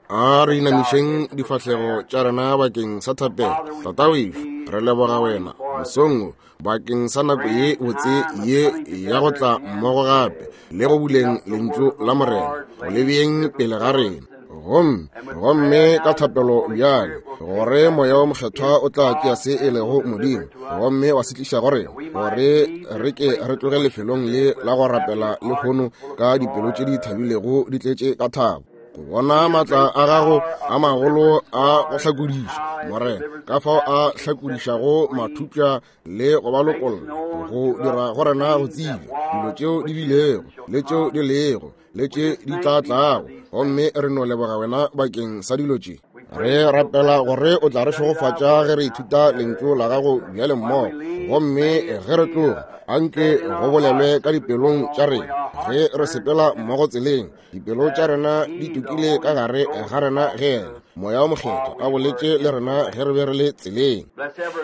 A re inamišeng difahlego tša rena bakeng sa thapelo. Tatawešu, re leboga wena mosong wo bakeng sa nako ye botse ye ya go tla mmogo gape le go buleng lentšu la Morena go le beeng pele ga rena. Gomme, gomme ka thapelo bjale gore Moya wo Mokgethwa o tla tšea se e lego Modimo gomme wa se tliša go rena, gore re ke re tloge lefelong le la go rapela lehono ka dipelo tše di thabilego di tletše ka thabo, go bona maatla a gago a magolo a go hlakodiša, Morena, ka fao a hlakodišago mathupša le go ba lokolla, go dira go rena go tsebja dilo tšeo di bilego le tšeo di lego le tše di tla tlago. Gomme re no leboga wena bakeng sa dilo tše. Re rapela gore o tla re šegofatša ge re ithuta lentšu la gago bjale mmogo, gomme ge re tloga anke go bolelwe ka dipelong tša rena ge re sepela mmogo tseleng. Dipelo tša rena di tukile ka gare ga rena ge yena Moya wo Mokgethwa a boletše le rena ge re be re le tseleng.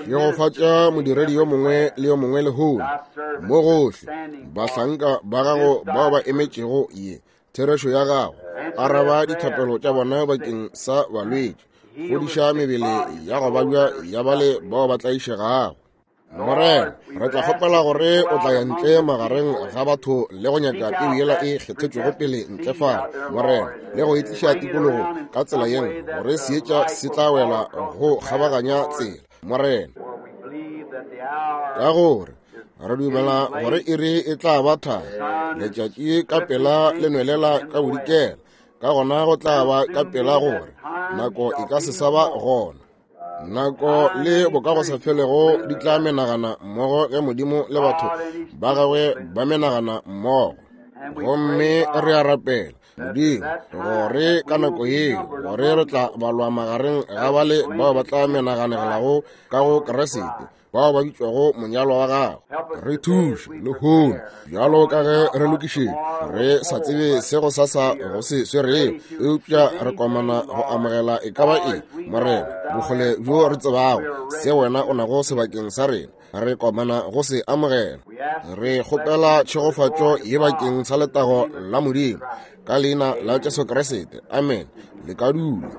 Šegofatša modiredi yo mongwe le yo mongwe lehono mo gohle, bahlanka ba gago bao ba emetšego ye therešo ya gago. Araba dithapelo tša bona bakeng sa balwetši, fodiša mebele ya go babja ya bale bao ba tlaišegago. Morena, re tla kgopela gore o tla ya ntle magareng ga batho le go nyaka peu yela e kgethetšwego pele ntle fale, Morena, le go e tliša tikologo ka tsela ye nngwe, gore seetša se tla wela go kgabaganya tsela, Morena. Ka gore re dumela gore iri e tla ba thari, letšatši ka pela le nwelela ka bodikela, ka gona go tla ba ka pela gore nako e ka se sa ba gona. Nako le bokagosafelego di tla menagana mmogo ge Modimo le batho ba gagwe ba menagana mmogo. Gomme re a rapela, Modimo, gore ka nako yeo gore re tla balwa magareng ga bale bao ba tla menaganegelago ka go Kriste, bao ba bitšwago monyalwa wa gago. Re thuše lehono bjalo ka ge re lokišetša, re sa tsebe se go sasa go se swerego, eupša re komana go amogela e ka ba eng, Morena, bokgole bjo re tsebago se wena o nago sebakeng sa rena, re komana go se amogela. Re kgopela tšhegofatšo ye bakeng sa letago la Modimo, ka leina la Jesu Kriste, amen. Le ka dula.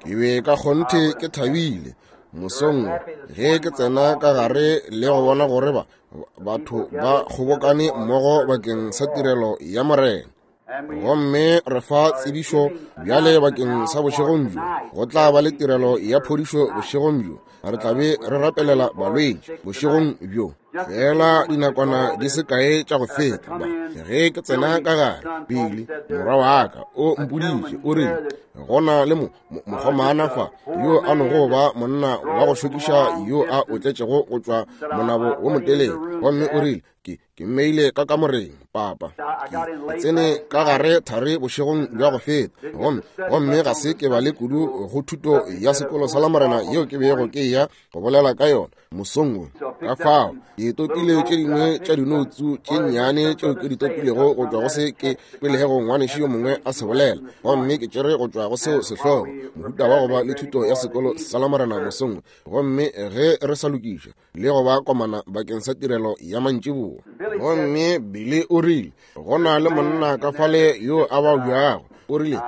Ke be ka kgonthe ke thabile mosong ge ke tsena ka gare le go bona gore ba batho ba kgobokane mmogo bakeng sa tirelo ya Morena. Gomme re fa tsebišo bjale bakeng sa bošegong bjo, go tla ba le tirelo ya phodišo bošegong bjo. Re tla be re rapelela balwetši bošegong bjo. Fela dinakwana di se kae tša go feta, ba ge ke tsena ka gare, Billy morwa wa ka o mpoditše, o rile go na le mokgomana fa yo a nogo ba monna wa go šokiša yo a otletšego go tšwa monabo wo motelele, gomme o rile ke mmeile ka kamoreng, papa. Ke tsene ka gare thari bošegong bja go feta, gomme ga se ke bale kudu go thuto ya sekolo sa Lamorena yeo ke bego ke ya go bolela ka yona mosong wo. Ka fao ke topile tše dingwe tša dinoutsu tše nnyane tšeo ke di topilego go tšwa go se ke kwelego ngwanešu yo mongwe a se bolela, gomme ke tšere go tšwa go seo sehlogo, mohuta wa go ba le thuto ya sekolo sa Lamorena mosong wo, gomme ge re sa lokiša le go ba komana bakeng sa tirelo ya mantšiboa. Gomme Billy o rile go na le monna ka fale yo a babjago, o rile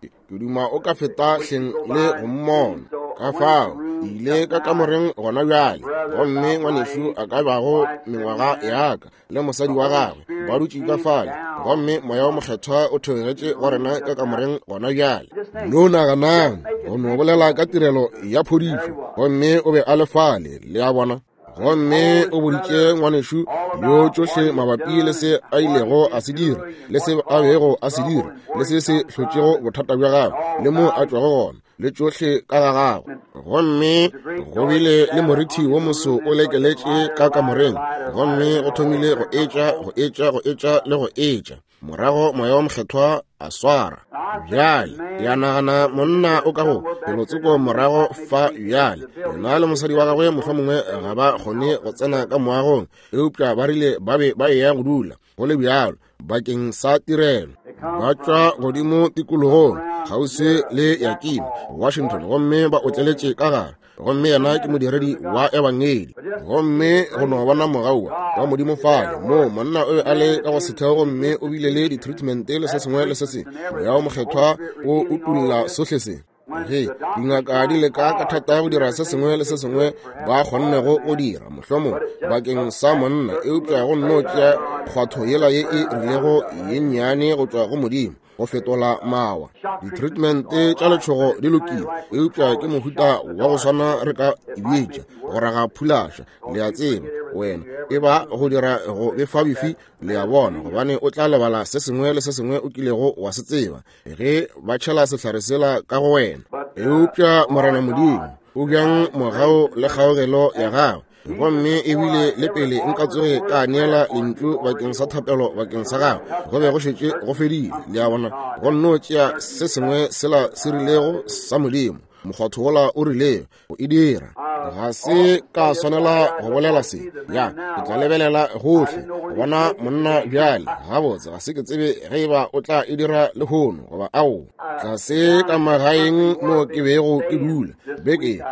ke duma o ka feta hleng le go mmona. Ka fao ke ile ka kamoreng gona bjale, gomme ngwanešu a ka bago mengwaga ya ka le mosadi wa gagwe ba dutše ka fale, gomme Moya wo Mokgethwa o theogetše go rena ka kamoreng gona bjale. No naganang go no bolela ka tirelo ya phodišo, gomme o be a le fale, le a bona. Gomme o boditše ngwanešu yo tšohle mabapi le se a ilego a se dira, le se a bego a se dira, le se se hlotšego bothata bja gagwe, le moo a tšwago gona, le tšohle ka ga gagwe. Gomme go bile le morithi wo moso o lekeletše ka kamoreng, gomme go thomile go etša, go etša, go etša le go etša. Morago Moya wo Mokgethwa a swara. Bjale, ke a nagana monna o ka go felotsoko morago fa bjale. Yena le mosadi wa gagwe mohlomongwe ga ba kgone go tsena ka moagong, eupša ba rile ba be ba eya go dula go le bjalo bakeng sa tirelo. Ba tšwa godimo tikologong kgauswi le Yakima, Washington, gomme ba otleletše ka gare. Gomme yena ke modiredi wa Ebangedi. Gomme go no bona mogau wa Modimo fale, moo monna o be a le ka go setheo gomme o bile le ditreatmente le se sengwe le se sengwe. Moya wo Mokgethwa o utolla sohle se. Ge dingaka di leka ka thata go dira se sengwe le se sengwe ba kgonnego go dira, mohlomong bakeng sa monna, eupša go nno tšea kgwatho yela ye e rilego ye nnyane go tšwa go Modimo go fetola mawa. Ditreatmente tša letšhogo di lokile, eupša ke mohuta wa go swana re ka e bitša go raga phulaša, le a tseba, wena e ba go dira go befabefi, le a bona, gobane o tla lebala se sengwe le se sengwe o kilego wa se tseba ge ba tšhela sehlare sela ka go wena. Eupša Morena Modimo o bjang mogau le kgaogelo ya gagwe, gomme ebile le pele nka tsoge ka neela lentšu bakeng sa thapelo bakeng sa gagwe, go be go šetše go fedile. Le a bona, go nno tšea se sengwe sela se rilego sa Modimo, mokgwatho wola o rilego go e dira. Ga se ka swanela go bolela se. Ya, ke tla lebelela gohle go bona monna bjale. Gabotse, ga se ke tsebe ge eba o tla e dira lehono goba aowa. Tlase ka magaeng mo ke bego ke dula beke,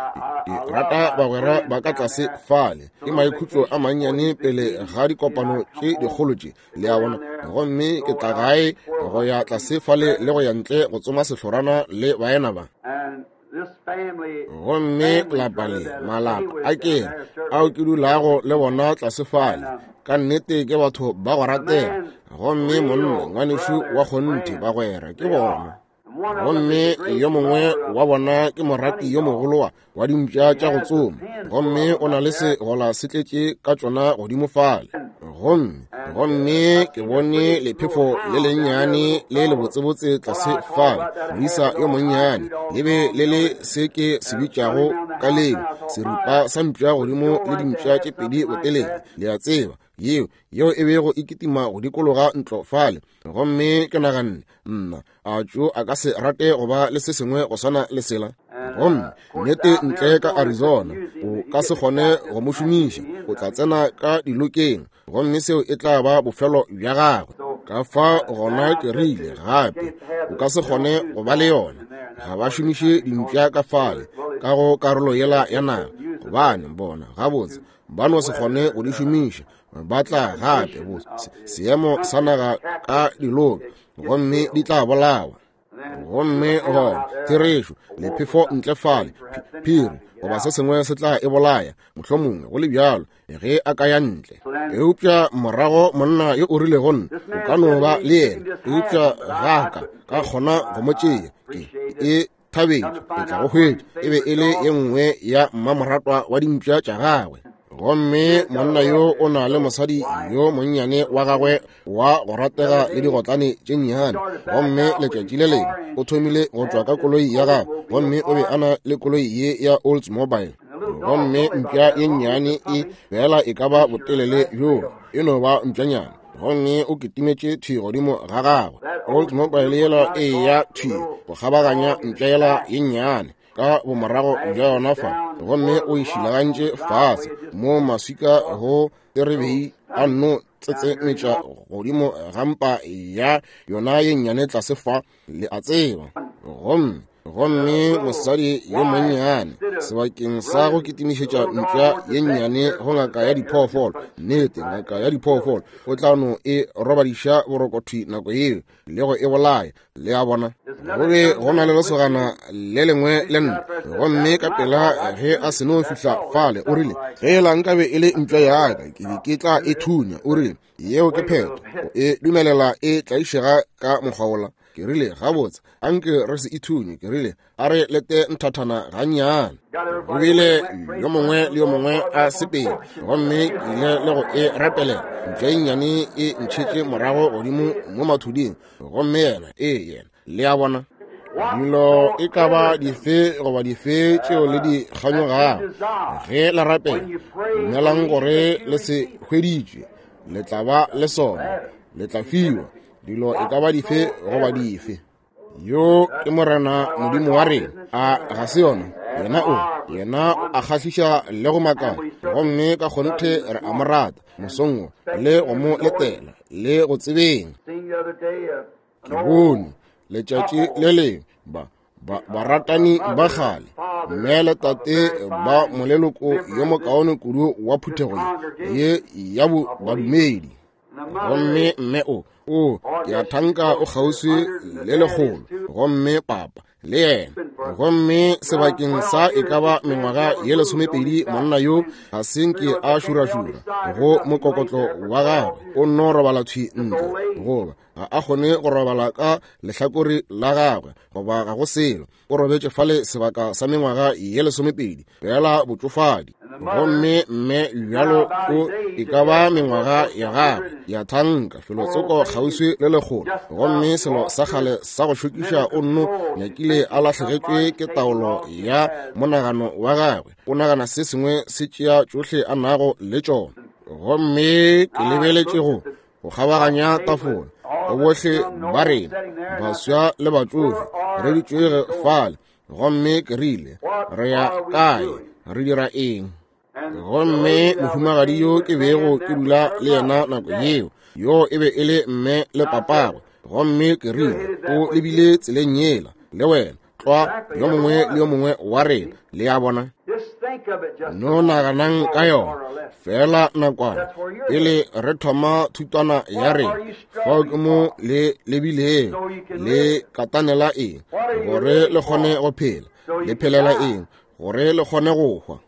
ke rata bagwera ba ka tlase fale. Ke maikhutšo a mannyane pele ga dikopano tše dikgolo tše, le a bona. Gomme ke tla gae go ya tlase fale le go ya ntle go tsoma sehlorana le baena ba. Gomme lapa le, malapa a ke ao ke dulago le bona tlase fale, ka nnete ke batho ba go ratega. Gomme monna ngwanešu wa kgonthe, bagwera ke bona. Gomme yo mongwe wa bona ke morati yo mogolo wa dimpša tša go tsoma, gomme o na le segola se tletše ka tšona godimo fale. Gomme gomme ke bone lephefo le lennyane le lebotsebotse tlase fale, moisa yo monnyane, le be le le se ke se bitšago ka leo seripa sa mpša godimo le dimpša tše pedi botelele, le a tseba, yeo yeo e bego e kitima go dikologa ntlo fale. Gomme ke naganne, nna, a tšo a ka se rate go ba le se sengwe go swana le sela? Gomme nnete ntle ka Arizona o ka se kgone go mo šomiša, o tla tsena ka dilokeng, gomme seo e tla ba bofelo bja gagwe. Ka fa gona ke rile gape o ka se kgone go ba le yona. Ga ba šomiše dimpša ka fale ka go karolo yela ya naga, gobane bona gabotse ba no se kgone go di šomiša. Ba tla gape bo seemo sa naga ka diloka, gomme di tla bolawa. Gomme gona therešo, lephefo ntle fale, phiri goba se sengwe se tla e bolaya, mohlomongwe go le bjalo, ge a ka ya ntle. Eupša morago monna yo o rile go nna, o ka no ba le yena, eupša ga ka ka kgona go mo tšea. Ke e thabetše, ke tla go hwetša. E be e le ye nngwe ya mmamoratwa wa dimpša tša gagwe. Gomme monna yo o na le mosadi yo monnyane wa gagwe wa go ratega le digotlane tše nnyane. Gomme letšatši le lengwe o thomile go tšwa ka koloi ya gagwe, gomme o be a na le koloi ye ya Oldsmobile. Gomme mpša ye nnyane e fela e ka ba botelele bjo, e no ba mpšanyana. Gomme o kitimetše thwi godimo ga gagwe. Oldsmobile yela e ya thwi go kgabaganya mpša yela ye nnyane ka bomorago bja yona fa, gomme o e šilagantše fase mo maswika go terebei a nno tsetsemetša godimo ga mpa ya yona ye nnyane tlase fa, le a tseba. Gomme gomme mosadi yo monnyane sebakeng sa go kitimišetša mpša ye nnyane go ngaka ya diphoofolo, nnete ngaka ya diphoofolo o tla no e robadiša borokothwi nako yeo le go e bolaya, le a bona. Go be go na le lesogana le lengwe le nna, gomme ka pela ge a seno fihla fale o rile, ge la nkabe e le mpša ya ka ke be ke tla e thunya. O rile, yeo ke phetho, o e dumelela e tlaišega ka mokgwa wola. Ke rile, gabotse, anke re se e thunye. Ke rile, a re lete nthathana gannyane. Go bile yo mongwe le yo mongwe a sepele, gomme ke ile le go e rapelela. Mpša e nnyane e ntšhetše morago godimo mo mathuding, gomme yena, ee, yena, le a bona. Dilo e ka ba dife goba dife tšeo le di kganyogago, ge le rapela, dumelang gore le se hweditše, le tla ba le sona, le tla fiwa. Dilo e ka ba dife goba dife. Yo ke Morena Modimo wa rena, a ga se yona? Yena o, yena o a kgahliša le go makala, gomme ka kgonthe re a mo rata mosong wo, le go mo letela le go tsebeng. Ke bone letšatši le lengwe ba Baratani ba kgale, mme le tate ba moleloko yo mokaone kudu wa phuthego ye ya badumedi. Gomme mme o, ke a thanka o kgauswi le lekgolo, gomme papa le yena. Gomme sebakeng sa e ka ba mengwaga ye 12, monna yo ga se nke a šurašura go mokokotlo wa gagwe, o nno robala thwi ntle, goba ga a kgone go robala ka lehlakore la gagwe, goba ga go selo. O robetše fale sebaka sa mengwaga ye 12, fela botšofadi. Gomme mme bjalo o e ka ba mengwaga ya gagwe ya thanka felotsoko kgauswi le lekgolo. Gomme selo sa kgale sa go šokiša, o nno nyakile a lahlegetšwe ke taolo ya monagano wa gagwe. O nagana se sengwe se tšea tšohle a nago le tšona. Gomme ke lebeletše go kgabaganya tafola go bohle ba rena, baswa le batšofe, re dutšwege fale. Gomme ke rile, re ya kae? Re dira eng? Gomme mohumagadi yo ke bego ke dula le yena nako yeo, yo e be e le mme le papagwe. Gomme ke rile, o lebile tseleng yela le wena, tlwa yo mongwe le yo mongwe wa rena. Le a bona? No naganang ka yona fela nakwana pele re thoma thutwana ya rena. Fao ke mo le lebilego, le katanela eng gore le kgone go phela? Le phelela eng gore le kgone go hwa?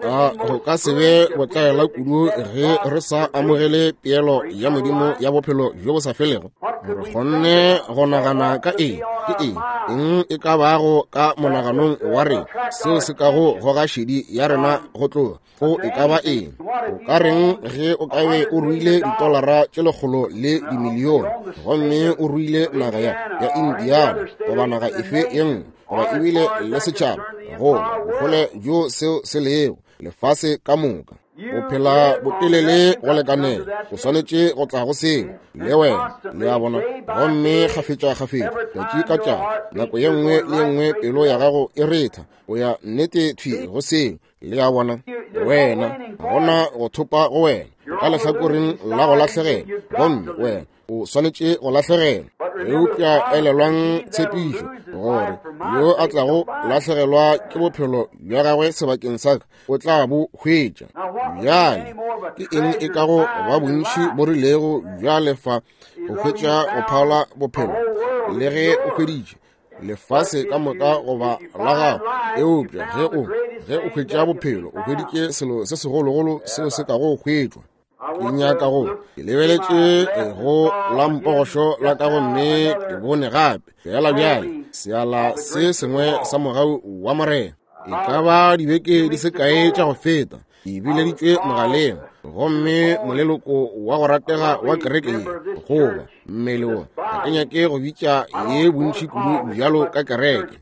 A go ka se be botlaela kudu ge re sa amogele peelo ya Modimo ya bophelo bjo bo sa felego? Re kgonne go nagana ka eng? Ke eng eng e ka bago ka monaganong wa rena seo se kago goga šedi ya rena go tloga go e ka ba eng? O ka reng ge o ka be o ruile ditolara tše 100 le dimilione, gomme o ruile naga ya Indiana goba naga efe ye nngwe, goba ebile le setšhaba, goba bokgole bjo seo se lego, lefase ka moka? O phela botelele go lekanela, o swanetše go tla go seo le wena. Le a bona? Gomme kgafetša-kgafetša, tšatši ka tšatši, nako ye nngwe le ye nngwe pelo ya gago e retha, o ya nnete thwi go seo. Le a bona? Wena, ga gona go thopa go wena ka lehlakoreng la go lahlegela, gomme wena o swanetše go lahlegelwa. Eupša elelwang tshepišo, gore yo a tlago lahlegelwa ke bophelo bja gagwe sebakeng sa ka o tla bo hwetša. Bjale ke eng e kago ba bontši bo rilego bja lefa go hwetša go phala bophelo, le ge o hweditše lefase ka moka goba la gago? Eupša ge o hwetša bophelo, o hweditše selo se segologolo seo se kago hwetšwa. Ke nyaka go ke lebeletše go la mpogošo la ka, gomme ke bone gape fela bjale seala se sengwe sa mogau wa Morena. E ka ba dibeke di se kae tša go feta, ke bileditšwe mogaleng, gomme moleloko wa go ratega wa kereke ye, goba mmele wo, ga ke nyake go bitša ye bontši kudu bjalo ka kereke,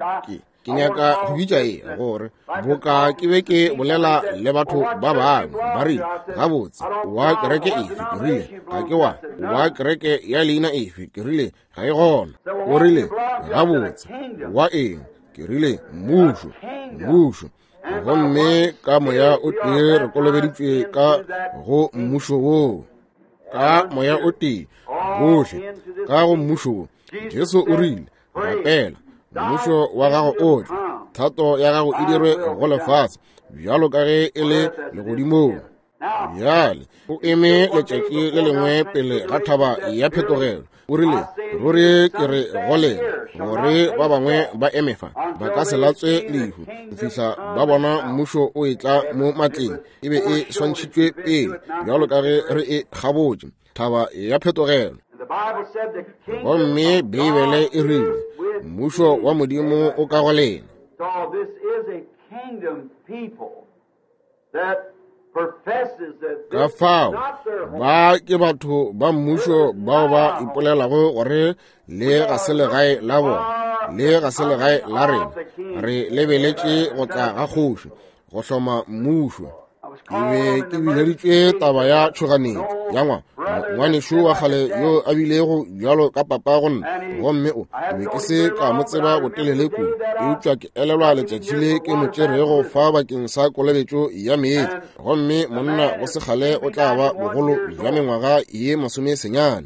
ke nyaka go bitša ye gore boka ke be ke bolela le batho ba bangwe, ba rile, gabotse, wa kereke efe? Ke rile, ga ke wa kereke ya leina efe? Ke rile, ga e gona. O rile, gabotse, wa eng? Ke rile, mmušo, mmušo. Gomme ka moya o tee re kolobeditšwe ka go mmušo woo, ka moya o tee bohle ka go mmušo wo. Jesu o rile, rapela, mmušo wa gago o tle, thato ya gago e dirwe go lefase bjalo ka ge e le legodimong. Bjale o eme letšatši le lengwe pele ga thaba ya phetogelo, o rile, ruri ke re go lena, gore ba bangwe ba eme fa ba ka se latswe lehu go fihla ba bona mmušo o etla mo matleng. E be e swantšhitšwe pele bjalo ka ge re e kgabotše, thaba ya phetogelo. Gomme Beibele e rile, mmušo wa Modimo o ka go lena. Ka fao ba ke batho ba mmušo bao ba ipolelago gore le ga se legae la bona, le ga se legae la rena. Re lebeletše go tla ga kgoši go hloma mmušo. Ke be ke bileditšwe taba ya tšhoganetšo ya ngwanešo wa kgale yo a bilego bjalo ka papa go nna, gomme o be ke se ka mo tseba botelele kudu, eupša ke elelwa letšatši le ke mo tšerego fa bakeng sa kolobetšo ya meetse, gomme monna go sekgale o tla ba bogolo bja mengwaga ye 90.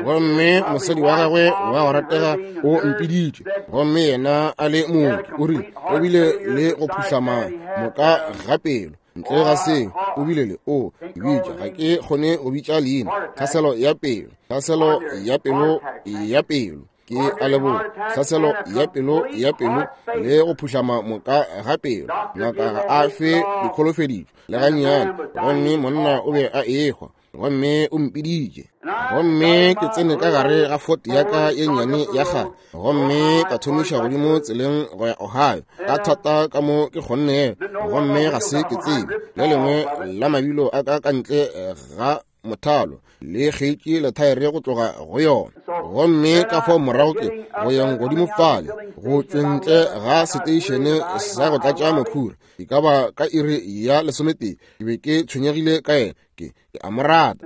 Gomme mosadi wa gagwe wa go ratega o mpiditše, gomme yena a le mooki, o rile o bile le go phuhlama moka ga pelo. Ntle ga seo, o bile le o bitša, ga ke kgone go bitša leina, tlhaselo ya pelo, tlhaselo ya pelo ya pelo. Ke a leboga. Tlhaselo ya pelo ya pelo le go phuhlama moka ga pelo. Ngaka ga a fe dikholofeditšo le gannyane. Gomme monna o be a ehwa, gomme o mpiditše. Gomme ke tsene ka gare ga Ford ya ka ye nnyane ya kgale, gomme ka thomiša godimo tseleng go ya Ohio ka thata ka mo ke kgonnego. Gomme ga se ke tsebe le lengwe la mabilo a ka ka ntle ga mothalo le kgeitše lethaere go tloga go yona. Gomme ka fao morago ke go yeng godimo fale go tšweng ntle ga seteišene sa go tlatša mokhura, e ka ba ka iri ya 11, ke be ke tshwenyegile ka yena. Ke a mo rata.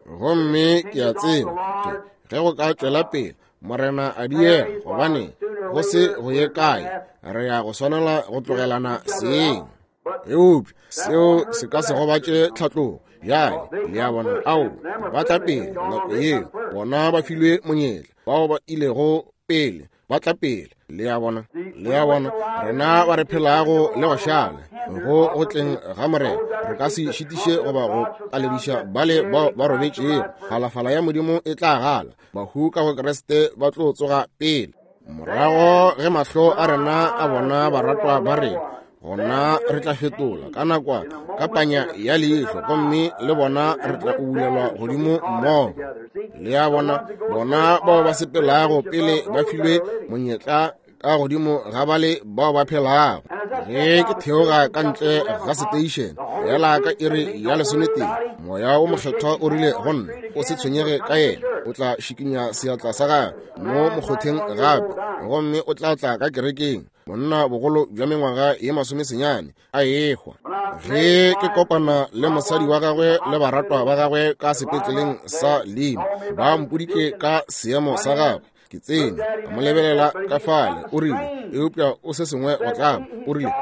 Gomme ke a tseba ge go ka tšwela pele Morena a diega, gobane go se go ye kae re ya go swanela go tlogelana seng. Eupša seo se ka se gobatše tlhatlogo. Bjale le a bona, ao ba tla pele nako yeo, bona ba filwe monyetla, bao ba ilego pele ba tla pele. Le a bona, le a bona, rena ba re phelago le go šala go go tleng ga Morena, re ka se šitiše goba go palediša bale bao ba robetšego. Phalafala ya Modimo e tla gala, bahu ka go Kriste ba tlo tsoga pele. Morago ge mahlo a rena a bona baratwa ba rena, gona re tla fetola ka nakwana ka panya ya leihlo, gomme le bona re tla ubulelwa godimo mmogo. Le a bona, bona bao ba sepelago pele ba filwe monyetla ka godimo ga bale bao ba phelago. Ge ke theoga ka ntle ga seteišene yela ka iri ya 11, Moya o Mokgethwa o rile go nna, o se tshwenyege ka yena, o tla šikinya seatla sa gagwe mo mokgotheng gape, gomme o tla tla ka kerekeng. Monna bogolo bja mengwaga ye 90 a ehwa. Ge ke kopana le mosadi wa gagwe le baratwa ba gagwe ka sepetleleng sa Lima, ba mpoditše ka seemo sa gagwe. Ke tsene ka mo lebelela ka fale, o rile, eupša o se sengwe go tlaba. O rile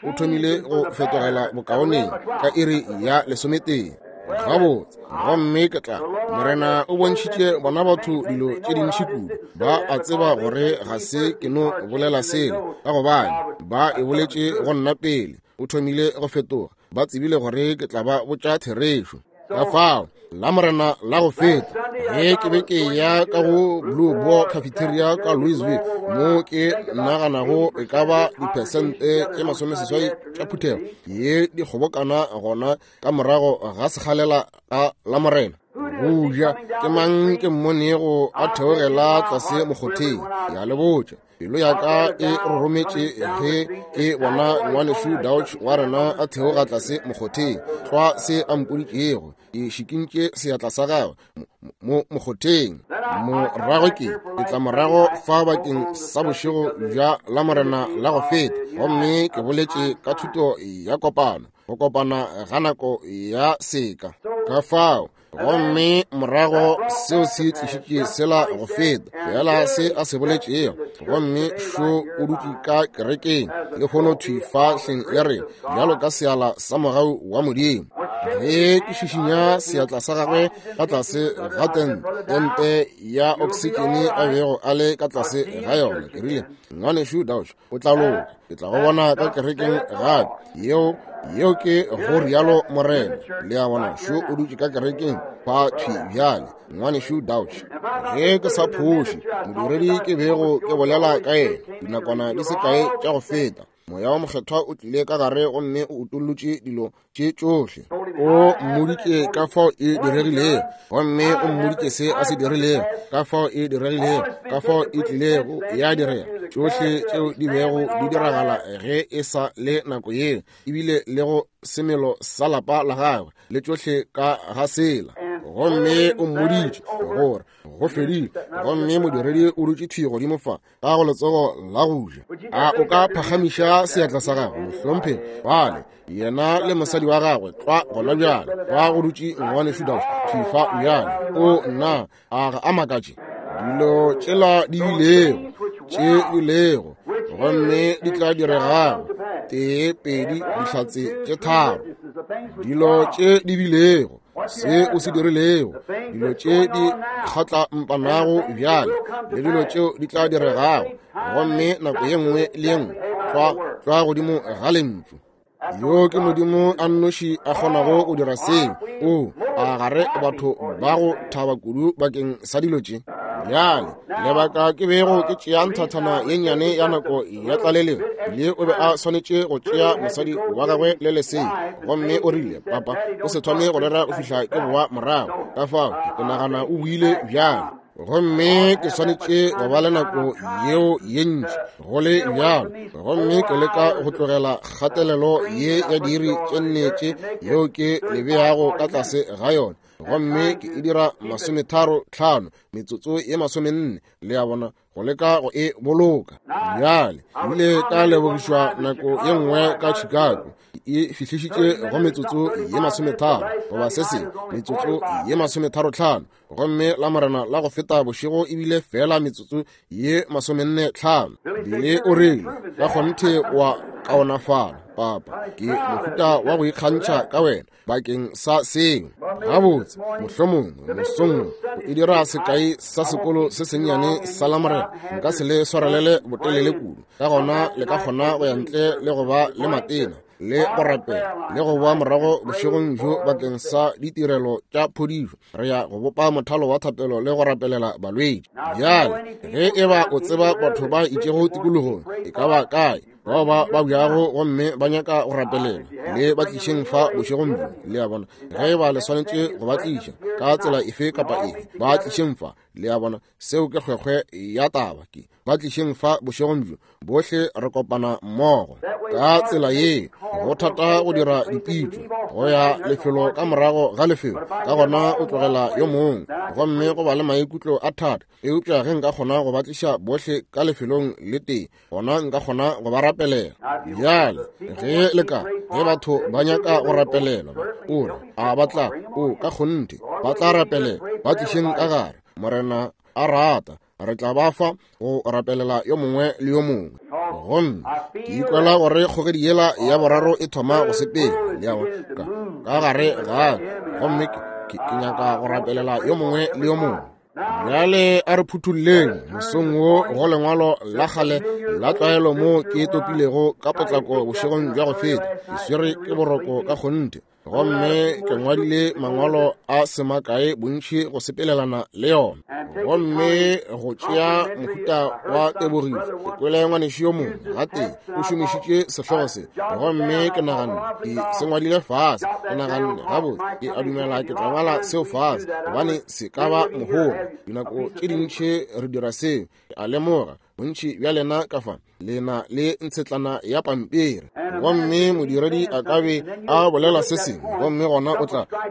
o thomile go fetogela bokaoneng ka iri ya 11. Gabotse, gomme ke tla Morena o bontšhitše bona batho dilo tše dintši kudu. Ba a tseba gore ga se ke no bolela selo, ka gobane ba e boletše go nna pele. O thomile go fetoga, ba tsebile gore ke tla ba botša therešo. Ka fao la Morena la go feta, ge ke be ke ya ka go Blue Boar Cafeteria ka Louisville, mo ke naganago e ka ba diphesente tše 80 tša phuthego ye di kgobokana gona ka morago ga sekgalela ka la Morena go ja, ke mang ke mmonego a theogela tlase mokgotheng? Ya le botša, pelo ya ka e rorometše ge ke bona ngwanešu Dauch wa rena a theoga tlase mokgotheng. Tlwa se a mpoditšego, ke šikintše seatla sa gagwe mo mokgotheng. Morago ke tla morago fa bakeng sa bošego bja la Morena la go feta, gomme ke boletše ka thuto ya kopano, go kopana ga nako ya seka. Ka fao gomme morago seo se tlišitše sela go feta fela se a se boletšego, gomme šo o dutše ka kerekeng le kgono thwi fa hleng le rena bjalo ka seala sa mogau wa Modimo. Ge ke šišinya seatla sa gagwe ka tlase ga tente ya oksitšene a bego a le ka tlase ga yona, ke rile, ngwanešu Dauch, o tla loka, ke tla go bona ka kerekeng gape. Yeo ke go rialo Morena. Le a bona, šo o dutše ka kerekeng fa thwi bjale, ngwanešu Dauch. Ge ke sa phoše, modiredi ke bego ke bolela ka yena dinakwana di se kae tša go feta, Moya wa Mokgethwa o tlile ka gare gomme o utollotše dilo tše tšohle. O mmoditše ka fao e diregilego, gomme o mmoditše se a se dirilego, ka fao e diregilego, ka fao e tlilego ya direga, tšohle tšeo di bego di diragala ge e sa le nako yeo, ebile le go semelo sa lapa la gagwe le tšohle ka ga sela. Gomme o mmoditše gore go fedile, gomme modiredi o dutše thwi godimo fa ka go letsogo la go ja. A o ka phagamiša seatla sa gago, mohlomphegi? Bale yena le mosadi wa gagwe tlwa gona bjale, ba go dutše ngwanešu Dauch thwi fa bjale. O nna, a ga a makatše? Dilo tšela di bilego, tše bilego, gomme di tla diregago, 1, 2, dihlatse tše 3. Dilo tše di bilego. Se o se dirilego, dilo tše di kgatlampanago bjale, le dilo tšeo di tla diregago, gomme nako ye nngwe le ye nngwe tlwa, tlwa godimo ga Lentšu. Yo ke Modimo a nnoši a kgonago go dira seo. O a gare batho ba go thaba kudu bakeng sa dilo tše. Bjale, lebaka ke bego ke tšea nthathana ye nnyane ya nako ya tlaleletšo, le o be a swanetše go tšea mosadi wa gagwe le lesea, gomme o rile, Papa, o se thome go rera go fihla ke boa morago. Ka fao, ke nagana o buile bjalo. Gomme ke swanetše go ba le nako yeo ye ntši go le bjalo, gomme ke leka go tlogela kgatelelo ye ya diiri tše nne tše yeo ke le beago ka tlase ga yona, gomme ke e dira 35, metsotso ye 40, le a bona, go leka go e boloka. Bjale, ebile ka lebogišwa nako ye nngwe ka Chicago, e fihlišitše go metsotso ye 30 goba se sengwe, metsotso ye 35, gomme la Morena la go feta bošego ebile fela metsotso ye 45. Bile o rile, ka kgonthe wa kaonafala, papa, ke mohuta wa go ikgantšha ka wena bakeng sa seo. Gabotse, mohlomongwe mosong wo o e dira sekai sa sekolo se sennyane sa Lamorena, nka se le swarelele botelele kudu, ka gona le ka kgona go ya ntle le go ba le matena le go rapela le go boa morago bošegong bjo bakeng sa ditirelo tša phodišo. Re ya go bopa mothalo wa thapelo le go rapelela balwetši. Bjale, ge e ba o tseba batho ba itšego tikologong, e ka ba kae, bao ba babjago gomme ba nyaka go rapelela, le ba tlišeng fa bošegong bjo. Le a bona? Ge e ba le swanetše go ba tliša ka tsela efe kapa efe, ba tlišeng fa. Le a bona? Seo ke kgwekgwe ya taba, ke ba tlišeng fa bošegong bjo. Bohle re kopana mmogo ka tsela ye. Go thata go dira dipitšo go ya lefelo ka morago ga lefelo, ka gona o tlogela yo mongwe gomme go ba le maikutlo a thata. Eupša ge nka kgona go ba tliša bohle ka lefelong le tee, gona nka kgona go ba rapelela. Bjale ge le ka, ge batho ba nyaka go rapelelwa, o re, a ba tla, o ka kgonthe ba tla rapelela, ba tlišeng ka gare. Morena a rata, re tla ba fa go rapelela yo mongwe le yo mongwe. Gomme ke ikwela gore kgogedi yela ya boraro e thoma go sepela, le a bona, ka gare ga, gomme ke nyaka go rapelela yo mongwe le yo mongwe. Bjale a re phuthulleng mosong wo go lengwalo la kgale la tlwaelo mo ke topilego ka potlako bošegong bja go feta. Ke swere ke boroko ka kgonthe, gomme ke ngwadile mangwalo a se makae bontši go sepelelana le yona, gomme go tšea mohuta wa tebogišo. Ke kwele ngwanešu yo mongwe gatee o šomišitše sehlogo se, gomme ke naganne ke se ngwadile fase. Ke naganne, gabotse, ke a dumela ke tla ngwala seo fase, gobane se ka ba mohola. Dinako tše dintši re dira seo. Ke a lemoga bontši bja lena ka fa le na le ntshetlana ya pampiri, gomme modiredi a ka be a bolela se sengwe, gomme gona o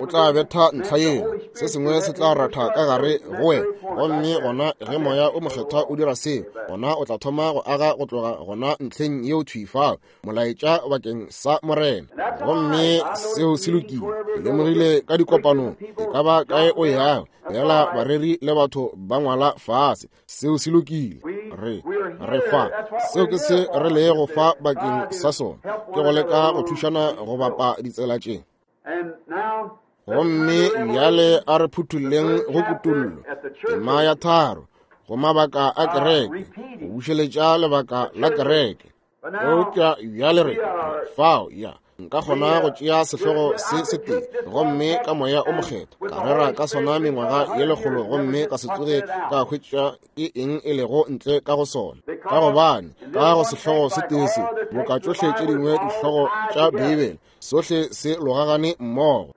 tla betha ntlha yeo, se sengwe se tla ratha ka gare go wena, gomme gona ge Moya o Mokgethwa o dira seo, gona o tla thoma go aga go tloga gona ntlheng yeo thwi fao, molaetša bakeng sa Morena. Gomme seo se lokile. Ke lemogile ka dikopanong, e ka ba kae o yago, fela bareri le batho ba ngwala fase. Seo se lokile. Re fa. Seo ke se re lego fa bakeng sa sona, ke go leka go thušana go bapa ditsela tše. Gomme bjale a re phuthulleng go Kutollo, tema ya 3, go mabaka a kereke, go bušeletša lebaka la kereke. Eupša bjale re fao, ya, nka kgona go tšea sehlogo se setee gomme ka Moya o Mokgethwa ka rera ka sona mengwaga ye 100, gomme ka se tsoge ka hwetša ke eng e lego ntle ka go sona, ka gobane ka go sehlogo se tee se, boka tšohle tše dingwe dihlogo tša Beibele, sohle se logagane mmogo.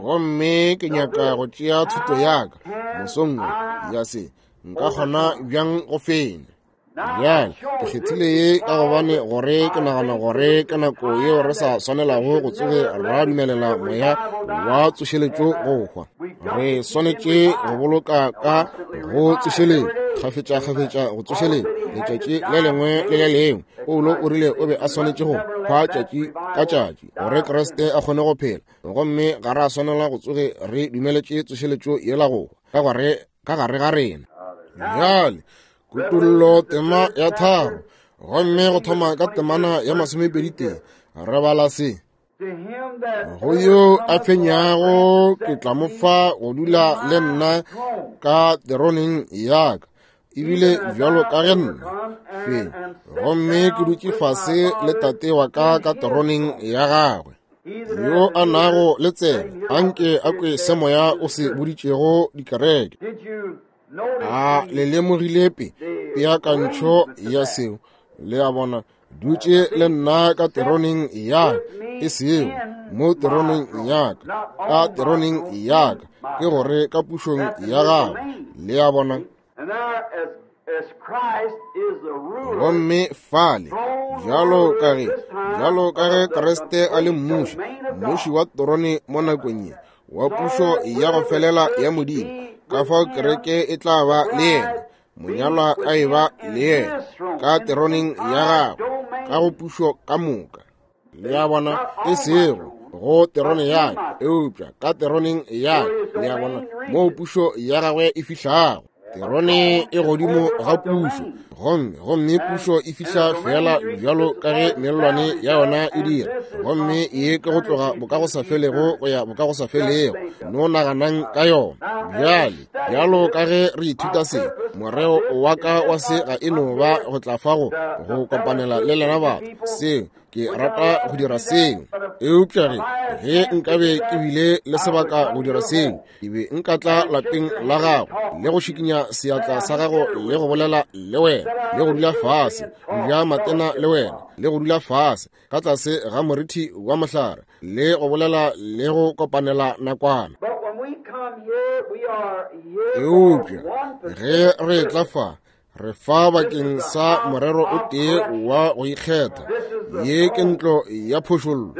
Gomme ke nyaka go tšea thuto ya ka mosong wo ya se, nka kgona bjang go fenya. Bjale ke kgethile ye ka gobane gore ke nagana gore ke nako yeo re sa swanelago go tsoge ra dumelela moya wa tsošeletšo go hwa. Re swanetše go boloka ka go tsošeletšo kgafetša-kgafetša, go tsošeletšo letšatši le lengwe le le lengwe. Paulo o rile o be a swanetše go hwa tšatši ka tšatši gore Kriste a kgone go phela, gomme ga ra swanela go tsoge re dumeletše tsošeletšo yela go hwa ka gare ga rena. Bjale Kutollo tema ya 3, gomme go thoma ka temana ya 21, re bala se. Go yo a fenyago ke tla mo fa go dula le nna ka teroneng ya ka, ebile bjalo ka ge nna fenya gomme ke dutše fase le tate wa ka ka teroneng ya gagwe. Yo a nago le tsebe, anke a kwe se moya o se boditšego dikereke. A le lemogile pe peakantšho ya seo? Le a bona, dutše le nna ka teroneng ya e sego mo teroneng ya ka, ka teroneng ya ka, ke gore ka pušong ya gagwe. Le a bona? Gomme fale, bjalo ka ge, bjalo ka ge Kriste a le mmuši, mmuši wa terone mo nakong ye, wa pušo ya go felela ya Modimo, ka fao kereke e tla ba le yena, monyalwa a e ba le yena ka teroneng ya gagwe, ka go pušo ka moka. Le a bona? E sego go terone ya ka, eupša ka teroneng ya ka. Le a bona? Moo pušo ya gagwe e fihlago. Terone e godimo ga pušo, gomme, gomme pušo e fihla feela bjalo ka ge mellwane ya yona e dira, gomme ye ke go tloga bokagosafelego go ya bokagosafelego. No naganang ka yona bjale. Bjalo ka ge re ithuta se, moreo wa ka wa se ga e no ba go tla fa go, go kopanela le lena batho. Seo, ke rata go dira seo. Eupša ge, ge nkabe ke bile le sebaka go dira seo, ke be nka tla lapeng la gago le go šikinya seatla sa gago le go bolela le wena, le go dula fase, go ja matena le wena, le go dula fase ka tlase ga morithi wa mohlare le go bolela le go kopanela nakwana. Eupša ge re tla fa, re fa bakeng sa morero o tee wa go ikgetha. Ye ke ntlo ya phošollo,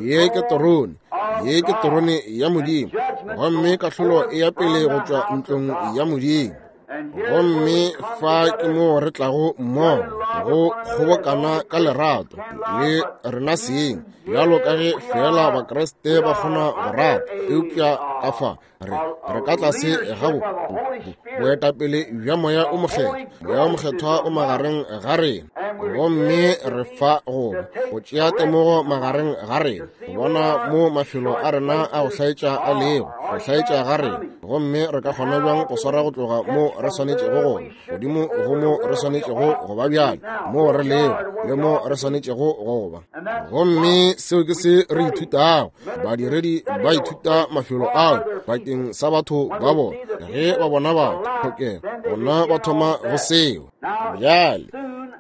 ye ke terone, ye ke terone ya Modimo, gomme kahlolo e ya pele go tšwa ntlong ya Modimo. Gomme fa ke moo re tlago mmogo go kgobokana ka lerato le rena seng, bjalo ka ge feela Bakriste ba kgona go rata, eupša ka fa re, re ka tlase ga bo, bo, boetapele bja Moya o Mokgethwa. Moya o Mokgethwa o magareng ga rena, gomme re fa go go tšea temogo magareng ga rena, go bona mo mafelo a rena a go hlaetša a lego, go hlaetša ga rena, gomme re ka kgona bjang go swara go tloga mo re swanetšego gona godimo go mo re swanetšego go ba bjale, mo re lego le mo re swanetšego go ba. Gomme seo ke se re ithutago. Badiredi ba ithuta mafelo ao bakeng sa batho ba bona. Ge ba bona batho tlhokego, gona ba thoma go seo. Bjale,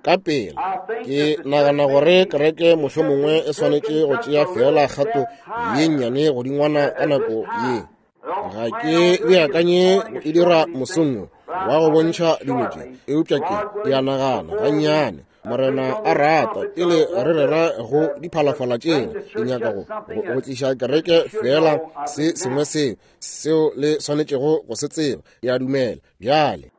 ka pela, ke nagana gore kereke mohlomongwe e swanetše go tšea feela kgato ye nnyane godingwana ka nako ye. Ga ke beakanye go e dira mosong wo wa go bontšha dilo tše, eupša ke, ke a nagana gannyane, Morena a rata, pele re rera go diphalafala tšela, ke nyaka go, go, go tliša kereke feela se sengwe seo, seo le swanetšego go se tseba. Ke a dumela bjale.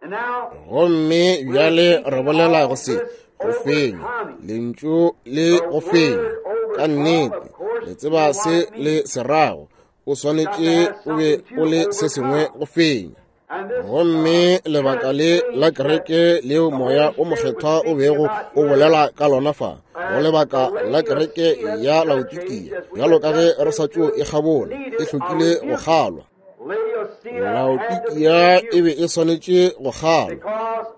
Gomme bjale re bolela go se, go fenya, lentšu le go fenya. Ka nnete, le tseba se le se rago. O swanetše o be o le se sengwe go fenya. Gomme lebaka le la kereke leo Moya o Mokgethwa o bego o bolela ka lona fa, go lebaka la kereke ya Laodikia, bjalo ka ge re sa tšo e kgabola, e hlokile go kgalwa. Laodikia e be e swanetše go kgalwa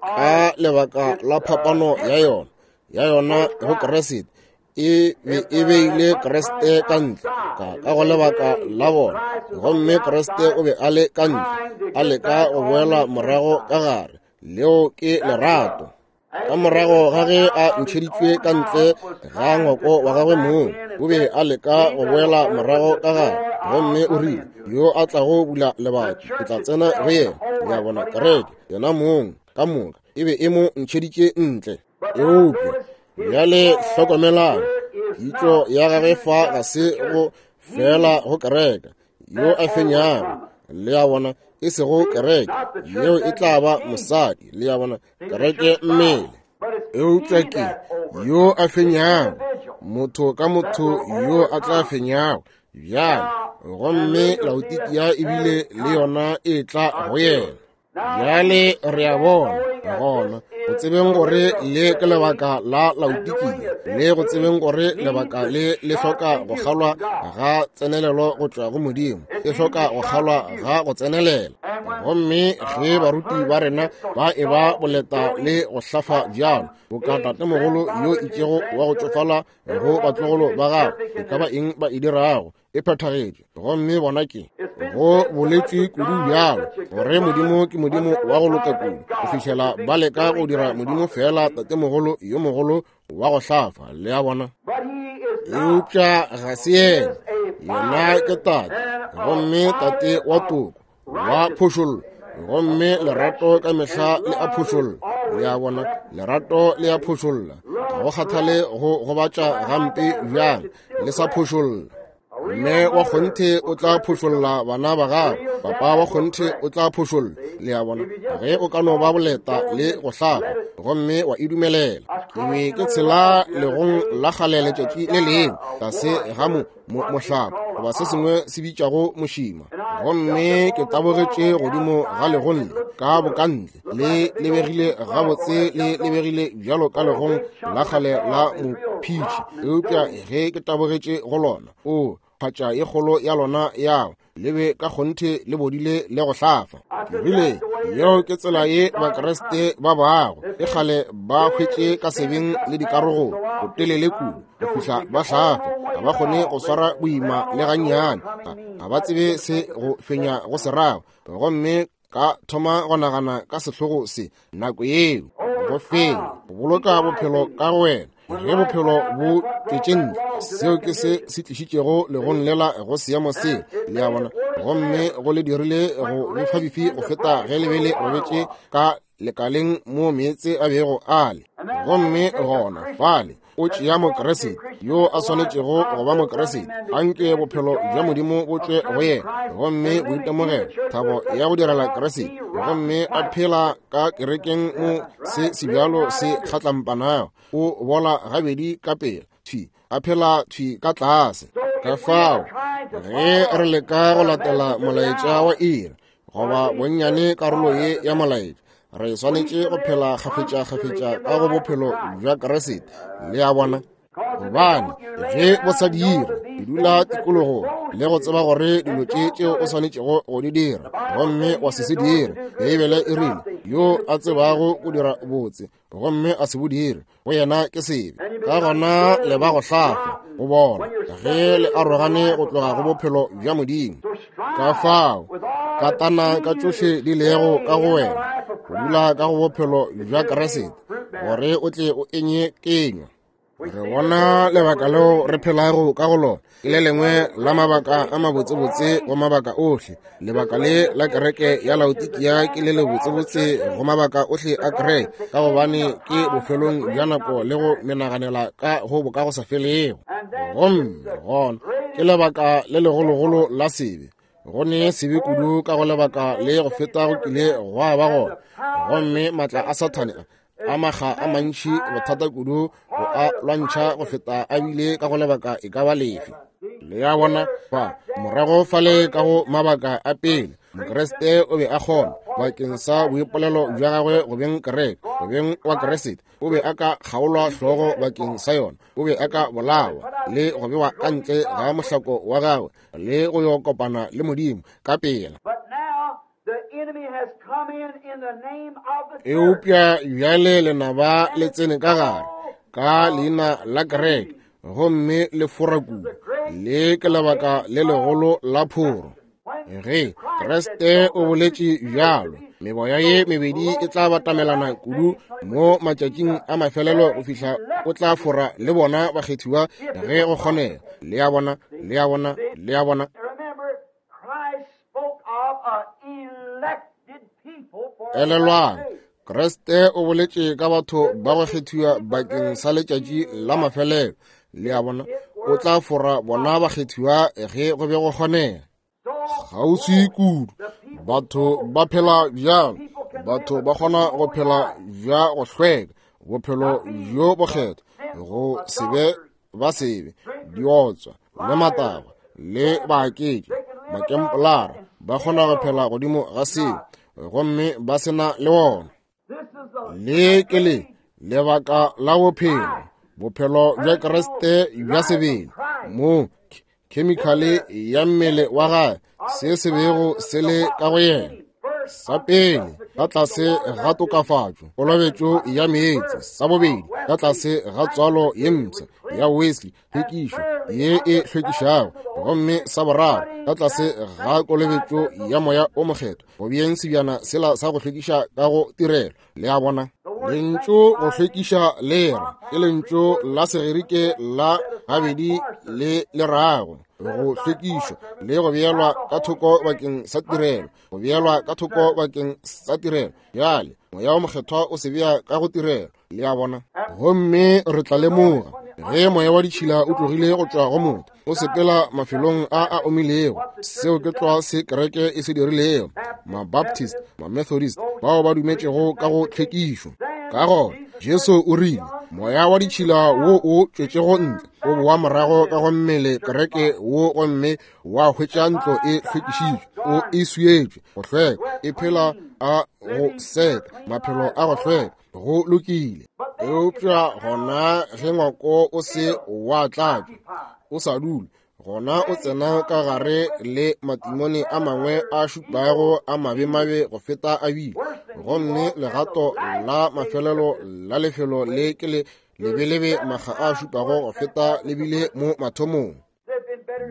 ka lebaka la phapano ya yona, ya yona go Kriste. E be e beile Kriste ka ntle ka, ka go lebaka la bona, gomme Kriste o be a le ka ntle a leka go boela morago ka gare. Leo ke lerato. Ka morago ga ge a ntšheditšwe ka ntle ga ngwako wa gagwe mong, o be a leka go boela morago ka gare, gomme o rile, yo a tlago bula lebati, ke tla tsena go yena. Le a bona, kereke yena mong ka moka e be e mo ntšheditše ntle. Eupša bjale hlokomelang, kitšo ya gagwe fa ga se go fela go kereke yo a fenyago, le a bona, e sego kereke yeo e tla ba mosadi, le a bona, kereke mmele. Eupša ke yo a fenyago, motho ka motho yo a tla fenyago bjale, gomme Laodikia ebile le yona e tla go yena. Bjale re a bona Gona go tsebeng gore le ke lebaka la Laodikia, le go tsebeng gore lebaka le le hloka go kgalwa ga tsenelelo go tšwa go Modimo, e hloka go kgalwa ga go tsenelela. Gomme ge baruti ba rena ba e ba boleta le go hlafa bjalo, boka tatemogolo yo itšego wa go tšofala go batlogolo ba gagwe, e ka ba eng ba e dirago e phethagetše. Gomme bona ke go boletšwe kudu bjalo gore Modimo ke Modimo wa go loka kudu, go fihlela ba leka go dira Modimo feela tatemogolo yo mogolo wa go hlafa. Le a bona? Eupša ga se yena. Yena ke Tate, gomme Tate wa toko, wa phošollo, gomme lerato ka mehla le a phošolla. Le a bona? Lerato le a phošolla. Ga go kgathale go gobatša gampe bjang, le sa phošolla. Mme wa kgonthe o tla phošolla bana ba gago, papa wa kgonthe o tla phošolla. Le a bona? Ge o ka no ba boleta le go hlafa gomme wa e dumelela. Ke be ke tshela legong la kgale letšatši le lengwe tlase ga mo, mo, mohlapa goba se sengwe se bitšwago mošima, gomme ke tabogetše godimo ga legong le ka bokantle, le lebegile gabotse, le lebegile bjalo ka legong la kgale la mophitši, eupša ge ke tabogetše go lona, o phatša ye kgolo ya lona ya le be ka kgonthe le bodile le go hlafa. Ke rile, yeo ke tsela ye Bakriste ba bago, e kgale ba hwetše ka sebeng le dikarogong botelele kudu go fihla ba hlafa, ga ba kgone go swara boima le gannyane, ga ba tsebe se go fenya go se rago. Gomme ka thoma go nagana ka sehlogo se nako yeo, go fenya, go boloka bophelo ka go wena. Ge bophelo bo tšwetše ntle, seo ke se se tlišitšego legong lela go seemo se, le a bona, gomme go le dirile go befabefi go feta ge le be le robetše ka lekaleng mo meetse a bego a le. Gomme gona fale o tšea Mokriste yo a swanetšego go ba Mokriste, anke bophelo bja Modimo bo tšwe go yena, gomme boitemogelo, thabo ya go direla Kriste, gomme a phela ka kerekeng mo se sebjalo se kgatlampanago, o bola gabedi ka pela, thwi a phela thwi ka tlase. Ka fao ge re leka go latela molaetša wa iri, goba bonnyane karolo ye ya molaetša, re swanetše go phela kgafetša-kgafetša ka go bophelo bja Kriste. Le a bona? Gobane ge bo sa dire, ke dula tikologong le go tseba gore dilo tše tšeo o swanetšego go di dira, gomme wa se se dire. Beibele e rile, yo a tsebago go dira botse gomme a se bo dire, go yena ke sebe. Ka gona le ba go hlafa go bona ge le arogane go tloga go bophelo bja Modimo. Ka fao katana ka tšohle di lego ka go wena go dula ka go bophelo bja Kriste, gore o tle o enye kenywa. Re bona lebaka leo re phelago ka go lona ke le lengwe la mabaka a mabotsebotse go mabaka ohle. Lebaka le la kereke ya Laodikia ke le lebotsebotse go mabaka ohle a kereke, ka gobane ke bofelong bja nako le go menaganela ka go boka go sa felego. Gomme gona ke lebaka le legologolo la sebe. Go ne sebe kudu ka go lebaka le go feta go kile gwa ba gona. Gomme maatla a Sathane a makga a mantši bothata kudu go a lwantšha go feta a bile ka go lebaka e ka ba lefe. Le a bona? Fa morago fale ka go mabaka a pele, Mokriste o be a kgona bakeng sa boipolelo bja gagwe go beng kereke, go beng wa Kriste, o be a ka kgaolwa hlogo bakeng sa yona, o be a ka bolawa le go bewa ka ntle ga mohlako wa gagwe le go yo kopana le Modimo ka pela. Eupša bjale lenaba le tsene ka gare ka leina la kereke gomme le fora kudu. Le ke lebaka le legolo la phoro. Ge Kriste o boletše bjalo, meboya ye mebedi e tla batamelana kudu mo matšatšing a mafelelo go fihla o tla fora le bona bakgethiwa ge go kgonega. Le a bona, le a bona, le a bona. Elelwang, Kriste o boletše ka batho ba go kgethiwa bakeng sa letšatši la mafelelo. Le a bona, o tla fora bona bakgethiwa ge go be go kgonega. Kgauswi kudu, batho ba phela bjalo, batho ba kgona go phela bja go hlweka, bophelo bjo bokgethwa, go se be ba sebe, diotswa le matagwa le baaketši, makempolara, ba kgona go phela godimo ga seo gomme ba se na le wona. Le ke le lebaka la bophelo, bophelo bja Kriste bja sebele, moo khemikhale ya mmele wa gagwe, se se bego se le ka go yena. Sa pele, ka tlase ga tokafatšo, kolobetšo ya meetse. Sa bobedi, ka tlase ga tswalo ye mpsha ya Wesley, tlhwekišo ye e hlwekišago. Gomme sa boraro, ka tlase ga kolobetšo ya Moya o Mokgethwa, go beeng sebjana sela sa go hlwekiša ka go tirelo. Le a bona? Lentšu go hlwekiša le re ke lentšu la Segerike la gabedi le le rago go hlwekišwa le go beelwa ka thoko bakeng sa tirelo, go beelwa ka thoko bakeng sa tirelo. Bjale Moya o Mokgethwa o se bea ka go tirelo. Le a bona? Gomme re tla lemoga ge moya wa ditšhila o tlogile go tšwa go motho, o sepela mafelong a a omilego. Seo ke tlwa se kereke e se dirilego, Mabaptist, Mamethodist, bao ba dumetšego ka go tlhwekišo. Ka gona Jesu o rile, moya wa ditšhila wo o tšwetšego ntle o boa morago ka go mmele kereke wo, gomme wa hwetša ntlo e hlwekišitšwe, o e swietšwe go hlweka, e phela a go seka, maphelo a go hlweka. Go lokile. Eupša gona ge ngwako o se wa tlatšwa, o sa dule, gona o tsena ka gare le matimone a mangwe a šupago a mabemabe go feta a bile. Gomme legato la mafelelo la lefelo le ke le lebelebe makga a šupago go feta le bile mo mathomong.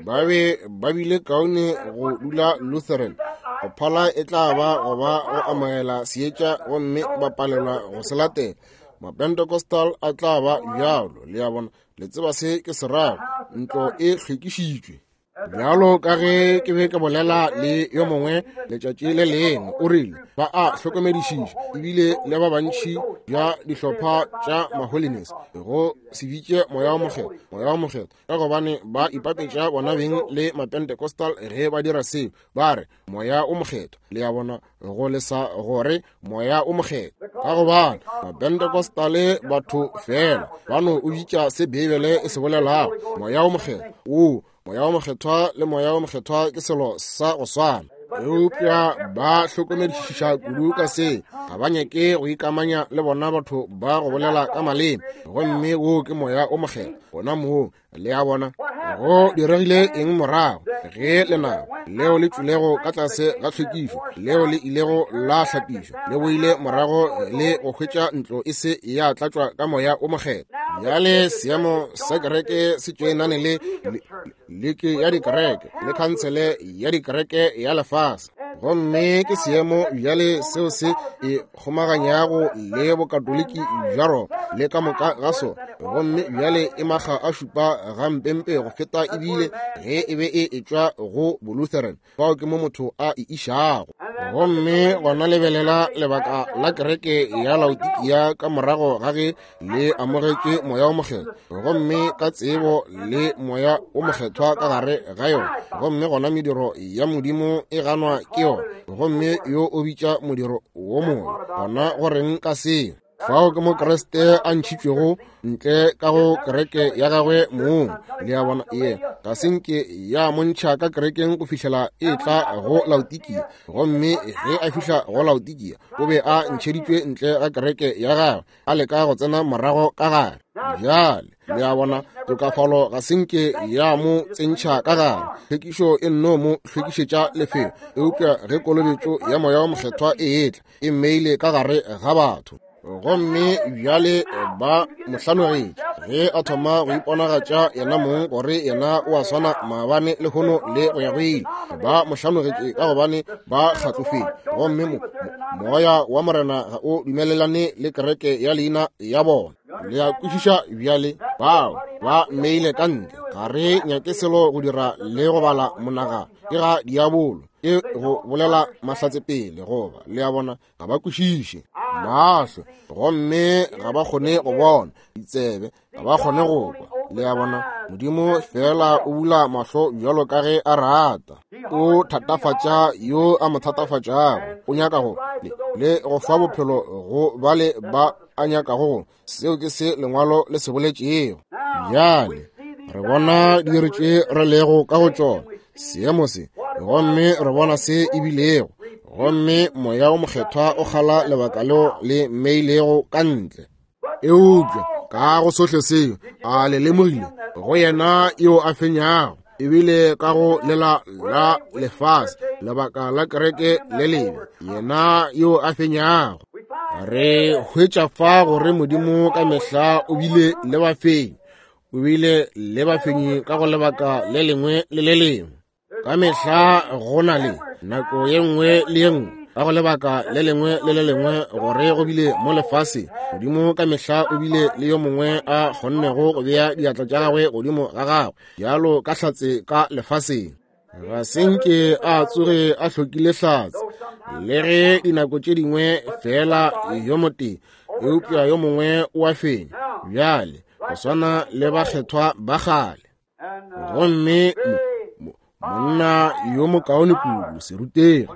Ba be ba bile kaone go dula Lutheran go phala e tla ba go ba go amogela seetša gomme ba palelwa go se latela. Mapentecostal a tla ba bjalo, le a bona. Le tseba se ke se rago, ntlo e hlwekišitšwe. Bjalo ka ge ke be ke bolela le yo mongwe letšatši le lengwe, o rile ba a hlokomedišiša ebile le ba bantši bja dihlopha tša ma-holiness go se bitše Moya wo Mokgethwa, Moya wo Mokgethwa, ka gobane ba ipapetša bona beng le Mapentecostal ge ba dira seo, ba re Moya o Mokgethwa. Le a bona, go lesa gore Moya o Mokgethwa, ka gobane Mapentecostale batho fela ba no o bitša se Beibele e se bolelago, Moya o Mokgethwa. O, Moya o Mokgethwa le Moya o Mokgethwa ke selo sa go swana. Eupša ba hlokomedišiša kudu ka se, ga ba nyake go ikamanya le bona batho ba go bolela ka maleme, gomme wo ke Moya o Mokgethwa gona moo. Le a bona? Go diregile eng morago ge lenaba leo le tšwilego ka tlase ga tlhwekišo, leo le ilego la hlapišwa, le boile morago le go hwetša ntlo e se ya tlatšwa ka Moya o Mokgethwa? Bjale seemo sa kereke se tšoenane le liki ya dikereke le khansele ya dikereke ya lefase, gomme ke seemo bjale seo se e kgomaganyago le bokatoliki bja Roma le ka moka ga sona, gomme bjale e makga a šupa gampempe go feta ebile ge e be e etšwa go Bolutheran. Fao ke mo motho a e išago. Gomme gona lebelela lebaka la kereke ya Laodikia ka morago ga ge le amogetše Moya o Mokgethwa, gomme ka tsebo le Moya o Mokgethwa ka gare ga yona, gomme gona mediro ya Modimo e ganwa ke yona, gomme yo o bitša modiro wo mongwe. Gona go reng ka seo? Fao ke mo Kriste a ntšhitšwego ntle ka go kereke ya gagwe mong. Le a bona? Ye ga se nke ya mo ntšha ka kerekeng go fihlela e tla go Laodikia. Gomme ge a fihla go Laodikia, o be a ntšheditšwe ntle ga kereke ya gagwe, a leka go tsena morago ka gare. Bjale, le a bona, tokafalo ga se nke ya mo tsentšha ka gare. Tlhwekišo e nno mo hlwekišetša lefelo. Eupša ge kolobetšo ya Moya wo Mokgethwa e etla, e mmeile ka gare ga batho. Gomme bjale ba mo hlanogetše ge a thoma go iponagatša yena mong gore yena o a swana maabane lehono le go ya go ile. Ba mo hlanogetše ka gobane ba kgatlofile, gomme moya wa Morena ga o dumelelane le kereke ya leina ya bona. Le a kwešiša bjale? Bao ba mmeile ka ntle. Ga re nyake selo go dira le go bala monagano, ke ga diabolo, ke go bolela mahlatsepele, goba le a bona, ga ba kwešiše. Mahlo, gomme ga ba kgone go bona, ditsebe, ga ba kgone go kwa. Le a bona, Modimo fela o bula mahlo bjalo ka ge a rata. O thatafatša yo a mo thatafatšago. O nyaka go le go fa bophelo go bale ba a nyakago go. Seo ke se Lengwalo le se boletšego. Bjale re bona diiri tše re lego ka go tšona, seemo se, gomme re bona se e bilego. Gomme Moya wo Mokgethwa o kgala lebaka leo le mmeilego ka ntle. Eupša ka go sohle seo, a le lemogile go yena yo a fenyago, ebile ka go lela la lefase, lebaka la kereke le lebe, yena yo a fenyago. Re hwetša fa gore Modimo ka mehla o bile le bafenyi, o bile le bafenyi ka go lebaka le lengwe le le lengwe. Ka mehla go na le nako ye nngwe le ye nngwe ka go lebaka le lengwe le le lengwe gore go bile mo lefaseng. Modimo ka mehla o bile le yo mongwe a kgonnego go bea diatla tša gagwe godimo ga gagwe bjalo ka hlatse ka lefaseng. Ga se nke a tsoge a hlokile hlatse, le ge dinako tše dingwe fela yo motee, eupša yo mongwe o a fenya. Bjale go swana le bakgethwa ba kgale. Gomme monna yo mokaone kudu, serutegi,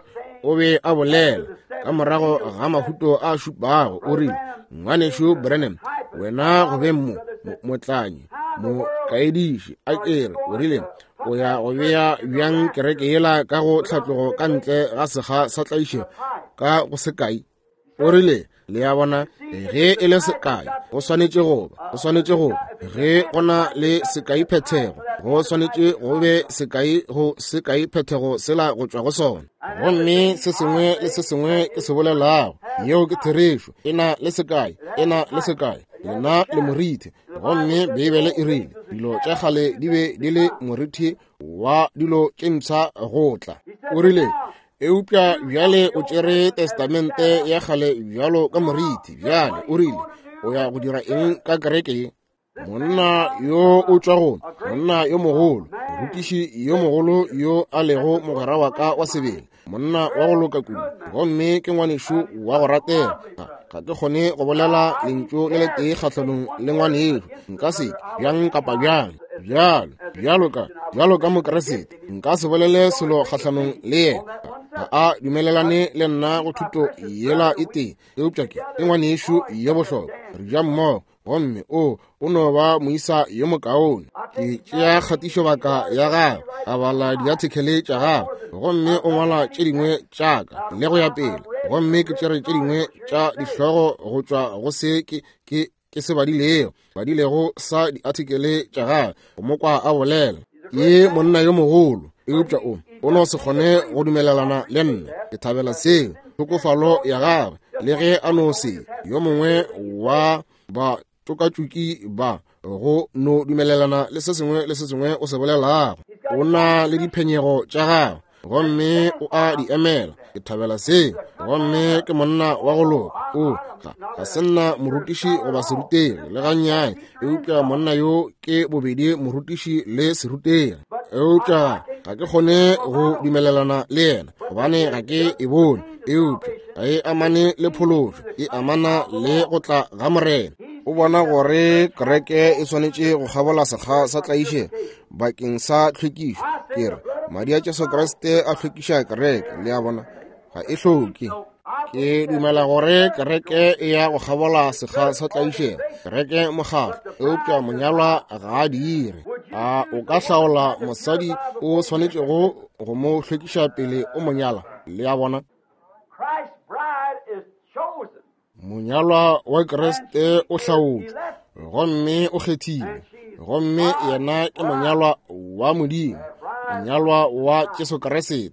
o be a bolela ka morago ga mahuto a šupago, o rile, Ngwanešu Branham, wena go beng motlanyi, mokaediši, a ke re, o rile, o ya go bea bjang kereke yela ka go tlhatlogo ka ntle ga sekga sa tlaišego ka go sekai? O rile, le a bona, ge e le sekai, go swanetše go ba, go swanetše go ba. Ge go na le sekai phethego, go swanetše go be sekai go sekai phethego sela go tšwa go sona. Gomme se sengwe le se sengwe ke se bolelago, yeo ke therešo, e na le sekai, e na le sekai, lena le morithi. Gomme Beibele e rile, dilo tša kgale di be di le morithi wa dilo tše mpsha go tla. O rile, eupša bjale o tšere testamente ya kgale bjalo ka moriti. Bjale o rile, o ya go dira eng ka kereke ye? Monna yo o tšwa go monna yo mogolo, morutiši yo mogolo yo a lego mogwera wa ka wa sebele, monna wa go loka kudu, gomme ke ngwanešu wa go ratega. Ga ke kgone go bolela lentšu le letee kgahlanong le ngwanešu, nka se bjang kapa bjang. Bjalo, bjalo ka, bjalo ka Mokriste, nka se bolele selo kgahlanong le yena. Ga a dumelelane le nna go thuto yela e tee, eupša ke, ke ngwanešu yo bohlokwa. Re ja mmogo, gomme o, o no ba moisa yo mokaone. Ke tšea kgatišobaka ya gagwe, a bala diathekele tša gagwe, gomme o ngwala tše dingwe tša ka, le go ya pele. Gomme ke tšere tše dingwe tša dihlogo go tšwa go se ke, ke, ke se badilego, badilego sa diathekele tša gagwe, go mo kwa a bolela. Ke monna yo mogolo, eupša o, o no se kgone go dumelelana le nna. Ke thabela seo, tlhokofalo ya gagwe, le ge a no se yo mongwe wa ba tšokatšoki ba go no dumelelana le se sengwe le se sengwe o se bolelago. O na le diphenyego tša gagwe, gomme o a di emela. Ke thabela seo. Gomme ke monna wa go loka. O, ga, ga se nna morutiši goba serutegi le gannyane, eupša monna yo ke bobedi morutiši le serutegi. Eupša ga ke kgone go dumelelana le yena, gobane ga ke e bone. Eupša ga e amane le phološo, e amana le go tla ga Morena. O bona gore kereke e swanetše go kgabola sekga sa tlaišego bakeng sa tlhwekišo. Ke re, madi a Jesu Kriste a hlwekiša kereke, le a bona, ga e hloke. Ke dumela gore kereke e ya go kgabola sekga sa tlaišego, kereke mokgatlo, eupša monyalwa ga a dire. A o ka hlaola mosadi o swanetšego go mo hlwekiša pele o mo nyala? Le a bona? Monyalwa wa Kriste o hlaotšwe gomme o kgethilwe, gomme yena ke monyalwa wa Modimo, monyalwa wa Jesu Kriste.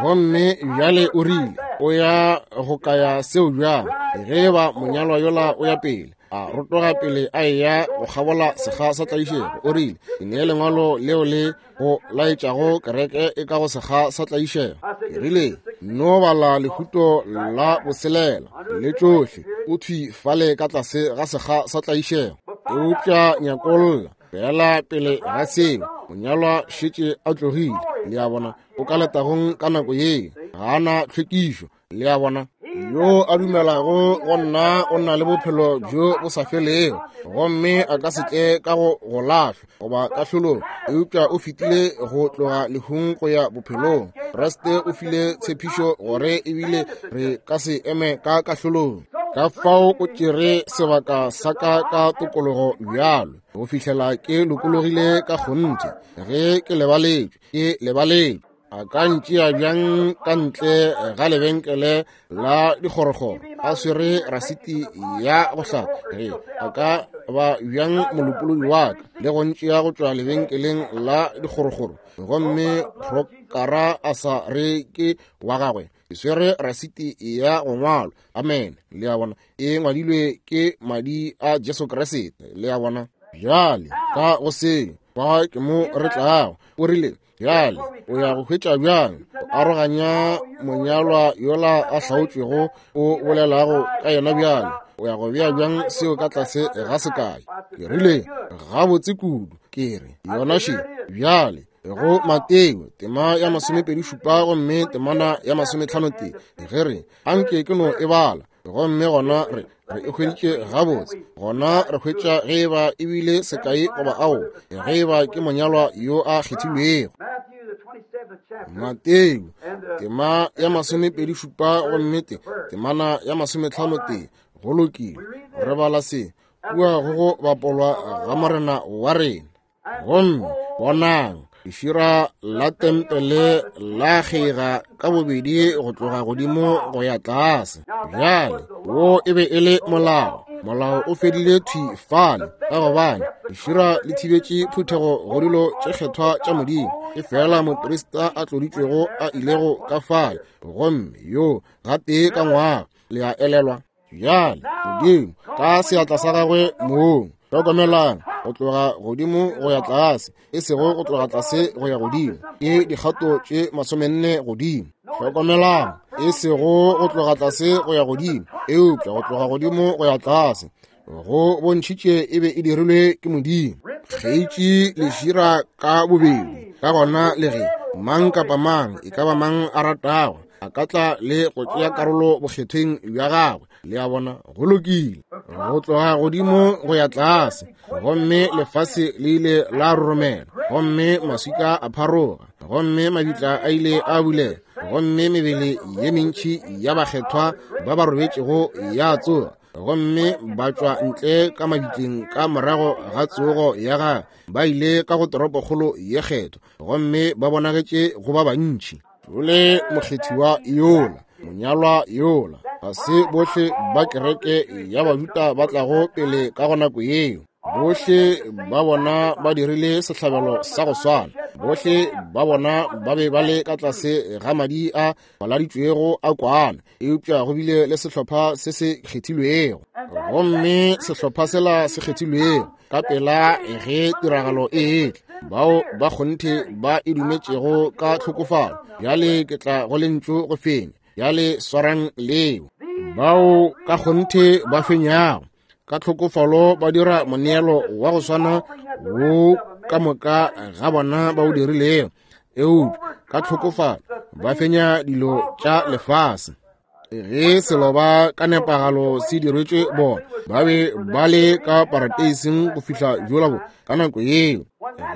Gomme bjale o rile, o ya go kaya seo bjang? Ge e ba monyalwa yola o ya pele, a rotoga pele a eya go kgabola sekga sa tlaišego, o rile, ke nee lengwalo leo le go laetšago kereke e ka go sekga sa tlaišego. Ke rile, no bala lehuto la boselela le tšohle, o thwi fale ka tlase ga sekga sa tlaišego. Eupša nyakolla fela pele ga seo, monyalwa šetše a tlogile. Le a bona, o ka letagong ka nako ye, ga a na tlhwekišo. Le a bona, yo a dumelago go nna o na le bophelo bjo bo sa felego, gomme a ka se tle ka go go lahlwa goba kahlolong, eupša o fetile go tloga lehung go ya bophelong. Kriste o file tshepišo gore ebile re ka se eme ka kahlolong. Ka fao o tšere sebaka sa ka ka tokologo bjalo, go fihlela ke lokologile ka kgonthe. Ge ke lebaletšwe, ke lebaletšwe. A ka ntšea bjang ka ntle ga lebenkele la dikgorokgoro a swere rasiti ya go hlapa? Ge a ka ba bjang molopolodi wa ka le go ntšea go tšwa lebenkeleng la dikgorokgoro gomme prokara a sa re ke wa gagwe? Ke swere rasiti ya go ngwalwa. Amen. Le a bona, e ngwadilwe ke madi a Jesu Kriste. Le a bona? Bjale ka go seo fa ke mo re tlago. O rile, Bjale o ya go hwetša bjang go aroganya monyalwa yola a hlaotšwego o bolelago ka yena? Bjale o ya go bea bjang seo ka tlase ga sekai? Ke rile, Gabotse kudu. Ke re, yona še. Bjale go Mateo tema ya 27 gomme temana ya 55, ge re anke ke no e bala, gomme gona re re e hweditše gabotse. Gona re hwetša ge e ba e bile sekai goba ao, ge e ba ke monyalwa yo a kgethilwego. Mateo tema ya 27 gomme te temana ya 55. Go lokile, re bala se kua go go bapolwa ga Morena wa rena. Gomme bonang, lešira la tempele la kgeiga ka bobedi go tloga godimo go ya tlase. Bjale wo e be e le molao. Molao o fedile thwi fale, ka gobane lešira le thibetše phuthego go dilo tše kgethwa tša Modimo. E fela moprista a tloditšwego a ilego ka fale, gomme yo gatee ka ngwaga. Le a elelwa? Bjale Modimo ka seatla sa gagwe mong, hlokomelang, go tloga godimo go ya tlase, e sego go tloga tlase go ya godimo, ke dikgato tše 40 godimo. Hlokomelang, e sego go tloga tlase go ya godimo, eupša go tloga godimo go ya tlase, go bontšhitše e be e dirilwe ke Modimo. Kgeitše lešira ka bobedi, ka gona le ge mang kapa mang e ka ba mang a ratago a ka tla le go tšea karolo bokgethweng bja gagwe. Le a bona? Go lokile. Go tloga godimo go ya tlase, gomme lefase le ile la roromela, gomme maswika a pharoga, gomme mabitla a ile a bulega, gomme mebele ye mentši ya bakgethwa ba ba robetšego ya tsoga, gomme ba tšwa ntle ka mabitleng ka morago ga tsogo ya gagwe, ba ile ka go toropokgolo ye kgethwa, gomme ba bonagetše go ba bantši. Jole mokgethiwa yola, monyalwa yola, ga se bohle ba kereke ya Bajuda ba tlago pele ka go nako yeo. Bohle ba bona ba dirile sehlabelo sa go swana. Bohle ba bona ba be ba le ka tlase ga madi a faladitšwego a kwana, eupša go bile le sehlopha se se kgethilwego. Gomme sehlopha sela se kgethilwego ka pela ge tiragalo e etla, bao ba kgonthe ba e dumetšego ka tlhokofalo. Bjale ke tla go lentšu go fenya. Bjale swarang leo. Bao ka kgonthe ba fenyago ka tlhokofalo ba dira moneelo wa go swana wo ka moka ga bona ba o dirilego, eupša ka tlhokofalo ba fenya dilo tša lefase. Ge seloba ka nepagalo se diretšwe bona, ba be ba le ka parateising go fihla jola bo ka nako yeo.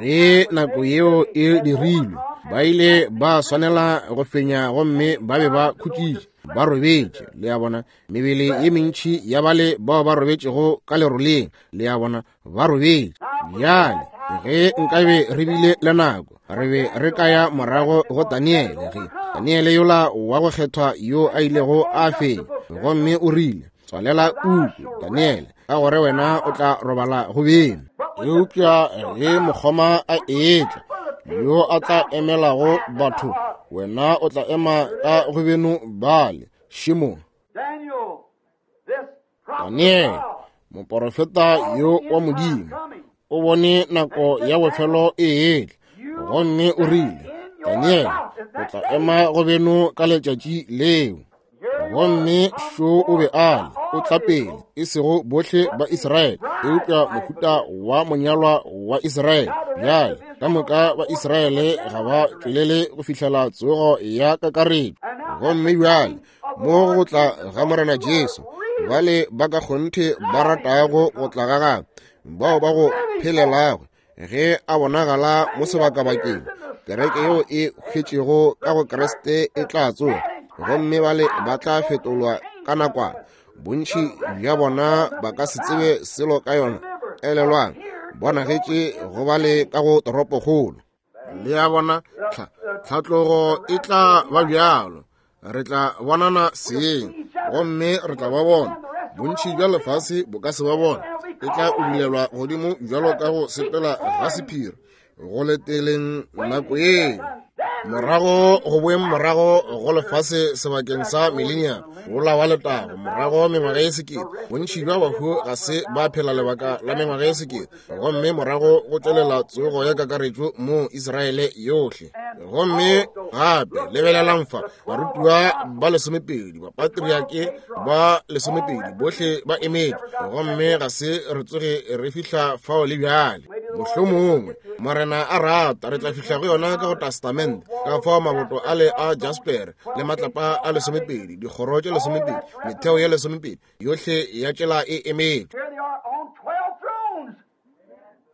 Ge nako yeo e dirilwe, ba ile ba swanela go fenya, gomme ba be ba khutšitše, ba robetše. Le a bona, mebele ye mentši ya bale bao ba robetšego ka leroleng, le a bona, ba robetše. Bjale ge nkabe re bile le nako, re be re ka ya morago go Daniele, ge Daniele yola wa go kgethwa yo a ilego a fenya, gomme o rile, Tswalela puku, Daniele, ka gore wena o tla robala go beng. Eupša ge mokgoma a etla, yo a tla emelago batho, wena o tla ema ka go beno bale. Šimo. Daniele, moporofeta yo wa Modimo, o bone nako ya bofelo e etla, gomme o rile, Daniele, o tla ema go beno ka letšatši leo. Gomme šo o be a le, o tla pele, e sego bohle ba Israele, eupša mohuta wa monyalwa wa Israele. Bjale, ka moka ba Israele ga ba tšwelele go fihlela tsogo ya kakaretšo. Gomme bjale, mo go tla ga Morena Jesu, bale ba ka kgonthe ba ratago go tla ga gagwe, bao ba go phelelago ge a bonagala mo sebakabakeng, kereke yeo e hwetšego ka go Kriste e tla tsoga, gomme bale ba tla fetolwa ka nakwana. Bontši bja bona ba ka se tsebe selo ka yona. Elelwang, bonagetše go bale ka go toropokgolo. Le a bona, tlhatlogo e tla ba bjalo. Re tla bonana seng, gomme re tla ba bona. Bontši bja lefase bo ka se ba bona. E tla ubulelwa godimo bjalo ka go sepela ga sephiri, go leteleng nako yeo. Morago go boeng morago go lefase sebakeng sa millennium, wola wa letago, morago mengwaga ye sekete. Bontši bja bahu ga se ba phela lebaka la mengwaga ye sekete, gomme morago go tšwelela tsogo ya kakaretšo mo Israele yohle. Gomme gape lebelelang fa, barutiwa ba lesomepedi, bapatriake ba lesomepedi, bohle ba emetše, gomme ga se re tsoge re fihla fao le bjale. Mohlomongwe Morena a rata re tla fihla go yona ka go testamente, ka fao maboto ale a jasper le matlapa a lesomepedi, dikgoro tše lesomepedi, metheo ye lesomepedi, yohle ya tšela e emetše.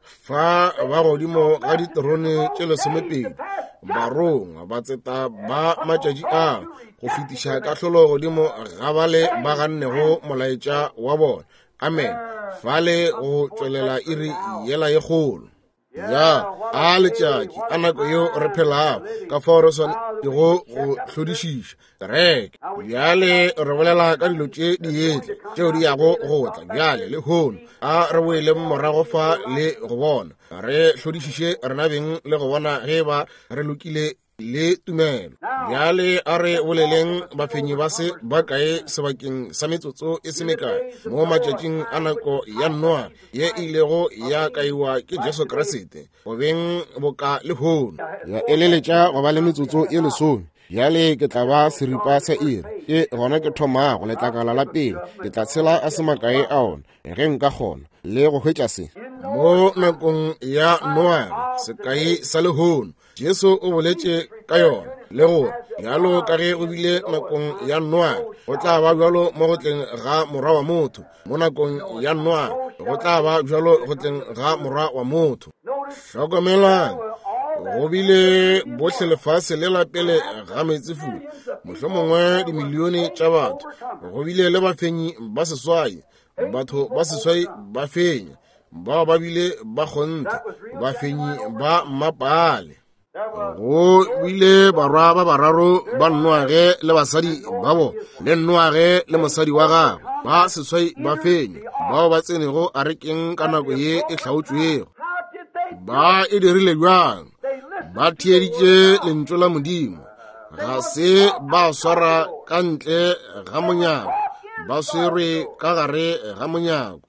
Fa ba godimo ga diterone tše lesomepedi, barongwa batseta ba matšatši a go fetiša kahlolo godimo ga bale ba gannego molaetša wa bona. Amen. Fale go tšwelela iri yela ye kgolo. Ya, a letšatši, a nako yeo re phelago, ka fao re swanetšego go hlodišiša kereke. Bjale re bolela ka dilo tše di etla, tšeo di yago go tla bjale lehono. A re boeleng morago fa le go bona, re hlodišiše rena beng le go bona ge ba re lokile le tumelo. Bjale a re boleleng bafenyi ba se ba kae sebakeng sa metsotso e se mekae mo matšatšing a nako ya Noa ye e ilego ya kaiwa ke Jesu Kriste go beng boka lehono. Ya eleletša go ba le metsotso ye lesome. Bjale ke tla ba seripa sa iri, ke gona ke thomago letlakala la pele. Ke tla tshela a se makae a ona ge nka kgona le go hwetša se. Mo nakong ya Noa, sekai sa lehono, Jesu o boletše ka yona, le gore bjalo ka ge go bile nakong ya Noa, go tla ba bjalo mo go tleng ga Morwa wa motho. Mo nakong ya Noa, go tla ba bjalo go tleng ga Morwa wa motho. Hlokomelang, go bile bohle lefase le la pele ga meetsefula, mohlomongwe dimilione tša batho. Go bile le bafenyi ba seswai, batho ba seswai ba fenya, bao ba bile ba kgonthe, bafenyi ba mmapale. Go bile barwa ba bararo ba Noage le basadi ba bona, le Noage le mosadi wa gagwe, ba seswai ba fenya, bao ba tsenego arekeng ka nako ye e hlaotšwego. Ba e dirile bjang? Ba theeditše lentšu la Modimo, ga se ba swara ka ntle ga monyako, ba swerwe ka gare ga monyako.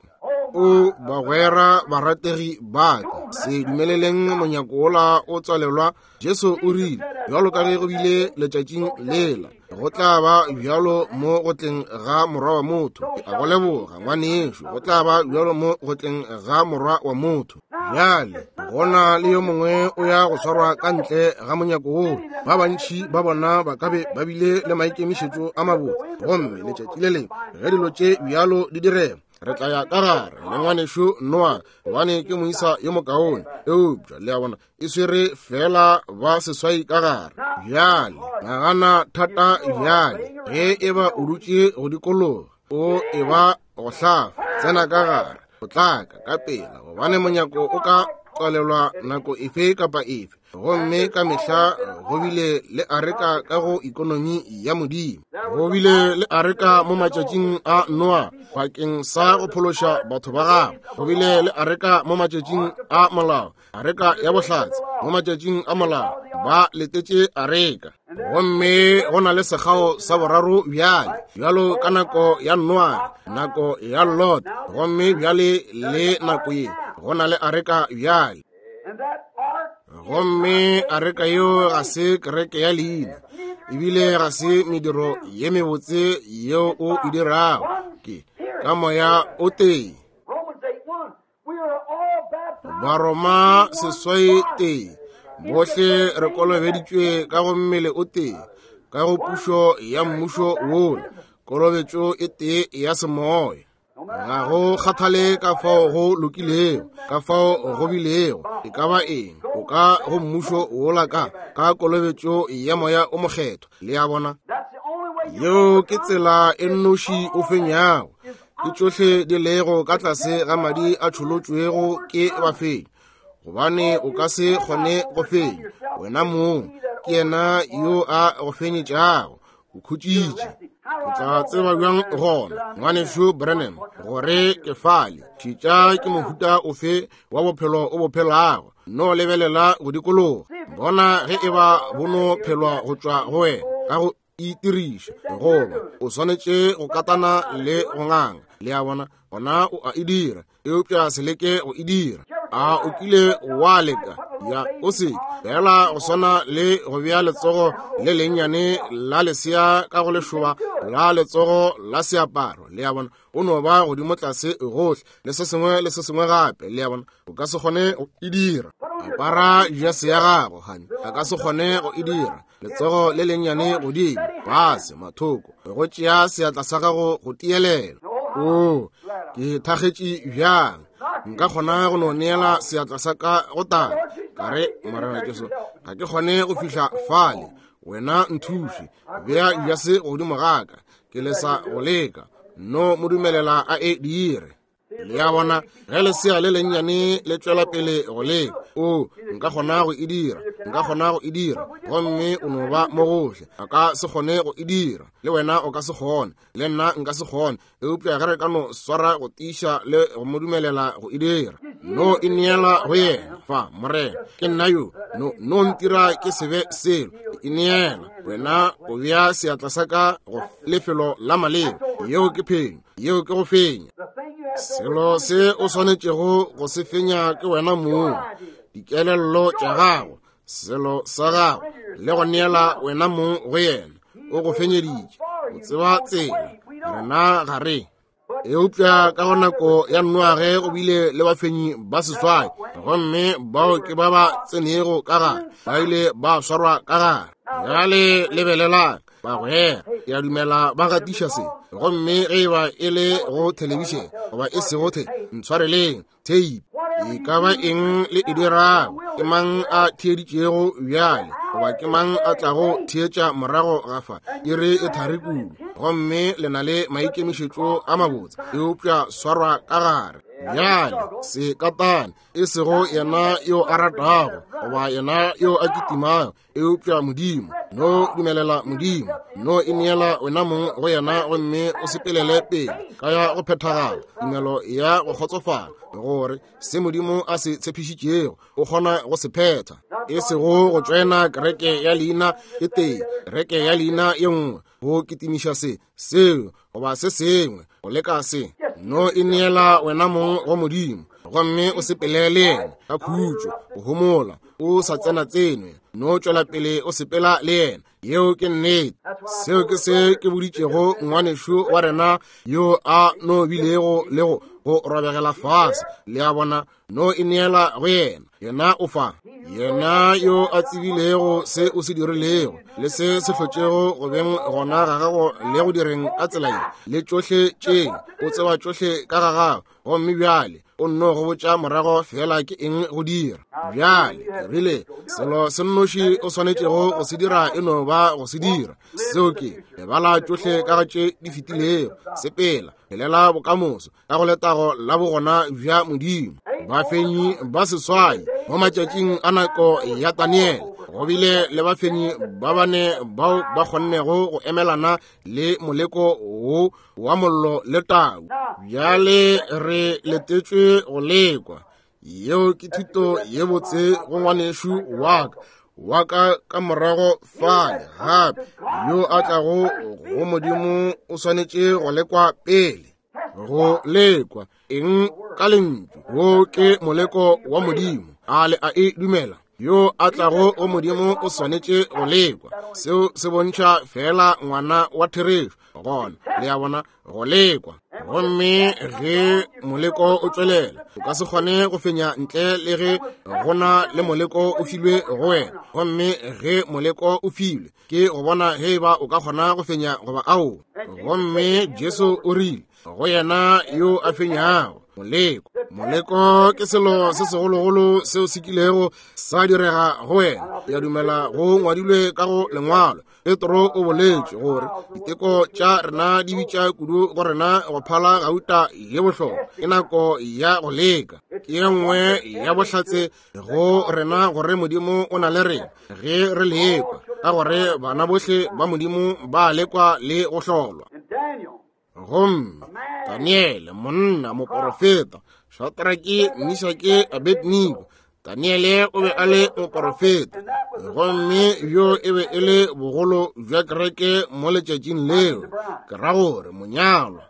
O bagwera barategi ba ka, se dumeleleng monyako wola o tswalelwa. Jesu o rile, bjalo ka ge go bile letšatšing lela, go tla ba bjalo mo go tleng ga Morwa wa motho. Ke a go leboga, ngwanešo. Go tla ba bjalo mo go tleng ga Morwa wa motho. Bjale go na le yo mongwe o ya go swarwa ka ntle ga monyako woo. Ba bantši ba bona ba ka be ba bile le maikemišetšo a mabotse, gomme letšatši le lengwe ge dilo tše bjalo di direga, re tla ya ka gare le ngwanešo Noa, gobane ke moisa yo mokaone. Eupša le a bona, e swere fela ba seswai ka gare. Bjale nagana thata bjale, ge e ba o dutše go dikologa, o e ba go hlafa, tsena ka gare, potlaka ka pela, gobane monyako o ka tswalelwa nako efe kapa efe. Gomme ka mehla go bile le areka ka go ikonomi ya Modimo. Go bile le areka mo matšatšing a Noa bakeng sa go phološa batho ba gagwe. Go bile le areka mo matšatšing a molao, areka ya bohlatse. Mo matšatšing a molao ba letetše areka. Gomme go na le sekgao sa boraro bjale, bjalo ka nako ya Noa, nako ya Lot, gomme bjale le nako ye go na le areka bjale. Gomme areka yeo ga se kereke ya leina, ebile ga se mediro ye mebotse yeo o e dirago, ke ka Moya o tee. Baroma seswai tee, bohle re kolobeditšwe ka go mmele o tee, ka go pušo ya mmušo wola, kolobetšo e tee ya semoya. Ga go kgathale ka fao go lokilego, ka fao go bilego, e ka ba eng, o ka go mmušo wola ka ka kolobetšo ya Moya o Mokgethwa. Le a bona? Yeo ke tsela e nnoši o fenyago. Ke tšohle di lego ka tlase ga madi a tšholotšwego ke bafenyi, gobane o ka se kgone go fenya. Wena mong ke yena yo a go fenyetšago. O khutšitše. O tla tseba bjang gona, Ngwanešu Branham, gore ke fale? Šetša ke mohuta ofe wa bophelo o bo phelago. No lebelela go dikologa, bona ge e ba bo no phelwa go tšwa go wena ka go itiriša, goba o swanetše go katana le go nganga. Le a bona? Gona o a e dira, eupša se leke go e dira. A o kile wa leka? Ya, o se fela go swana le go bea letsogo le lennyane la lesea ka go lešoba la letsogo la seaparo. Le a bona? O no ba godimo tlase gohle le se sengwe le se sengwe gape. Le a bona? O ka se kgone go e dira. Apara jase ya gago, honey. A ka se kgone go e dira. Letsogo le lennyane godimo, fase, mathoko, go tšea seatla sa gago go tielela. O, ke thakgetše bjang. Nka kgona go no neela seatla sa ka go Tate, ka re, Morena Jesu, ga ke kgone go fihla fale. Wena nthuše, bea jase godimo ga ka. Ke lesa go leka. No mo dumelela a e dire. Le a bona, ge lesea le lennyane le tšwela pele go leka, o, nka kgona go e dira, nka kgona go e dira, gomme o no ba mo gohle. A ka se kgone go e dira, le wena o ka se kgone, le nna nka se kgone, eupša ge re ka no swara go tiiša le go mo dumelela go e dira, no e neela go yena. Fa, Morena, ke nna yo, no, no ntira ke se be selo, ke e neela wena. O bea seatla sa ka go lefelo la maleba. Yeo ke phenyo, yeo ke go fenya. Selo se o swanetšego go se fenya ke wena mong, dikelello tša gago, selo sa gago, le go neela wena mong go yena. O go fenyeditše, o tseba tsela, rena ga re. Eupša ka go nako ya Noage go bile le bafenyi ba seswai, gomme bao ke ba ba tsenego ka gare, ba ile ba swarwa ka gare. Bjale lebelelang, bagwera, ke a dumela ba gatiša se, gomme ge e ba e le go thelebišene goba e sego the, ntshwareleng, tape, e ka ba eng le e dirago, ke mang a theeditšego bjale, goba ke mang a tlago theetša morago ga fa, iri e thari kudu, gomme le na le maikemišetšo a mabotse, eupša swarwa ka gare. Bjale se katane, e sego yena yo a ratago goba yena yo a kitimago, eupša Modimo. No dumelela Modimo, no ineela wena mong go yena, gomme o sepelele pele ka ya go phethagala, tumelo ya go kgotsofala, gore se Modimo a se tshepišitšego o kgona go se phetha. E sego go tšoena kereke ya leina e tee, kereke ya leina ye nngwe, go kitimiša se, seo, goba se sengwe, go leka se. No ineela wena mong go Modimo, gomme o sepele le yena ka khutšo, go homola, o sa tsena tsenwe, no tšwela pele o sepela le yena. Yeo ke nnete. Seo ke se ke boditšego ngwanešu wa rena yo a no bilego le go go robegela fase. Le a bona? No ineela go yena, yena o fa. Yena yo a tsebilego se o se dirilego le se se hlotšego go beng gona ga gago le go direng ka tsela ye, le tšohle tše, o tseba tšohle ka ga gago, gomme bjale o nno go botša morago fela ke eng go dira. Bjale ke rile, selo se nnoši o swanetšego go se dira e no ba go se dira. Seo ke, lebala tšohle ka ga tše di fetilego, sepela, phelela bokamoso ka go letago la bogona bja Modimo. Bafenyi ba seswai mo matšatšing a nako ya Daniele, go bile le bafenyi ba bane bao ba kgonnego go emelana le moleko wo wa mollo le tau. Bjale re letetšwe go lekwa. Yeo ke thuto ye botse go ngwanešu wa ka, wa ka ka morago fale gape, yo a tlago go Modimo o swanetše go lekwa pele. Go lekwa eng? Ka lentšu. Wo ke moleko wa Modimo. A le a e dumela? Yo a tlago go Modimo o swanetše go lekwa. Seo se bontšha fela ngwana wa therešo gona, le a bona, go lekwa. Gomme ge moleko o tšwelela, o ka se kgone go fenya ntle le ge go na le moleko o filwe go wena. Gomme ge moleko o filwe, ke go bona ge e ba o ka kgona go fenya goba ao. Gomme Jesu o rile go yena yo a fenyago moleko. Moleko ke selo se segologolo seo se kilego sa direga go wena. Ke a dumela go ngwadilwe ka go Lengwalo. Petro o boletše gore diteko tša rena di bitša kudu go rena go phala gauta ye bohlokwa. Ke nako ya go leka. Ke ye nngwe ya bohlatse go rena gore Modimo o na le rena ge re lekwa, ka gore bana bohle ba Modimo ba lekwa le go hlolwa. Gomme Daniele, monna moporofeta, Shadrake, Mishake, Abednego, Daniele o be a le moporofeta, gomme bjo e be e le bogolo bja kereke mo letšatšing leo, ke ra gore monyalwa.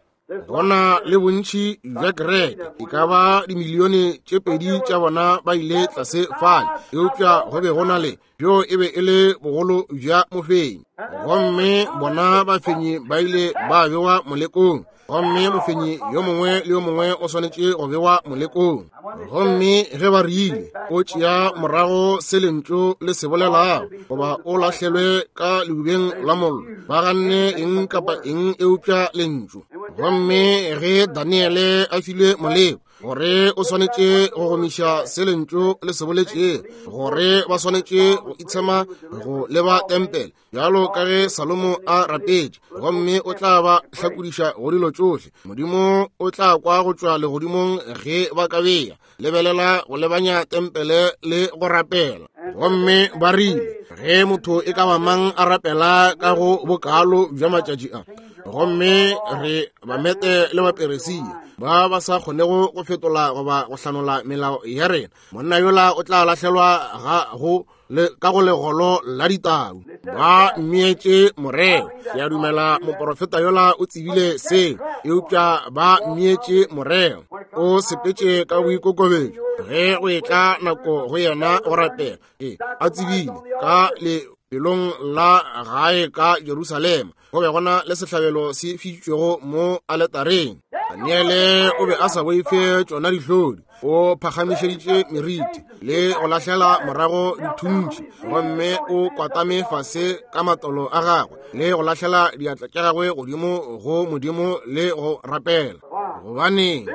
Go na le bontši bja kereke, e ka ba dimilione tše 2 tša bona ba ile tlase fale, eupša go be go na le bjo e be e le bogolo bja mofenyi. Gomme bona bafenyi ba ile ba bewa molekong, gomme mofenyi yo mongwe le yo mongwe o swanetše go bewa molekong. Gomme ge ba rile o tšea morago se lentšu le se bolelago, goba o lahlelwe ka leubeng la mollo, ba ganne eng kapa eng eupša lentšu. Gomme ge Daniele a filwe moleko, gore o swanetše go gomiša se lentšu le se boletšego, gore ba swanetše go itshema go leba tempele bjalo ka ge Salomo a rapetše, gomme o tla ba hlakodiša go dilo tšohle. Modimo o tla kwa go tšwa legodimong ge ba ka bea lebelela go lebanya tempele le go rapela. Gomme ba rile ge motho e ka ba mang a rapela ka go bokalo bja matšatši a, gomme re Bamete le Baperesia ba ba sa kgonego go fetola goba go hlanola melao ya rena, monna yola o tla lahlelwa ga go le ka go legolo la ditau. Ba mmietše moreo. Ke a dumela moporofeta yola o tsebile seo, eupša ba mmietše moreo. O sepetše ka boikokobetšo ge go etla nako go yena go rapela. E a tsebile ka lefelong la gae ka Jerusalema go be gona le sehlabelo se fišitšwego mo aletareng. Daniele o be a sa boife tšona dihlodi. O phagamišeditše meriti le go lahlela morago dithuntši, gomme o kwatame fase ka matolo a gagwe le go lahlela diatla tša gagwe godimo go Modimo le go rapela. Gobaneng?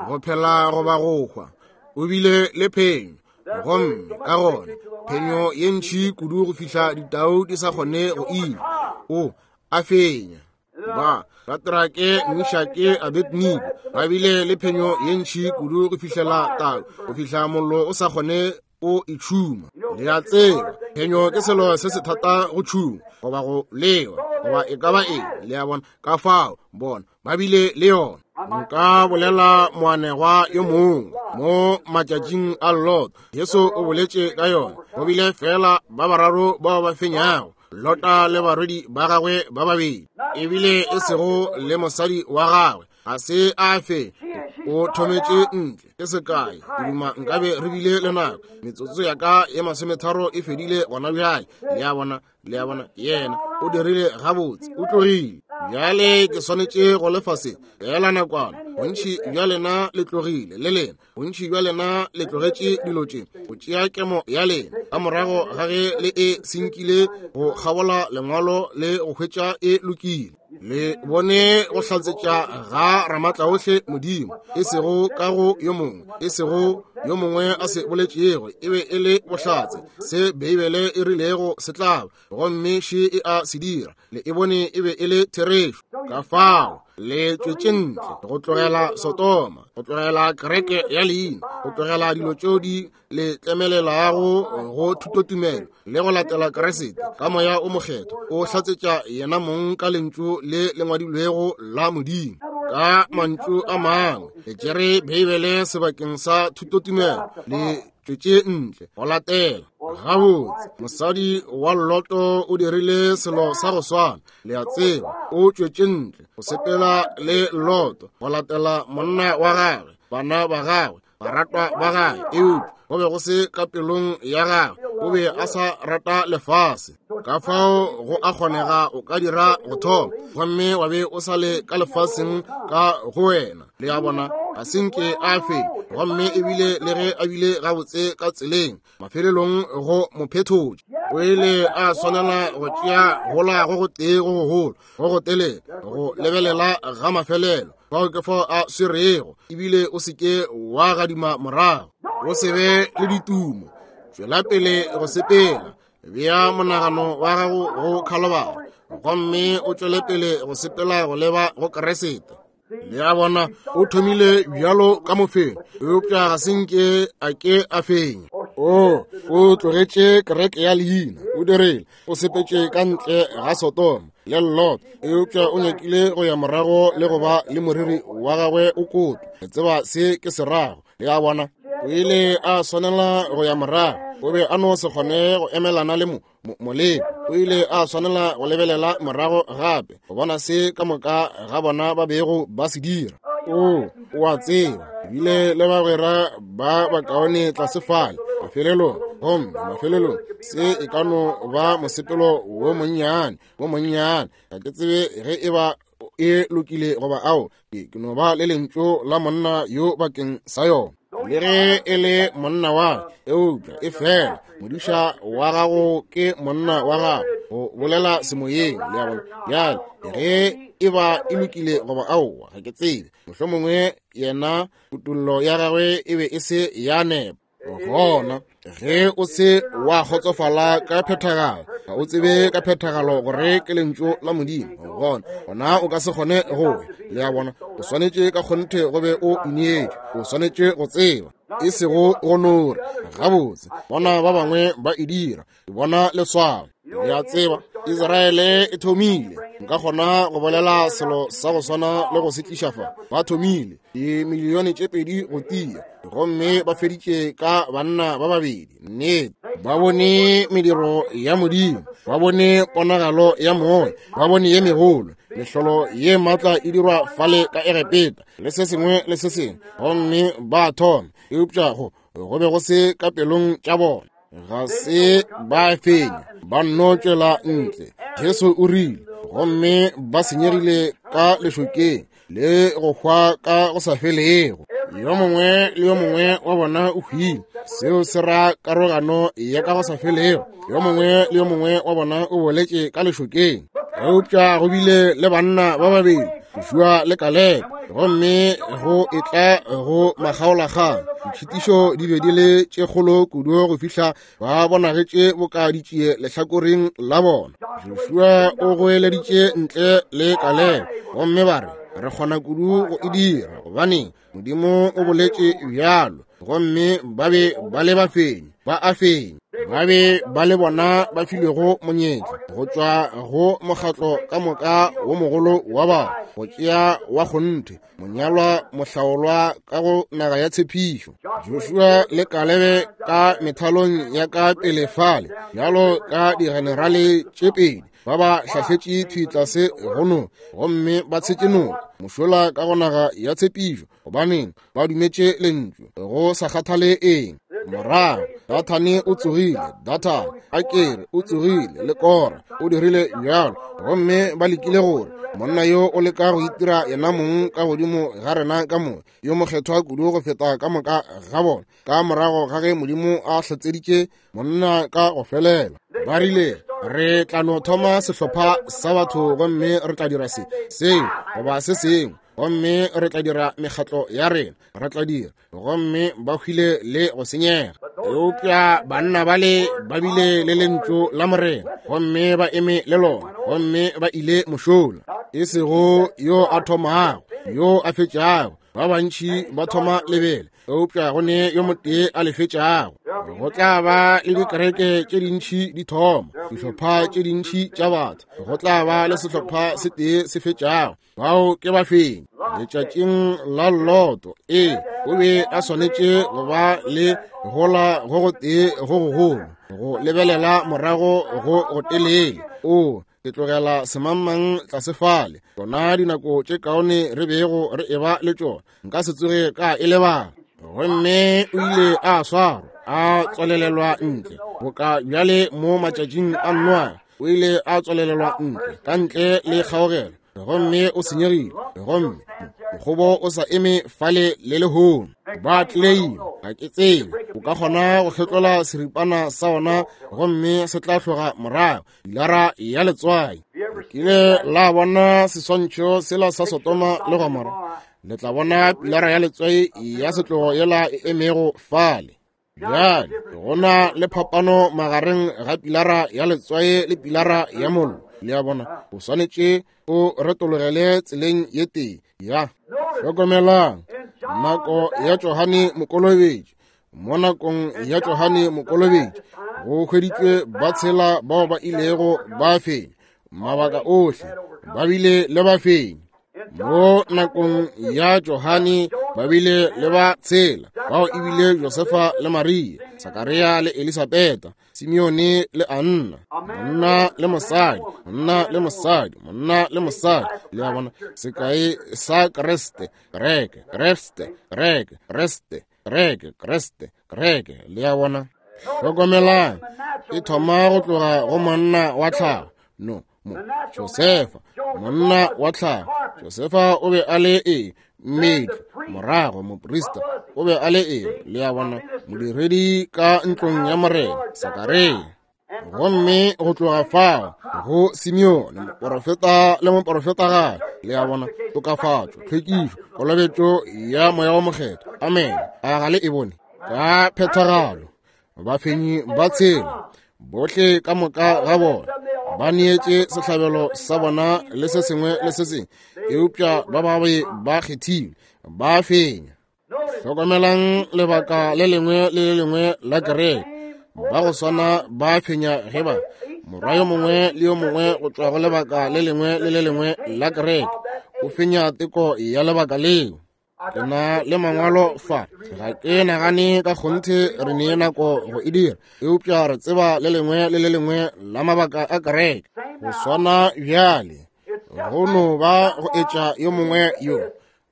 Go phela goba go hwa, o bile le phenyo. Gomme ka gona phenyo ye ntši kudu go fihla ditau di sa kgone go ila. O a fenya. Ba Shadrake, Mishake, Abednego ba bile le phenyo ye ntši kudu go fihlela tau, go fihla mollo o sa kgone o e tšhuma. Le a tseba, phenyo ke selo se se thata go tšhuma goba go lewa goba e ka ba eng. Le a bona? Ka fao bona ba bile le yona. Nka bolela moanegwa yo mongwe mo matšatšing a Lot. Jesu o boletše ka yona. Go bile fela ba bararo bao ba fenyago, Lota le barwedi ba gagwe ba babedi, ebile e sego le mosadi wa gagwe. Ga se a fe, o thometše ntle. Ke sekai, ke duma nkabe re bile le nako. Metsotso ya ka ye 30 e fedile gona bjale. Le a bona? Le a bona? Yena o dirile gabotse, o tlogile. Bjale ke swanetše go lefa se fela nakwana. Bontši bja lena le tlogile, le lena. Bontši bja lena le tlogetše dilo tše go tšea kemo ya lena ka morago ga ge le e senkile go kgabola lengwalo le go hwetša e lokile. Le bone go hlatsetša ga Ramatlaohle Modimo, e sego ka go yo mongwe, e sego yo mongwe a se boletšego, e be e le bohlatse se Beibele e rilego se tla ba, gomme še e a se dira. Le e bone e be e le therešo. Ka fao le tšwetše ntle go tlogela Sodoma, go tlogela kereke ya leina, go tlogela dilo tšeo di le tlemelelago go thutotumelo le go latela Kriste ka Moya o Mokgethwa, o hlatsetša yena mong ka lentšu le le ngwadilwego la Modimo. Ka mantšu a mangwe, le tšere Beibele sebakeng sa thutotumelo, le tšwetše ntle go latela. Gabotse, mosadi wa Loto o dirile selo sa go swana. Le a tseba, o tšwetše ntle go sepela le Loto go latela monna wa gagwe, bana ba gagwe, baratwa ba gagwe, eupša go be go se ka pelong ya gagwe. O be a sa rata lefase. Ka fao go a kgonega o ka dira go thoma gomme wa be o sa le ka lefaseng ka go wena. Le a bona? Ga se nke a fe, gomme ebile le ge a bile gabotse ka tseleng, mafelelong go mo phetotše. O ile a swanela go tšea gola go gotee go gogolo, go go telele, go lebelela ga mafelelo. Fao ke fao a swerego, ebile o se ke wa gadima morago. O se be le ditumo, tšwela pele go sepela. Bea monagano wa gago go Khalobara gomme o tšwele pele go sepela go leba go Keresete. Le a bona, o thomile bjalo ka mofenyi, eupša ga se nke a ke a fenya. O, o tlogetše kereke ya leina, o dirile, o sepetše ka ntle ga Sodoma le Lot, eupša o nyakile go ya morago le go ba le moriri wa gagwe o kotwa. Le tseba se ke se rago. Le a bona, o ile a swanela go ya morago. O be a no se kgone go emelana le mo, mo, moleko. O ile a swanela go lebelela morago gape go bona se ka moka ga bona ba bego ba se dira. O, o a tseba, ebile le bagwera ba bakaone tlase fale mafelelong, gomme mafelelong se e ka no ba mosepelo wo monnyane, wo monnyane. Ga ke tsebe ge e ba e lokile goba ao, ke no ba le lentšu la monna yo bakeng sa yona. Le ge e le monna wa, eupša e fela modiša wa gago ke monna wa gago, go bolela semoyeng. Le a bona? Bjale ge e ba e lokile goba aowa, ga ke tsebe. Mohlomongwe yena kutollo ya gagwe e be e se ya nepa. Gona ge o se wa kgotsofala ka phethagalo, ga o tsebe ka phethagalo gore ke lentšu la Modimo, gona gona o ka se kgone go ya. Le a bona, o swanetše ka kgonthe go be o ineetše, o swanetše go tseba, e sego go no re gabotse bona ba bangwe ba e dira. Ke bona leswao. Le a tseba, Israele e thomile. Nka kgona go bolela selo sa go swana le go se tliša fa. Ba thomile dimilione tše pedi go tia, gomme ba feditše ka banna ba babedi. Nnete, ba bone mediro ya Modimo, ba bone ponagalo ya Moya, ba bone ye megolo, mehlolo ye maatla e dirwa fale ka Egepeta, le se sengwe le se sengwe, gomme ba thoma. Eupša go go be go se ka pelong tša bona. Ga se ba fenya, ba nno tšwela ntle. Jesu o rile, gomme ba senyegile ka lešokeng le go hwa ka go sa felego. Yo mongwe le yo mongwe wa bona o hwile. Seo se ra karogano ya ka go sa felego. Yo mongwe le yo mongwe wa bona o boletše ka lešokeng. Eupša go bile le banna ba babedi, Joshua le Kalebe, gomme go etla go makgaolakgang, ditšhitišo di be di le tše kgolo kudu go fihla ba bonagetše boka ditšie lehlakoreng la bona. Joshua o goeleditše ntle le Kalebe, gomme ba re, re kgona kudu go e dira, gobaneng Modimo o boletše bjalo. Gomme ba be ba le bafenyi, ba a fenya. Ba be ba le bona ba filwego monyetla go tšwa go mokgatlo ka moka wo mogolo wa batho go tšea wa kgonthe monyalwa mohlaolwa ka go naga ya tshepišo. Joshua le Kalebe ka methalong ya ka pele fale bjalo ka digenerale tše pedi ba ba hlahletše thwi tlase go noka, gomme ba tshetše noka mošola ka go naga ya tshepišo. Gobaneng? Ba dumetše lentšu, go sa kgathale eng. Morago Dathane o tsogile, Dathane a kere o tsogile, le Kora o dirile bjalo, gomme ba lekile gore monna yo o leka go itira yena mong ka godimo ga rena ka moka, yo mokgethwa kudu go feta ka moka ga bona, ka morago ga ge Modimo a hlatseditše monna ka go felela. Ba rile, re tla no thoma sehlopha sa batho gomme re tla dira se, seo, goba se sengwe, gomme re tla dira mekgatlo ya rena, re tla dira, gomme ba hwile le go senyega. Eupša banna bale ba bile le lentšu la Morena, gomme ba eme le lona, gomme ba ile mošola. E sego yo a thomago, yo a fetšago. Ba bantši ba thoma lebele, eupša go ne yo motee a le fetšago. Go tla ba le dikereke tše dintši di thoma, dihlopha tše dintši tša batho, go tla ba le sehlopha se tee se fetšago. Bao ke bafenyi. Letšatšing la Loto, ee, o be a swanetše go ba le gola go go tee go gogolo, go lebelela morago go go telele. O, ke tlogela semangmang tlase fale. Tšona dinako tše kaone re bego re eba le tšona, nka se tsoge ka e lebala. Gomme o ile a swarwa, a tswalelelwa ntle, boka bjale mo matšatšing a Noa. O ile a tswalelelwa ntle, ka ntle le kgaogelo, gomme o senyegile, gomme mokgobo o sa eme fale le lehono. Ba claim, ga ke tsebe, o ka kgona go hlotlola seripana sa ona gomme se tla hloga morago, pilara ya letswai. Kile la bona seswantšho sela sa Sodoma le Gomora, le tla bona pilara ya letswai ya setlogo yela e emego fale. Bjale go na le phapano magareng ga pilara ya letswae le pilara ya mollo. Le a bona, o swanetše o retologele tseleng ye tee. Ya hlokomelang nako ya Johane Mokolobetši. Mo nakong ya Johane Mokolobetši go hweditšwe ba tshela bao ba ilego ba fenya mabaka ohle, ba bile le bafenyi. Mo nakong ya Johane ba bile le ba tshela bao ebile Josefa le Maria, Sakaria le Elisabeta, Simeone le Anna, monna le mosadi, monna le mosadi, monna le mosadi. Le a bona, sekai sa Kriste, kereke, Kriste, kereke, Kriste, kereke, Kriste, kereke. Le a bona, hlokomelang, e thoma go tloga go monna wa tlhago, no mo Josefa, monna wa tlhago. Josefa o be a le eng? Mmetli, morago moprista o be a le eng? Le a bona, modiredi ka ntlong ya morena, Sakaria. Gomme go tloga fao go Simeone, moporofeta le moporofetagadi. Le a bona, tokafatšo, tlhwekišo, kolobetšo ya Moya wo Mokgethwa. Amen. A ga le e bone? Ka phethagalo bafenyi ba tshela bohle ka moka ga bona ba neetše sehlabelo sa bona le se sengwe le se sengwe, eupša ba ba be ba kgethilwe, ba fenya. Hlokomelang lebaka le lengwe le le lengwe la kereke, ba go swana ba fenya ge ba morwa yo mongwe le yo mongwe go tšwa go lebaka le lengwe le le lengwe la kereke o fenya teko ya lebaka leo. Ke na le mangwalo fa, ga ke nagane ka kgonthe re ne nako go e dira, eupša re tseba le lengwe le le lengwe la mabaka a kereke go swana bjale, go no ba go etša yo mongwe yo.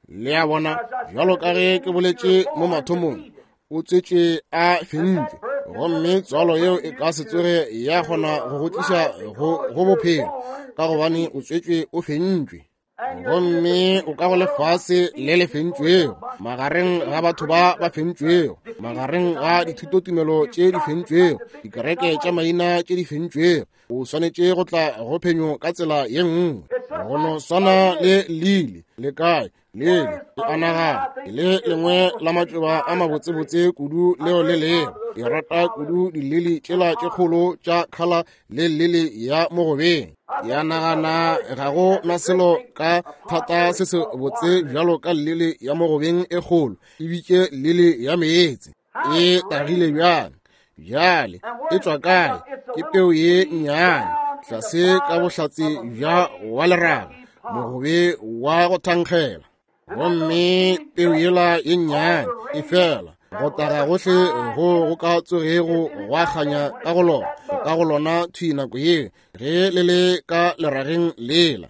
Le a bona, bjalo ka ge ke boletše mo mathomong, o tswetšwe a fentšwe, gomme tswalo yeo e ka se tsoge ya kgona go go tliša go bophelo, ka gobane o tswetšwe o fentšwe. Gomme o ka go lefase le le fentšwego, magareng ga batho ba ba fentšwego, magareng ga dithutotumelo tše di fentšwego, dikereke tša maina tše di fentšwego. O swanetše go tla go phenyo ka tsela ye nngwe. Go no swana le lili le kae lele ke a nagana le lengwe la matšoba a mabotsebotse kudu leo le lego. Ke rata kudu dilili tšela tše kgolo tša khala le lili ya mogobeng. Ke a nagana ga go na selo ka thata se se botse bjalo ka lili ya mogobeng e kgolo, e bitše lili ya meetse. E tagile bjang? Bjale e tšwa kae? Ke peu ye nnyane tlase ka bohlatse bja wa leraga, mogobe wa go thankgela. Gomme peu yela ye nnyane e fela go taga gohle go go ka tsogego gwa kganya ka go lona, ka go lona thwi nako ye ge le le ka lerageng lela.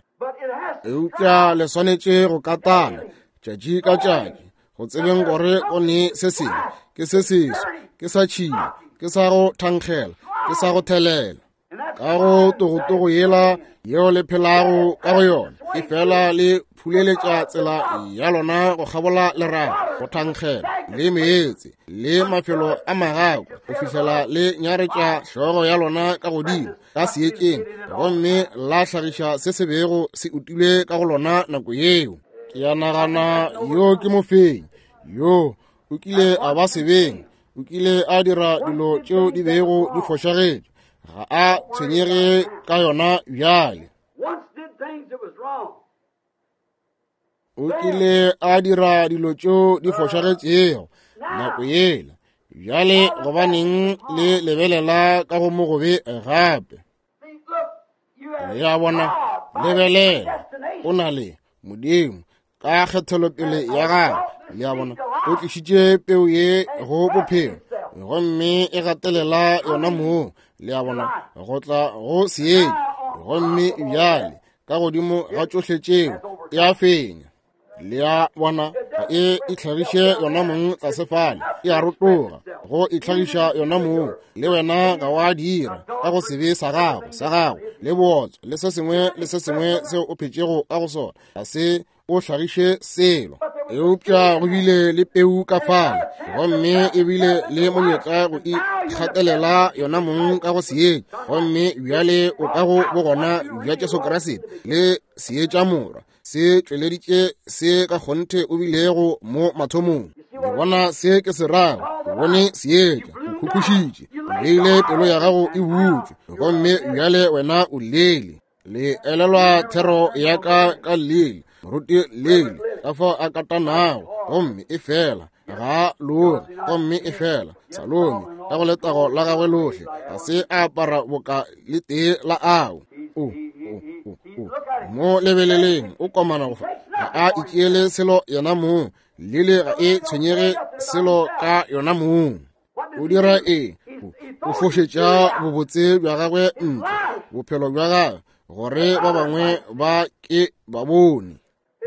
Eupša le swanetše go katana tšatši ka tšatši, go tsebeng gore go ne se sengwe, ke se seso, ke sa tšhila, ke sa go thankgela, ke sa go thelela. Ka go togotogo yela yeo le phelago ka go yona, e fela le phuleletša tsela ya lona go kgabola leraga, go thankgela le meetse le mafelo a magakwa, go fihlela le nyaretša hlogo ya lona ka godimo ka seetšeng, gomme la hlagiša se se bego se utilwe ka go lona nako yeo. Ke a nagana yo ke mofenyi, yo o kile a ba sebeng, o kile a dira dilo tšeo di bego di fošagetše, ga a tshwenyege ka yona bjale. O kile a dira dilo tšeo di fošagetšego nako yela, bjale gobaneng le lebelela ka go mogobe gape? Le a bona, lebelela, o na le Modimo ka kgethelopele ya gagwe. Le a bona, o tlišitše peu ye go bophelo, gomme e gatelela yona moo. Le a bona, go tla go seetša, gomme bjale ka godimo ga tšohle tšeo e a fenya. Le a bona, ga e itlhagiše yona mong tlase fale, e a rotoga go itlhagiša yona mong. Le wena ga wa dira ka go sebe sa gago, sa gago le bootswa le se sengwe le se sengwe seo o phetšego ka go sona, ga se o hlagiše selo. Eupša go bile le peu ka fale, gomme e bile le monyetla go ikgatelela yona mong ka go seetša, gomme bjale o ka go bogona bja Jesu Kriste le seetša morwa se tšweleditše se ka kgonthe o bilego mo mathomong. Le bona se ke se rago? bone seetša, o khukhušitše, o beile pelo ya gago e butšwe, gomme bjale wena o lele. Le elelwa thero ya ka ka lele, moruti lele, ka fao a katanago, gomme e fela ga loge, gomme e fela Salome ka go letago la gagwe lohle ga se a apara boka le tee la ao. O, o, o, o mo lebeleleng, o komana go fa, ga a itšeele selo yena mong. Lele ga e tshwenyege selo ka yona mong. O dira eng? O fošetša bobotse bja gagwe ntle, bophelo bja gagwe, gore ba bangwe ba ke ba bone.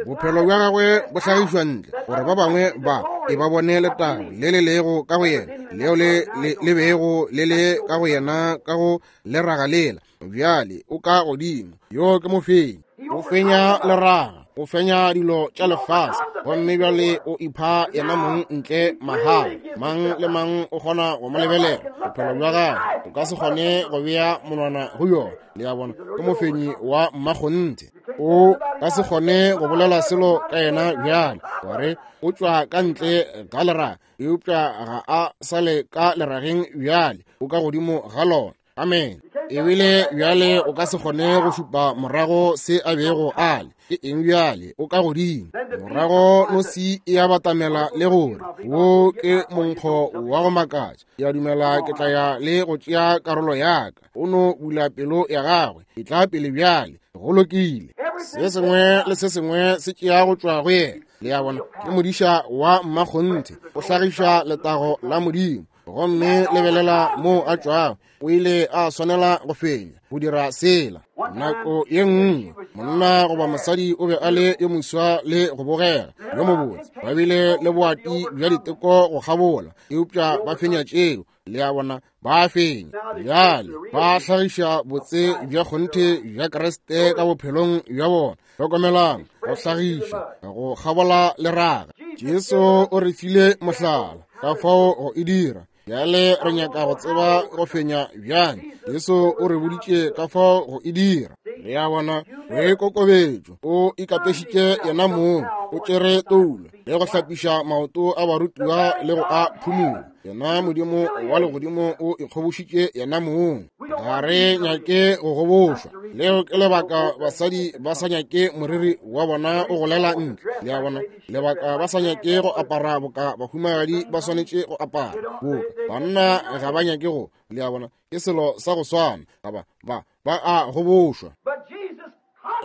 Bophelo bja gagwe bo hlagišwa ntle, gore ba bangwe ba e ba bone letago le le lego ka go yena, leo le le bego le le ka go yena ka go leraga lela. Bjale o ka godimo, yo ke mofenyi. O fenya leraga, o fenya dilo tša lefase, gomme bjale o ipha yena mong ntle mahala. Mang le mang o kgona go mo lebelela. Bophelo bja gagwe o ka se kgone go bea monwana go yona. Le a bona, ke mofenyi wa mmakgonthe. O ka se kgone go bolela selo ka yena bjale, gore o tšwa ka ntle ga leraga, eupša ga a sa le ka lerageng bjale, o ka godimo ga lona. Amen. Ebile bjale o ka se kgone go šupa morago se a bego a le. Ke eng bjale? O ka godimo. Morago nosi e a batamela le gore, wo ke monkgo wa go makatša. Ke a dumela ke tla ya le go tšea karolo ya ka. O no bula pelo ya gagwe. E tla pele bjale. Go lokile. Se sengwe le se sengwe se tšea go tšwa go yena. Le a bona, ke modiša wa mmakgonthe. O hlagiša letago la Modimo. Gomme lebelela moo a tšwago. O ile a swanela go fenya go dira sela. Nako ye nngwe monna goba mosadi o be a le yo moswa le go bogega yo mobotse, ba bile le boati bja diteko go kgabola, eupša ba fenya tšeo. Le a bona, ba fenya. Bjale ba hlagiša botse bja kgonthe bja Kriste ka bophelong bja bona. Hlokomelang, go hlagiša go kgabola leraga. Jesu o re file mohlala ka fao go e dira. Bjale re nyaka go tseba go fenya bjang. Jesu o re boditše ka fao go e dira. Le a bona, boikokobetšo, o ikapešitše yena mong, o tšere toulo le go hlapiša maoto a barutiwa le go a phumula. Yena Modimo wa legodimo o ikgobošitše yena mong. Ga re nyake go gobošwa. Leo ke lebaka basadi ba sa nyake moriri wa bona o golela ntle. Le a bona, lebaka ba sa nyake go apara boka bahumagadi ba swanetše go apara boka banna ga ba nyake go. Le a bona, ke selo sa go swana. Ga ba, ba, ba a gobošwa.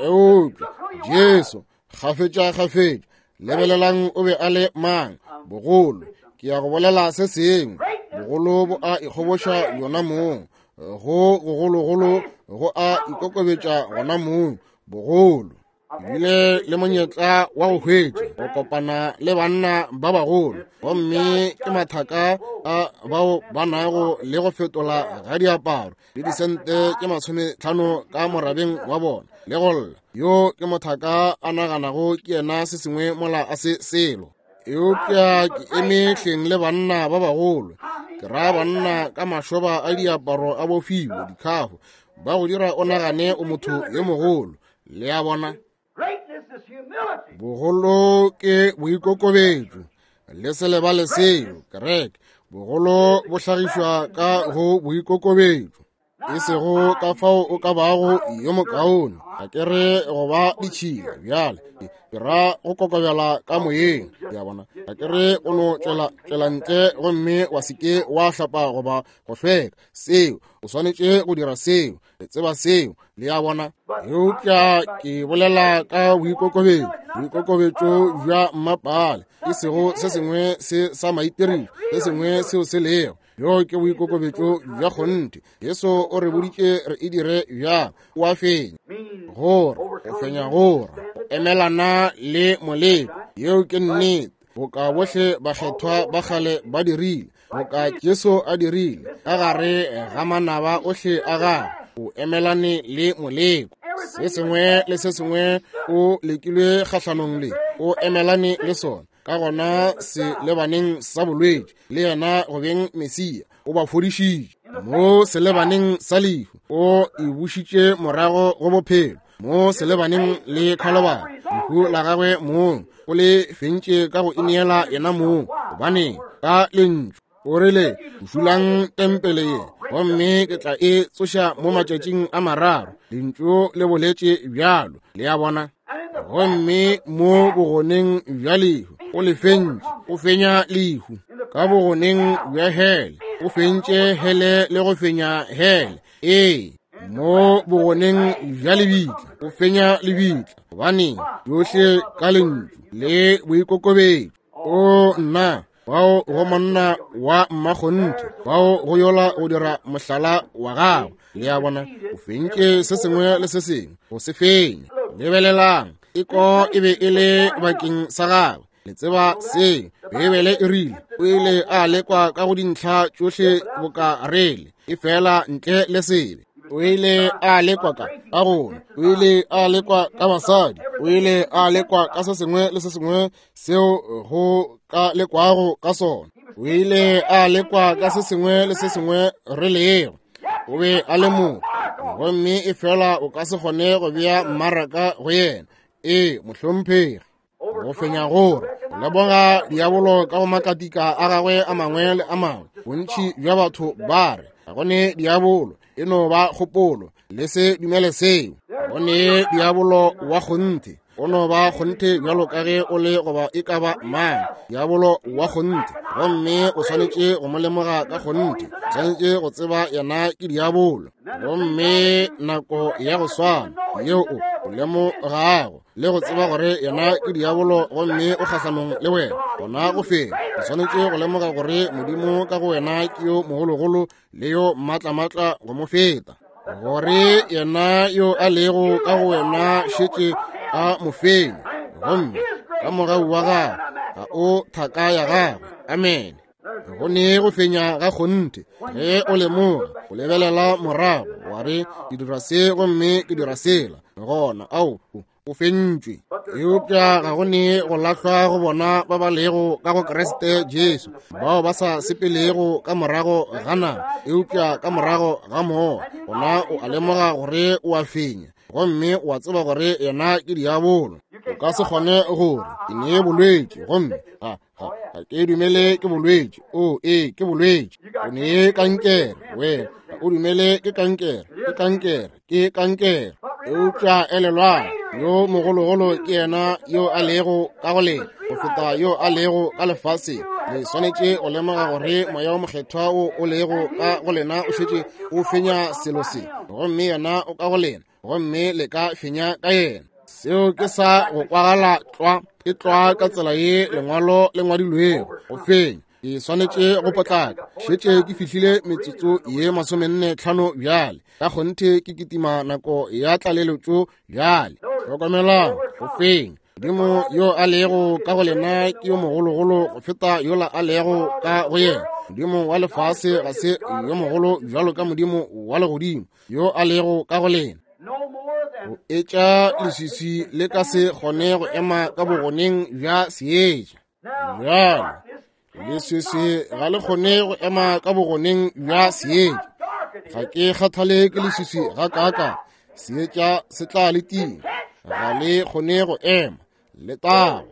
Eupša Jesu kgafetša kgafetša, lebelelang o be a le mang. Bogolo, ke ya go bolela se sengwe, bogolo bo a ikgoboša yona mong, go gogologolo go a ikokobetša gona mong. Bogolo bile le monyetla wa go hwetša go kopana le banna ba bagolo, gomme ke mathaka a bao ba nago le go fetola ga diaparo le disente tše 50 ka morabeng wa bona le go lla. Yo ke mothaka a naganago ke yena se sengwe mola a se selo. Eupša ke eme hleng le banna ba bagolo, ke ra banna ka mašoba a diaparo a bofiwe dikhafo, ba go dira o nagane o motho yo mogolo. Le a bona, bogolo ke boikokobetšo. Le se lebale seo, kereke. Bogolo bo hlagišwa ka go boikokobetšo, e sego ka fao o ka bago yo mokaone. Ga ke re go ba ditšhila bjale, ke ra go kokobela ka moyeng. Le a bona, ga ke re o no tšwela ntle gomme wa se ke wa hlapa goba go hlweka. Seo o swanetše go dira seo, le tseba seo. Le a bona, eupša ke bolela ka boikokobetšo, boikokobetšo bja mmapale, e sego se sengwe se sa maitirišo, se sengwe seo se lego. Bjo ke boikokobetšo bja kgonthe. Jesu o re boditše re e dire bjang. O a fenya, gore go fenya, gore go emelana le moleko. Yeo ke nnete. Boka bohle bakgethwa ba kgale ba dirile, boka Jesu a dirile ka gare ga manaba ohle a gagwe, o emelane le moleko. Se sengwe le se sengwe o lekilwe kgahlanong le, o emelane le sona. Ka gona se lebaneng sa bolwetši, le yena go beng Mesia, o ba fodišitše. Mo selebaneng sa lehu, o e bušitše morago go bophelo. Mo selebaneng le Khalobari, lehu la gagwe mong o le fentše ka go ineela yena mong. Gobaneng? Ka lentšu. O rile, Bušulang tempele ye, gomme ke tla e tsoša mo matšatšing a mararo. Lentšu le boletše bjalo. Le a bona? Gomme mo bogoneng bja lehu, o le fentše, o fenya lehu. Ka bogoneng bja hele, o fentše hele le go fenya hele. Ee, mo bogoneng bja lebitla, o fenya lebitla. Gobaneng? Yohle ka lentšu le boikokobetšo. O nna, bao go monna wa mmakgonthe, bao go yola go dira mohlala wa gagwe. Le a bona, o fentše se sengwe le se sengwe, go se fenya. Lebelelang, teko e be e le bakeng sa gagwe. Le tseba seo Beibele e rile, o ile a lekwa ka go dintlha tšohle boka rele, efela ntle le sebe. O ile a lekwa ka gona, o ile a lekwa ka basadi, o ile a lekwa ka se sengwe le se sengwe seo go ka lekwago ka sona. O ile a lekwa ka se sengwe le se sengwe re lego. O be a le motho, gomme efela o ka se kgone go bea mmaraka go yena. Ee, mohlomphegi. Go fenya gore o leboga diabolo ka go makatika a gagwe a mangwe le a mangwe. Bontši bja batho ba re ga go ne diabolo, e no ba kgopolo. Le se dumele seo. Go ne diabolo wa kgonthe, o no ba kgonthe bjalo ka ge o le goba e ka ba mang. Diabolo wa kgonthe, gomme o swanetše go mo lemoga ka kgonthe. O swanetše go tseba yena ke diabolo. Gomme nako ya go swana yeo o lemogago le go tseba gore yena ke diabolo gomme o kgahlanong le wena, gona go fela. O swanetše go lemoga gore Modimo ka go wena ke yo mogologolo le yo maatlamatla go mo feta, gore yena yo a lego ka go wena šetše a mo fenya, gomme ka mogau wa gagwe ga o thaka ya gagwe. Amene. Go ne go fenya ga kgonthe ge o lemoga, o lebelela morago wa re, ke dira se gomme ke dira sela, gona ao o fentšwe. Eupša ga go ne go lahlwa go bona ba ba lego ka go Kriste Jesu, bao ba sa sepelego ka morago ga nama, eupša ka morago ga Moya. Gona o a lemoga gore o a fenya, gomme o a tseba gore yena ke diabolo. O ka se kgone gore ke ne bolwetši, gomme ga ke dumele ke bolwetši. O ee, ke bolwetši. O ne kankere, wena ga o dumele ke kankere, ke kankere, ke kankere. Eupša elelwang, yo mogologolo ke yena yo a lego ka go lena go feta yo a lego ka lefaseng. Le swanetše go lemoga gore Moya wo Mokgethwa wo o lego ka go lena o šetše o fenya selo se, gomme yena o ka go lena, gomme le ka fenya ka yena. Seo ke sa go kwagala tlwa, ke tlwa ka tsela ye lengwalo le ngwadilwego go fenya. Ke swanetše go potlaka, šetše ke fihlile metsotso ye 45 bjale. Ka kgonthe ke kitima nako ya tlaleletšo bjale. Hlokomelang, go fenya. Modimo yo a lego ka go lena ke yo mogologolo go feta yola a lego ka go yena. Modimo wa lefase ga se yo mogolo bjalo ka Modimo wa legodimo yo a lego ka go lena. Go etša leswiswi le ka se kgone go ema ka bogoneng bja seetša. Bjalo leswiswi ga le kgone go ema ka bogoneng bja seetša. Ga ke kgathale ke leswiswi ga kaaka, seetša se tla le tima, ga le kgone go ema. Letago.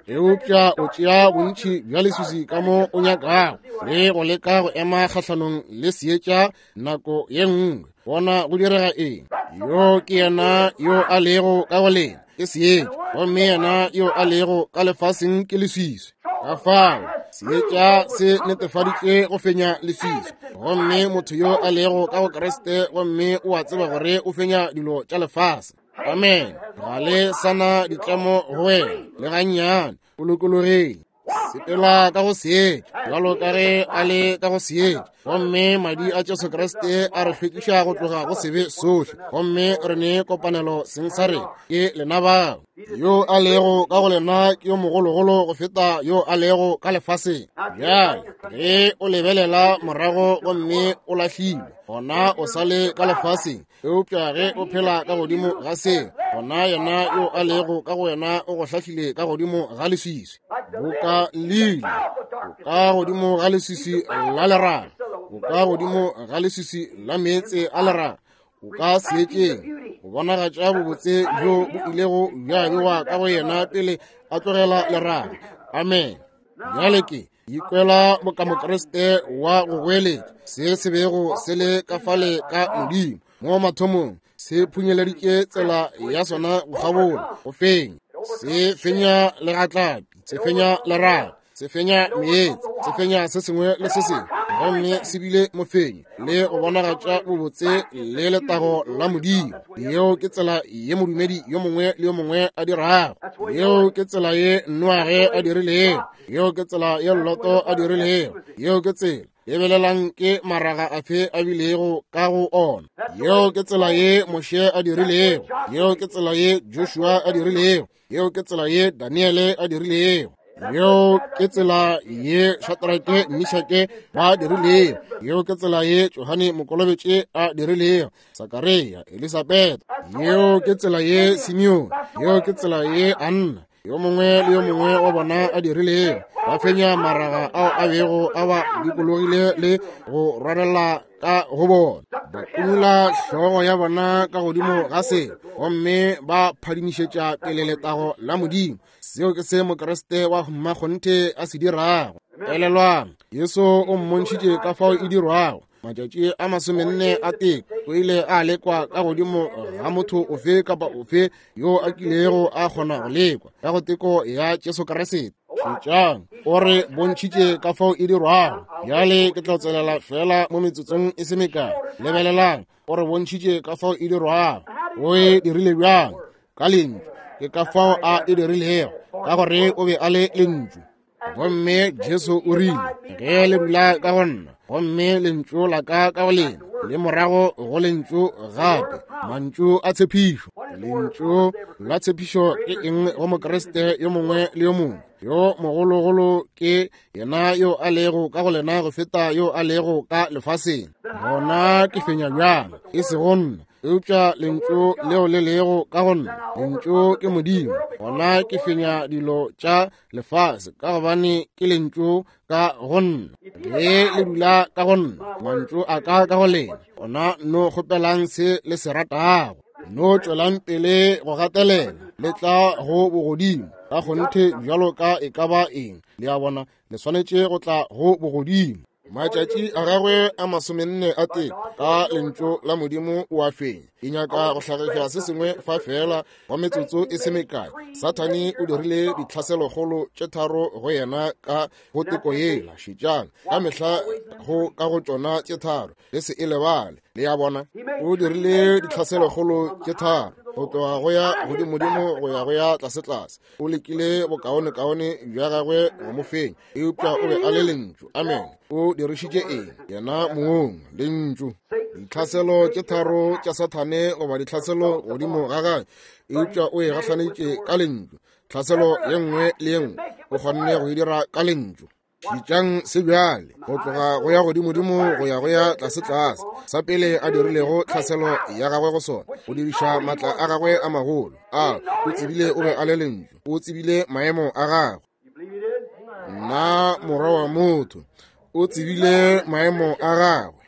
Eupša o tšea bontši bja leswiswi ka mo o nyakago le go leka go ema kgahlanong le seetša nako ye nngwe. Bona go direga eng? Yo ke yena yo a lego ka go lena, ke seetša, gomme yena yo a lego ka lefaseng ke leswiswi. Ka fao seetša se netefaditše go fenya leswiswi, gomme motho yo a lego ka go Kriste gomme o a tseba gore o fenya dilo tša lefase. Amen. Ga le sana ditlemo go wena le gannyane, o lokologile. Sepela ka go seetša bjalo ka ge a le ka go seetša, gomme madi a Jesu Kriste a re hlwekiša go tloga go sebe sohle, gomme re ne kopanelo seng sa rena ke lena bao. Yo a lego ka go lena ke yo mogologolo go feta yo a lego ka lefaseng. Bjale ge o lebelela morago gomme o lahlilwe, gona o sa le ka lefaseng. Eupša ge o phela ka godimo ga se, gona yena yo a lego ka go wena o go hlahlile ka godimo ga leswiswi, boka lili, o ka godimo ga leswiswi la leraga, o ka godimo ga leswiswi la meetse a leraga, o ka seetšeng go bonagatša bobotse bjo bo ilego bja bewa ka go yena pele a tlogela leraga. Amen. Bjale ke Ikwela boka Mokriste wa go goeletša se se bego se le ka fale ka Modimo mo mathomong, se phunyeleditše tsela ya sona go kgabola go fenya. Se fenya legatlapi, se fenya lerato, se fenya meetse, se fenya se sengwe le se sengwe, gomme se bile mofenyi le go bonagatša bobotse le letago la Modimo. Yeo ke tsela ye modumedi yo mongwe le yo mongwe a dirago. Yeo ke tsela ye Noage a dirilego. Yeo ke tsela ye Loto a dirilego. Yeo ke tsela. Lebelelang ke maraga afe a bilego ka go ona. Yeo ke tsela ye Moshe a dirilego. Yeo ke tsela ye Joshua a dirilego. Yeo ke tsela ye Daniele a dirilego. Yeo ke tsela ye Shadrake, Mishake ba dirilego. Yeo ke tsela ye Johane Mokolobetše a dirilego. Sakaria, Elisabeth. Yeo ke tsela ye Simeon. Yeo ke tsela ye Anna. Yo mongwe le yo mongwe wa bona a dirilego. Ba fenya maraga ao a bego a ba dikologile le go rwarela ka go bona. Ba kumula hlogo ya bona ka godimo ga se, gomme ba phadimišetša pele letago la Modimo. Seo ke se Mokriste wa mmakgonthe a se dirago. Elelwang, Jesu o mmontšhitše ka fao e dirwago. Matšatši a 40 a teko o ile a lekwa ka godimo ga motho ofe kapa ofe yo a kilego a kgona go lekwa ka go teko ya Jesu Kriste. Šetšang, o re bontšhitše ka fao e dirwago. Bjale ke tla tswelela fela mo metsotsong e se mekae. Lebelelang, o re bontšhitše ka fao e dirwago. O e dirile bjang? Ka lentšu. Ke ka fao a e dirilego, ka gore o be a le lentšu. Gomme Jesu o rile, ge le dula ka go nna, gomme lentšu la ka ka go lena, le morago go lentšu gape, mantšu a tshepišo. Lentšu la tshepišo ke eng go Mokriste yo mongwe le yo mongwe? Yo mogologolo ke yena yo a lego ka go lena go feta yo a lego ka lefaseng. Gona ke fenya bjang? E sego nna, eupša lentšu leo le lego ka go nna. Lentšu ke Modimo. Gona ke fenya dilo tša lefase ka gobane ke lentšu ka go nna. Ge le dula ka go nna, mantšu a ka ka go lena, gona no kgopelang se le se ratago. No tšwelang pele go gatelela, le tla go bogodimo ka kgonthe bjalo ka e ka ba eng. Le a bona, le swanetše go tla go bogodimo. Matšatši a gagwe a 40 a teko ka lentšu la Modimo o a fenya. Ke nyaka go hlagiša se sengwe fa fela wa metsotso e se mekae. Sathane o dirile ditlhaselokgolo tše tharo go yena ka go teko yela. Šetšang, ka mehla go ka go tšona tše tharo, le se e lebale. Le a bona, o dirile ditlhaselokgolo tše tharo, go tloga go ya godimodimo go ya go ya tlasetlase. O lekile bokaonekaone bja gagwe go mo fenya, eupša o be a le lentšu. Amen. O dirišitše eng? Yena mong, lentšu. Ditlhaselo tše tharo tša Sathane goba ditlhaselo godimo ga gagwe, eupša o e gahlaneditše ka lentšu. Tlhaselo ye nngwe le ye nngwe o kgonne go e dira ka lentšu. Šetšang se bjale, go tloga go ya godimodimo go ya go ya tlasetlase. Sa pele a dirilego tlhaselo ya gagwe go sona, go diriša maatla a gagwe a magolo. A o tsebile o be a le lentšu, o tsebile maemo a gagwe. Nna morwa wa motho, o tsebile maemo a gagwe.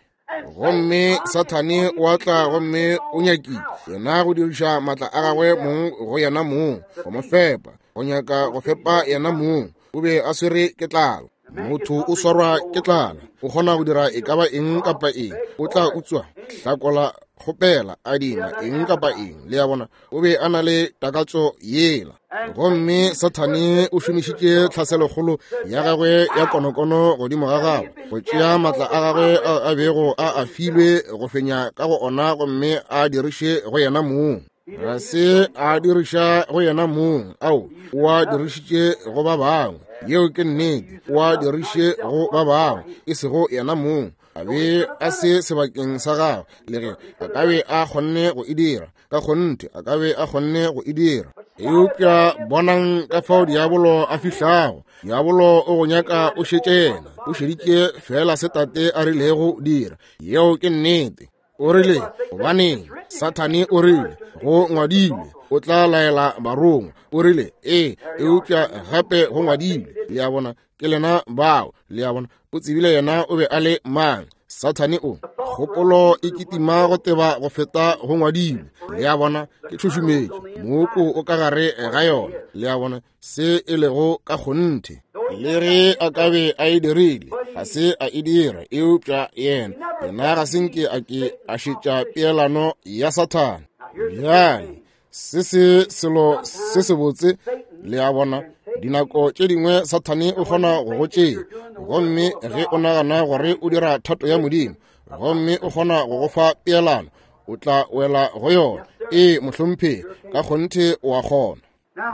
Gomme Sathane o a tla gomme o nyakile yena go diriša maatla a gagwe mong go yena mong, go mo fepa, go nyaka go fepa yena mong. O be a swere ke tlala. Motho o swarwa ke tlala, o kgona go dira e ka ba eng kapa eng. O tla utswa, hlakola, kgopela, adima, eng kapa eng. Le a bona, o be a na le takatso yela. Gomme Sathane o šomišitše tlhaselokgolo ya gagwe ya konokono godimo ga gagwe, go tšea maatla a gagwe ao a bego a a filwe go fenya ka go ona, gomme a diriše go yena mong. Ga se a diriša go yena mong, ao o a dirišitše go ba bangwe. Yeo ke nnete, o a diriše go ba bangwe, e sego yena mong. A be a se sebakeng sa gagwe, le ge a ka be a kgonne go e dira. Ka kgonthe a ka be a kgonne go e dira. Eupša bonang ka fao diabolo a fihlago. Diabolo o go nyaka o šetše yena, o šeditše fela se tate a rilego dira. Yeo ke nnete. O rile, gobaneng, Sathane o rile, go ngwadilwe, o tla laela barongwa. O rile, ee, eupša gape go ngwadilwe. Le a bona, ke lena bao. Le a bona, o tsebile yena o be a le mang. Sathane o kgopolo e kitima go teba go feta go ngwadilwe. Le a bona, ke tšhušumetšo, mooko o ka gare ga yona. Le a bona, se e lego ka kgonthe. Le ge a ka be a e dirile, ga se a e dira, eupša yena, yena ga se nke a ke a šetša peelano ya Sathane. Bjale, se se selo se sebotse, le a bona, dinako tše dingwe Sathane o kgona go go tšea, gomme ge o nagana gore o dira thato ya Modimo, gomme o kgona go go fa peelano, o tla wela go yona. Ee, mohlomphegi, ka kgonthe o a kgona.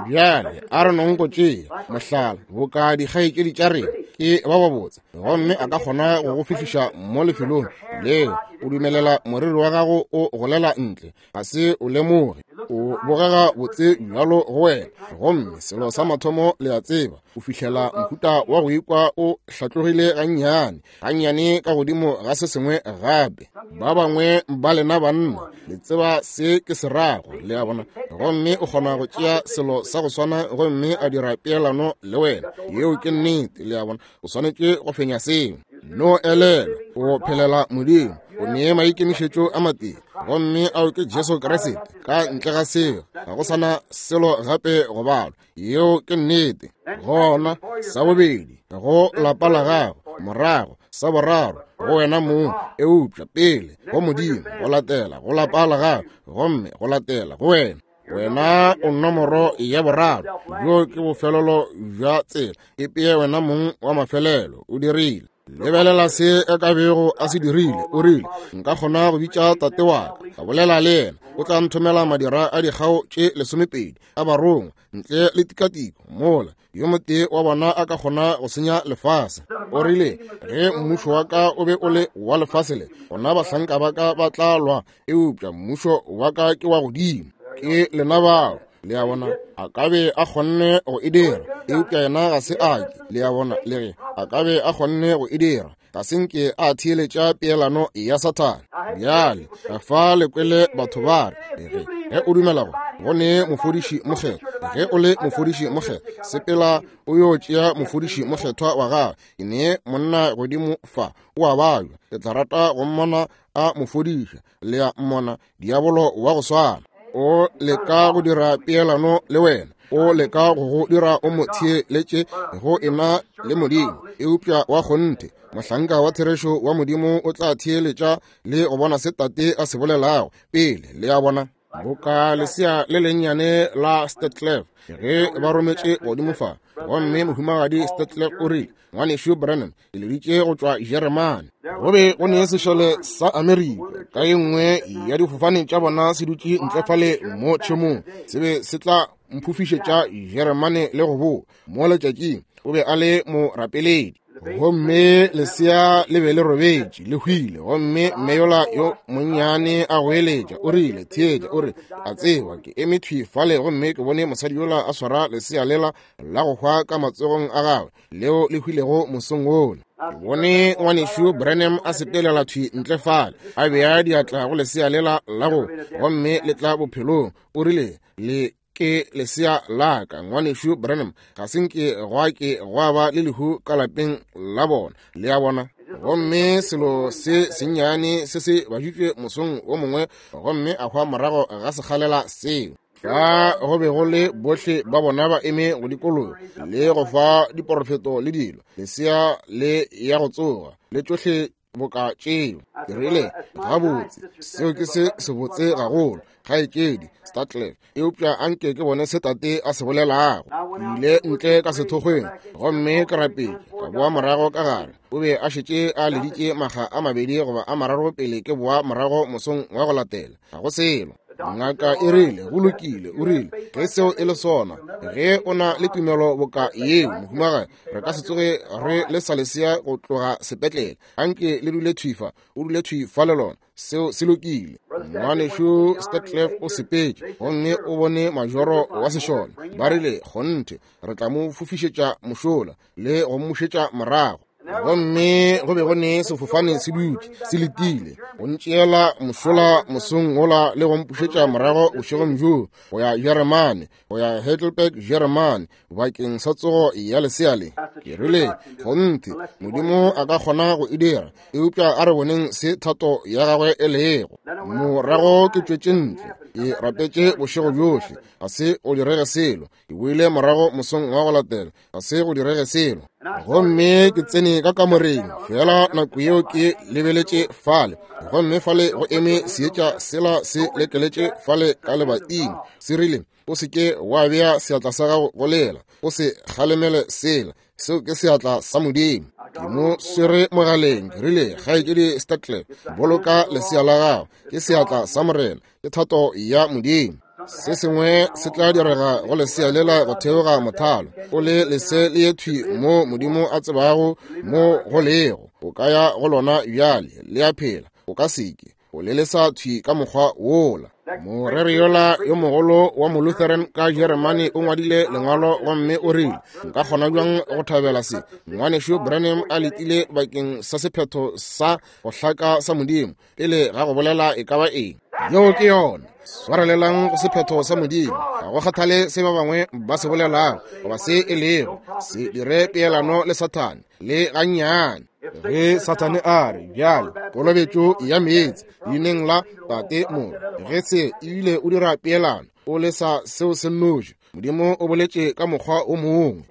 Bjale a re nong go tšea mohlala boka dikgaetšedi tša rena ke ba babotse, gomme a ka kgona go go fihliša mo lefelong leo o dumelela moriri wa gago o golela ntle, ga se o lemoge, o bogega botse bjalo go wena, gomme selo sa mathomo le a tseba, o fihlela mohuta wa go ikwa o hlatlogile gannyane gannyane ka godimo ga se sengwe gape. Ba bangwe ba lena banna le tseba se ke se rago, le a bona, gomme o kgona go tšea selo sa go swana gomme a dira peelano le wena. Yeo ke nnete, le a bona, o swanetše go fenya seo. No elelwa, o phelela Modimo, o nee maikemišetšo a matee, gomme ao ke Jesu Kriste. Ka ntle ga seo ga go sana selo gape go balwa. Yeo ke nnete. Gona sa bobedi, go lapa la gago, morago sa boraro go wena mong, eupša pele go Modimo, go latela go lapa la gago, gomme go latela go wena. Wena o nomoro ya boraro. Bjo ke bofelelo bja tsela. E peye wena mong wa mafelelo. O dirile. Lebelela se a ka bego a se dirile. O rile, nka kgona go bitša tate wa ka, ka bolela le yena, o tla nthomela madira a dikgao tše 12 a barongwa ntle le tikatiko, mola yo motee wa bona a ka kgona go senya lefase. O rile, ge mmušo wa ka o be o le wa lefase le, gona bahlanka ba ka ba tla lwa, eupša mmušo wa ka ke wa godimo. Ke lena bao. Le a bona, a ka be a kgonne go e dira, eupša yena ga se a ke. Le a bona, le ge a ka be a kgonne go e dira, ga se nke a theeletša peelano ya Sathane. Bjale fa le kwele batho ba re, ge o dumela go go ne mofodiši mokgethwa, ge o le mofodiši mokgethwa, sepela o yo tšea mofodiši mokgethwa wa gago. Ke ne monna godimo fa, o a babja, ke tla rata go mmona a mo fodiša. Le a mmona, diabolo wa go swana o leka go dira peelano le wena, o leka go go dira o mo theeletše go ena le Modimo. Eupša wa kgonthe mohlanka wa therešo wa Modimo o tla theeletša le go bona se tate a se bolelago pele. Le a bona, boka lesea le lennyane la Stetlev ge ba rometše godimo fa, gomme mohumagadi Stetlev o rile, Ngwanešu Branham, ke leditše go tšwa Jeremane. Go be go ne sešole sa Amerika ka ye nngwe ya difofane tša bona se dutše ntle fale mo tšhemong, se be se tla mphofišetša Jeremane le go boa mo letšatšing. O be a le morapeledi, gomme lesea le be le robetše le hwile, gomme mme yola yo monnyane a goeletša, o rile, theetša, o re, a tseba ke eme thwi fale gomme ke bone mosadi yola a swara lesea lela la go hwa ka matsogong a gagwe leo le hwilego mosong wola. Ke bone ngwanešu Branham a sepelela thwi ntle fale, a bea diatla go lesea lela la go, gomme le tla bophelong. O rile, le ke lesea la ka, ngwanešu Branham. Ga se nke gwa ke gwa ba le lehu ka lapeng la bona. Le a bona? Gomme selo se sennyane se se baditšwe mosong wo mongwe, gomme a hwa morago ga sekgalela seo. Fa go be go le bohle ba bona ba eme go dikologa le go fa diporofeto le dilo, lesea le ya go tsoga le tšohle boka tšeo. Ke rile, gabotse, seo ke se sebotse gagolo, kgaetšedi Statler, eupša anke ke bone se tate a se bolelago. Ke ile ntle ka sethokgweng gomme ke rapetše, ka boa morago ka gare. O be a šetše a leditše makga a mabedi goba a mararo pele ke boa morago mosong wa go latela. Ga go selo. Ngaka e rile, go lokile, o rile, ge seo e le sona, ge o na le tumelo boka yeo, mohumagadi, re ka se tsoge re le sa lesea go tloga sepetlele. Anke le dule thwi fa, o dule thwi fa le lona. Seo se lokile. Ngwanešu Stetlev o sepetše gomme o bone majoro wa sešole. Ba rile, kgonthe, re tla mo fofišetša mošola le go mmušetša morago. Gomme go be go ne sefofane se dutše se letile go ntšeela mošola mosong wola le go mpušetša morago bošegong bjoo go ya Jeremane, go ya Heidelberg, Jeremane, bakeng sa tsogo ya lesea le. Ke rile, kgonthe, Modimo a ka kgona go e dira, eupša a re boneng se thato ya gagwe e lego. Morago ke tšwetše ntle. Ke rapetše bošego bjohle, ga se go direge selo. Ke boile morago mosong wa go latela, ga se go direge selo. Gomme ke tsene ka kamoreng, fela nako yeo ke lebeletše fale, gomme fale go eme seetša sela se lekeletše fale ka lebating, se rile, O se ke wa bea seatla sa gago go lela, o se kgalemele sela, seo ke seatla sa Modimo. Ke mo swere mogaleng, ke rile, Kgaetšedi Statler, boloka lesea la gago, ke seatla sa Morena, ke thato ya Modimo. Se sengwe se tla direga go lesea lela go theoga mothalo, o le lese le ye thwi mo Modimo a tsebago mo go lego. O ka ya go lona bjale, le a phela, o ka se ke. O le lesa thwi ka mokgwa wola. Moreri yola yo mogolo wa Molutheran ka Jeremane o ngwadile lengwalo gomme o rile, Nka kgona bjang go thabela se? Ngwanešu Branham a letile bakeng sa sephetho sa go hlaka sa Modimo pele ga go bolela e ka ba eng. Yeo ke yona. Swarelelang go sephetho sa Modimo. Ga go kgathale se ba bangwe ba se bolelago goba se e lego. Se dire peelano le Sathane le gannyane. Ge Sathane a re, Bjale, kolobetšo ya meetse leineng la Tate Morwa, ge se ebile o dira peelano, o lesa seo se nnoši. Modimo o boletše ka mokgwa o mongwe.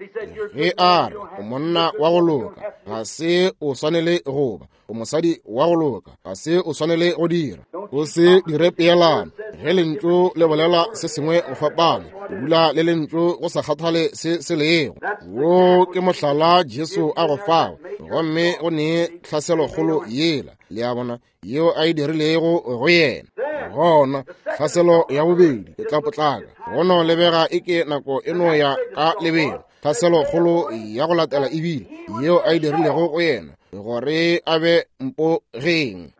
Ge a re, o monna wa go loka, ga se o swanele go ba. O mosadi wa go loka, ga se o swanele go dira. O se dire peelano. Ge lentšu le bolela se sengwe go fapana, o dula le lentšu go sa kgathale se se lego. Wo ke mohlala Jesu a go fago, gomme go ne tlhaselokgolo yela, le a bona, yeo a e dirilego go yena. Gona tlhaselo ya bobedi e tla potlaka, go no lebega e ke nako e no ya ka lebelo. Tlhaselokgolo ya go latela ebile yeo a e dirilego go yena, gore a be mpogeng.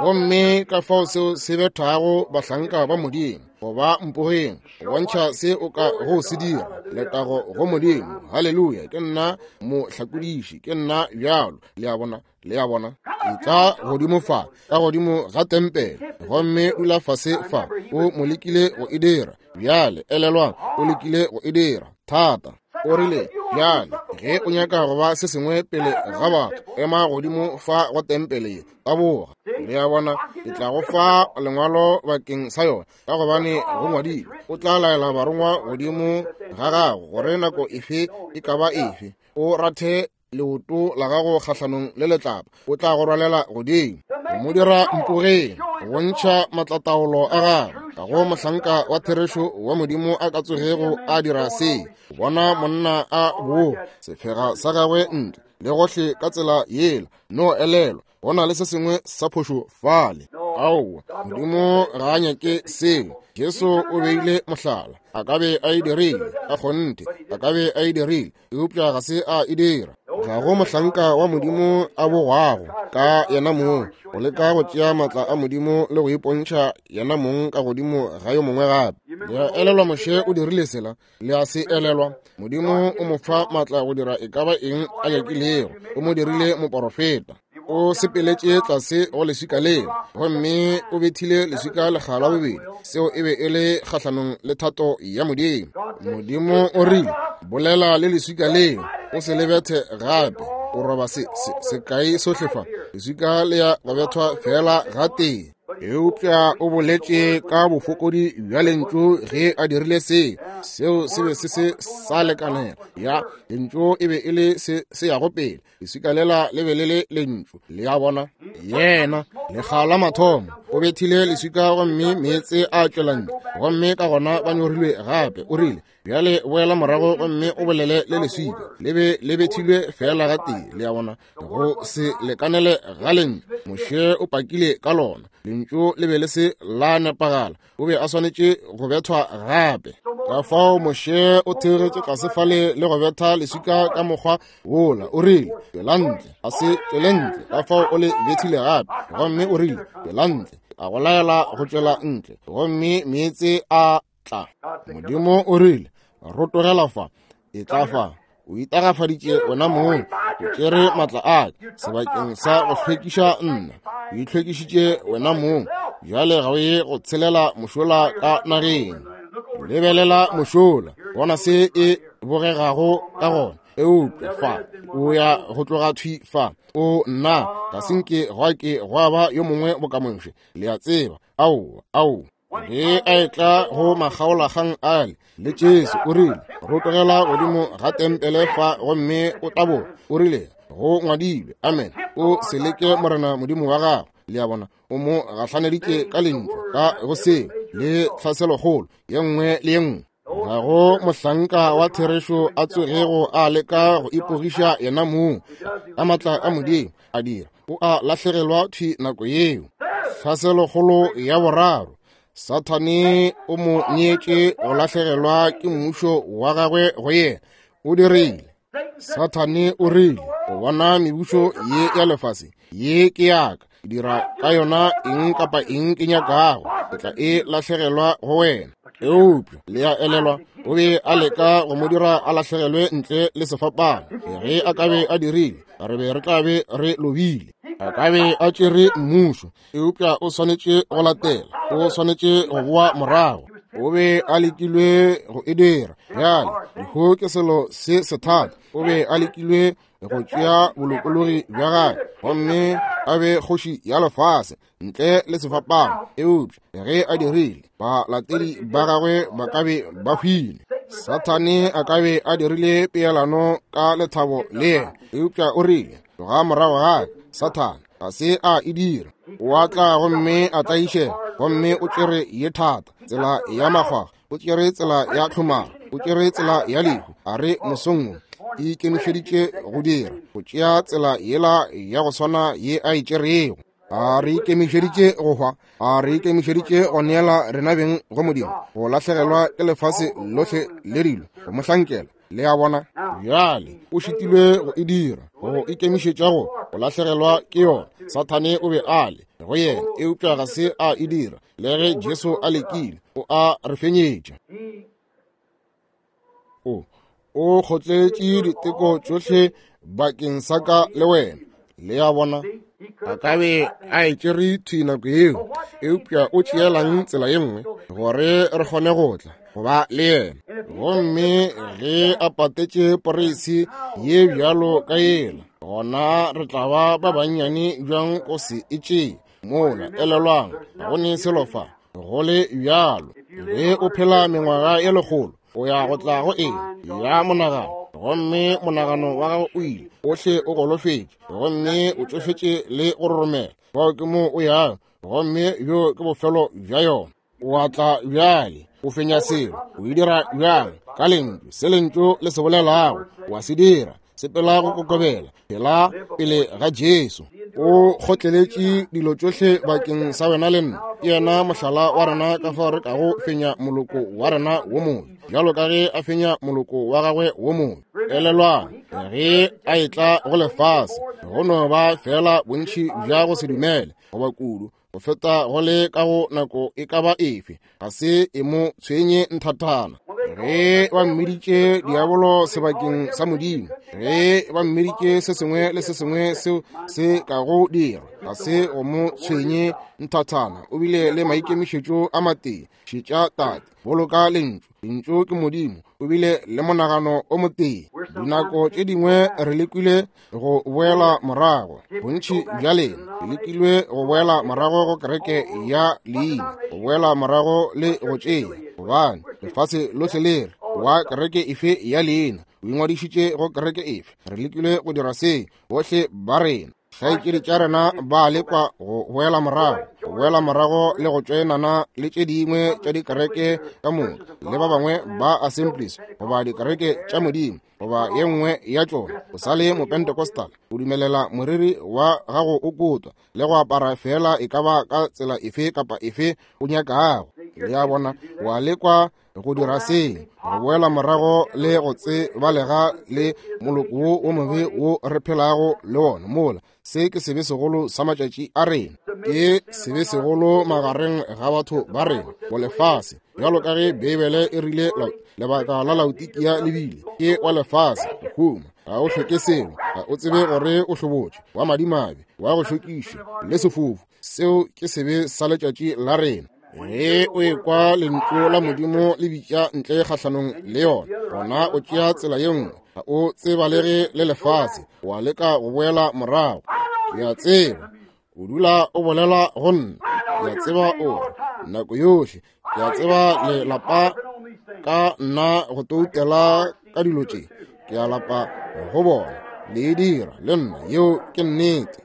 Gomme ka fao seo se bethago bahlanka ba Modimo go ba mpogeng, go bontšha se o ka go se dira. Letago go Modimo, haleluya! Ke nna mohlakodiši, ke nna bjalo. Le a bona, le a bona. Etla godimo fa, ka godimo ga tempele, gomme dula fase fa. O mo lekile go e dira. Bjale, elelwang, o lekile go e dira thata. O rile, Bjale, ge o nyaka go ba se sengwe pele ga batho, ema godimo fa go tempele ye, taboga. Le a bona, ke tla go fa lengwalo bakeng sa yona, ka gobane go ngwadilwe, o tla laela barongwa godimo ga gago gore nako efe e ka ba efe o rathe leoto la gago kgahlanong le letlapa, o tla go rwalela godimo. Go mo dira mpogeng, go bontšha matlataolo a gagwe. Ga go mohlanka wa therešo wa Modimo a ka tsogego a dira se. Bona monna a boa sefega sa gagwe ntle le gohle ka tsela yela, no elelwa go na le se sengwe sa phošo fale. Aowa, Modimo ga a nyake seo. Jesu o beile mohlala. A ka be a e dirile, ka kgonthe a ka be a e dirile, eupša ga se a e dira. Ga go mohlanka wa Modimo a bogwago ka yena mong go leka go tšea maatla a Modimo le go ipontšha yena mong ka godimo ga yo mongwe gape. Le a elelwa Moshe o dirile sela? Le a se elelwa? Modimo o mo fa maatla go dira e ka ba eng a nyakilego. O mo dirile moporofeta. O sepeletše tlase go leswika leo, gomme o bethile leswika lekga la bobedi. Seo e be e le kgahlanong le thato ya Modimo. Modimo o rile, Bolela le leswika leo, o se le bethe gape. O roba se, se, sekai sohle fa. Leswika le ya go bethwa feela gatee. Eupša o boletše ka bofokodi bja lentšu ge a dirile se. Seo se be se se sa lekanela. Ya, lentšu e be e le se se yago pele. Leswika lela le be le le lentšu. Le a bona? Yena, lekga la mathomo, o bethile leswika gomme meetse a tšwela ntle, gomme ka gona ba nyorilwe gape. O rile, Bjale boela morago gomme o bolele le leswika. Le be le bethilwe feela gatee. Le a bona? Go se lekanele ga lentšu. Moshe o pakile ka lona. Lentšu le be le se la nepagala. O be a swanetše go bethwa gape. Ka fao Moshe o theogetše tlase fale le go betha leswika ka mokgwa wola. O rile, Tšwela ntle. A se tšwele ntle. Ka fao o le bethile gape. Gomme o rile, Tšwela ntle. A go laela go tšwela ntle. Gomme meetse a tla. Modimo o rile, Rotogela fa. Etla fa. O itagafaditše wena mong. O tšere matla a ka sebakeng sa go hlwekiša nna. O itlhwekišitše wena mong. Bjale ga o ye go tshelela mošola ka nageng. Lebelela mošola, bona se e bogegago ka gona. Eupša fa o ya go tloga thwi fa. O nna, ga se nke gwa ke gwa ba yo mongwe boka Moshe. Le a tseba. Aowa, aowa. Ge a etla go makgaolakgang ale le Jesu, o rile, Rotogela godimo ga tempele fa gomme o taboge. O rile, Go ngwadilwe, amen, o se leke Morena Modimo wa gago. Le a bona, o mo gahlaneditše ka lentšu ka go seo le tlhaselokgolo ye nngwe le ye nngwe. Ga go mohlanka wa therešo a tsogego a leka go ipogiša yena mong ka matla a Modimo a dira, o a lahlegelwa thwi nako yeo. Tlhaselokgolo ya boraro, Sathane o mo neetše go lahlegelwa ke mmušo wa gagwe go yena. O dirile. Sathane o rile, O bona mebušo ye ya lefase, ye ke yaka, ke dira ka yona eng kapa eng ke nyakago, ke tla e lahlegelwa go wena. Eupša le a elelwa, o be a leka go mo dira a lahlegelwe ntle le sefapano. Ge a ka be a dirile, re be re tla be re lobile. A ka be a tšere mmušo, eupša o swanetše go latela, o swanetše go boa morago. O be a lekilwe go e dira. Bjale, lehu ke selo se sethata. O be a lekilwe go tšea bolokologi bja gagwe gomme a be kgoši ya lefase ntle le sefapano, eupša ge a dirile, balatedi ba gagwe ba ka be ba hwile. Sathane a ka be a dirile peelano ka lethabo le yena, eupša o rile, Tloga morago ga ka, Sathane. Ga se a e dira. O a tla gomme a tlaišega, gomme o tšere ye thata, tsela ya makgwakgwa, o tšere tsela ya tlhomaro, o tšere tsela ya lehu. A re mosong wo ikemišeditše go dira, go tšea tsela yela ya go swana ye a e tšerego. A re ikemišeditše go hwa, a re ikemišeditše go neela rena beng go Modimo, go lahlegelwa ke lefase lohle le dilo, go mo hlankela. Le a bona? Bjale o šitilwe go e dira, go ikemišetša go go lahlegelwa ke yona. Sathane o be a le go yena, eupša ga se a e dira. Le ge Jesu a lekile, o a re fenyetša. O o kgotletše diteko tšohle bakeng sa ka le wena. Le a bona? A ka be a e tšere thwi nako yeo, eupša o tšeelang tsela ye nngwe gore re kgone go tla go ba le yena. Gomme ge a patetše poreisi ye bjalo ka yela, gona re tla ba ba bannyane bjang go se e tšee mola. Elelwang, ga go ne selo fa go le bjalo. Ge o phela mengwaga ye lekgolo, o ya go tla go eng ya monagano, gomme monagano wa gago o ile ohle o golofetše gomme o tšofetše le go roromela. Fao ke mo o yago, gomme bjo ke bofelo bja yona. O a tla bjale, o fenya selo. O e dira bjang? Ka lentšu, se lentšu le se bolelago, o a se dira. Sepela go kokobela, phela pele ga Jesu. O kgotleletše dilo tšohle bakeng sa wena le nna. Ke yena mohlala wa rena ka fao re kago fenya moloko wa rena wo mongwe, bjalo ka ge a fenya moloko wa gagwe wo mongwe. Elelwang, ge a etla go lefase, go no ba feela bontši bja go se dumele goba kudu go feta go le ka go nako e ka ba efe, ga se e mo tshwenye nthathana. Ge ba mmiditše diabolo sebakeng sa Modimo, ge ba mmiditše se sengwe le se sengwe seo se ka go dira, ga se go mo tshwenye nthathana. O bile le maikemišetšo a matee, šetša Tate, boloka lentšu. Lentšu ke Modimo. O bile le monagano o motee. Dinako tše dingwe re lekile go boela morago, bontši bja lena le lekilwe go boela morago go kereke ya leina, go boela morago le go tšea, gobane lefase lohle le re wa kereke efe ya leina, o ingwadišitše go kereke efe. Re lekilwe go dira se, bohle ba rena. Kgaetšedi tša rena ba lekwa go boela morago, go boela morago le go tšoenana le tše dingwe tša dikereke ka moka, le ba bangwe ba Assemblies goba dikereke tša Modimo goba ye nngwe ya tšona. O sa le Mopentecostal, o dumelela moriri wa gago o kotwa le go apara feela e ka ba ka tsela efe kapa efe o nyakago. Le a bona, wa lekwa go dira se, go boela morago le go tsebalega le moloko wo wo mobe wo re phelago le wona mola. Se ke sebe segolo sa matšatši a rena, ke sebe segolo magareng ga batho ba rena bo lefase, bjalo ka ge Beibele e rile lebaka la Laodikia le bile ke wa lefase, go huma, ga o hloke selo, ga o tsebe gore o hlobotše, wa madimabe, wa go šokiša, le sefofu. Seo ke sebe sa letšatši la rena. Ge o ekwa lentšu la Modimo le bitša ntle kgahlanong le yona, gona o tšea tsela ye nngwe. Ga o tsebalege le lefase, wa leka go boela morago. Ke a tseba o dula o bolela go nna. Ke a tseba o re Nako yohle ke a tseba le lapa ka nna go toutela ka dilo tše. Ke a lapa go bona le e dira le nna. Yeo ke nnete.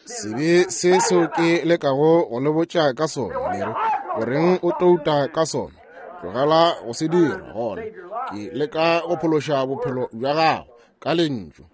Sebe se seo ke lekago go le botša ka sona, le re, goreng o touta ka sona? Tlogela go se dira. Gona ke leka go phološa bophelo bja gago ka lentšu.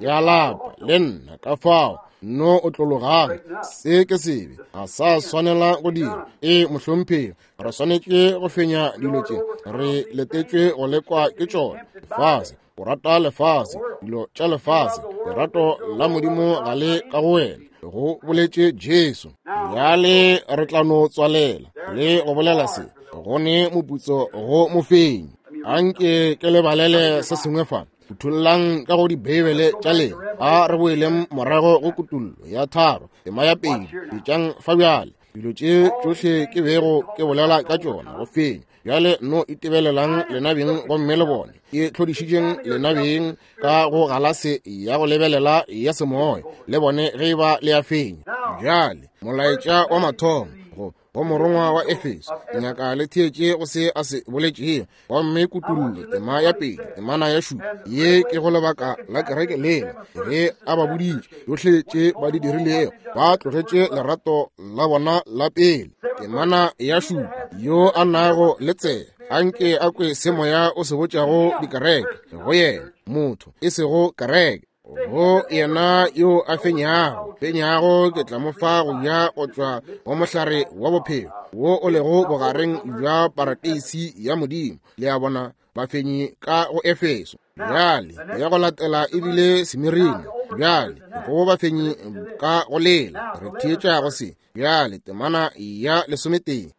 Ke a lapa le nna, ka fao no o tlologang. Se ke sebe, ga sa swanela go dira. Ee, mohlomphegi, re swanetše go fenya dilo tše. Re letetšwe go lekwa ke tšona. Lefase, o rata lefase, dilo tša lefase, lerato la Modimo ga le ka go wena, go boletše Jesu. Bjale re tla no tswalela le go bolela se, go ne moputso go mofenyi. Anke ke le balele se sengwe fa. Phuthollang ka go dibeibele tša lena. A re boeleng morago go Kutullo ya 3, tema ya 2. Bitšang fa bjale dilo tše tšohle ke bego ke bolela ka tšona go fenya. Bjale no itebelelang lena beng gomme le bone ke hlodišitšeng lena beng ka go galase ya go lebelela ya semoya, le bone ge e ba le a fenya. Bjale molaetša wa mathomo go go morongwa wa Efeso, nyaka le theetše go se a se boletšego. Gomme Kutullo tema ya 2, temana ya 7, ye ke go lebaka la kereke lela, ge a ba boditše yohle tše ba di dirilego, ba tlogetše lerato la bona la pele. Temana ya 7, yo a nago le tsebe, anke a kwe se moya o se botšago dikereke. Go yena motho, e sego kereke. Go yena yo a fenyago, fenyago ke tla mo fa go ja go tšwa go mohlare wa bophelo wo o lego bogareng bja parateisi ya Modimo. Le a bona, bafenyi ka go Efeso. Bjale ya go latela ebile Semirina. Bjale go bafenyi ka go lela, re theetša go se. Bjale temana ya 11,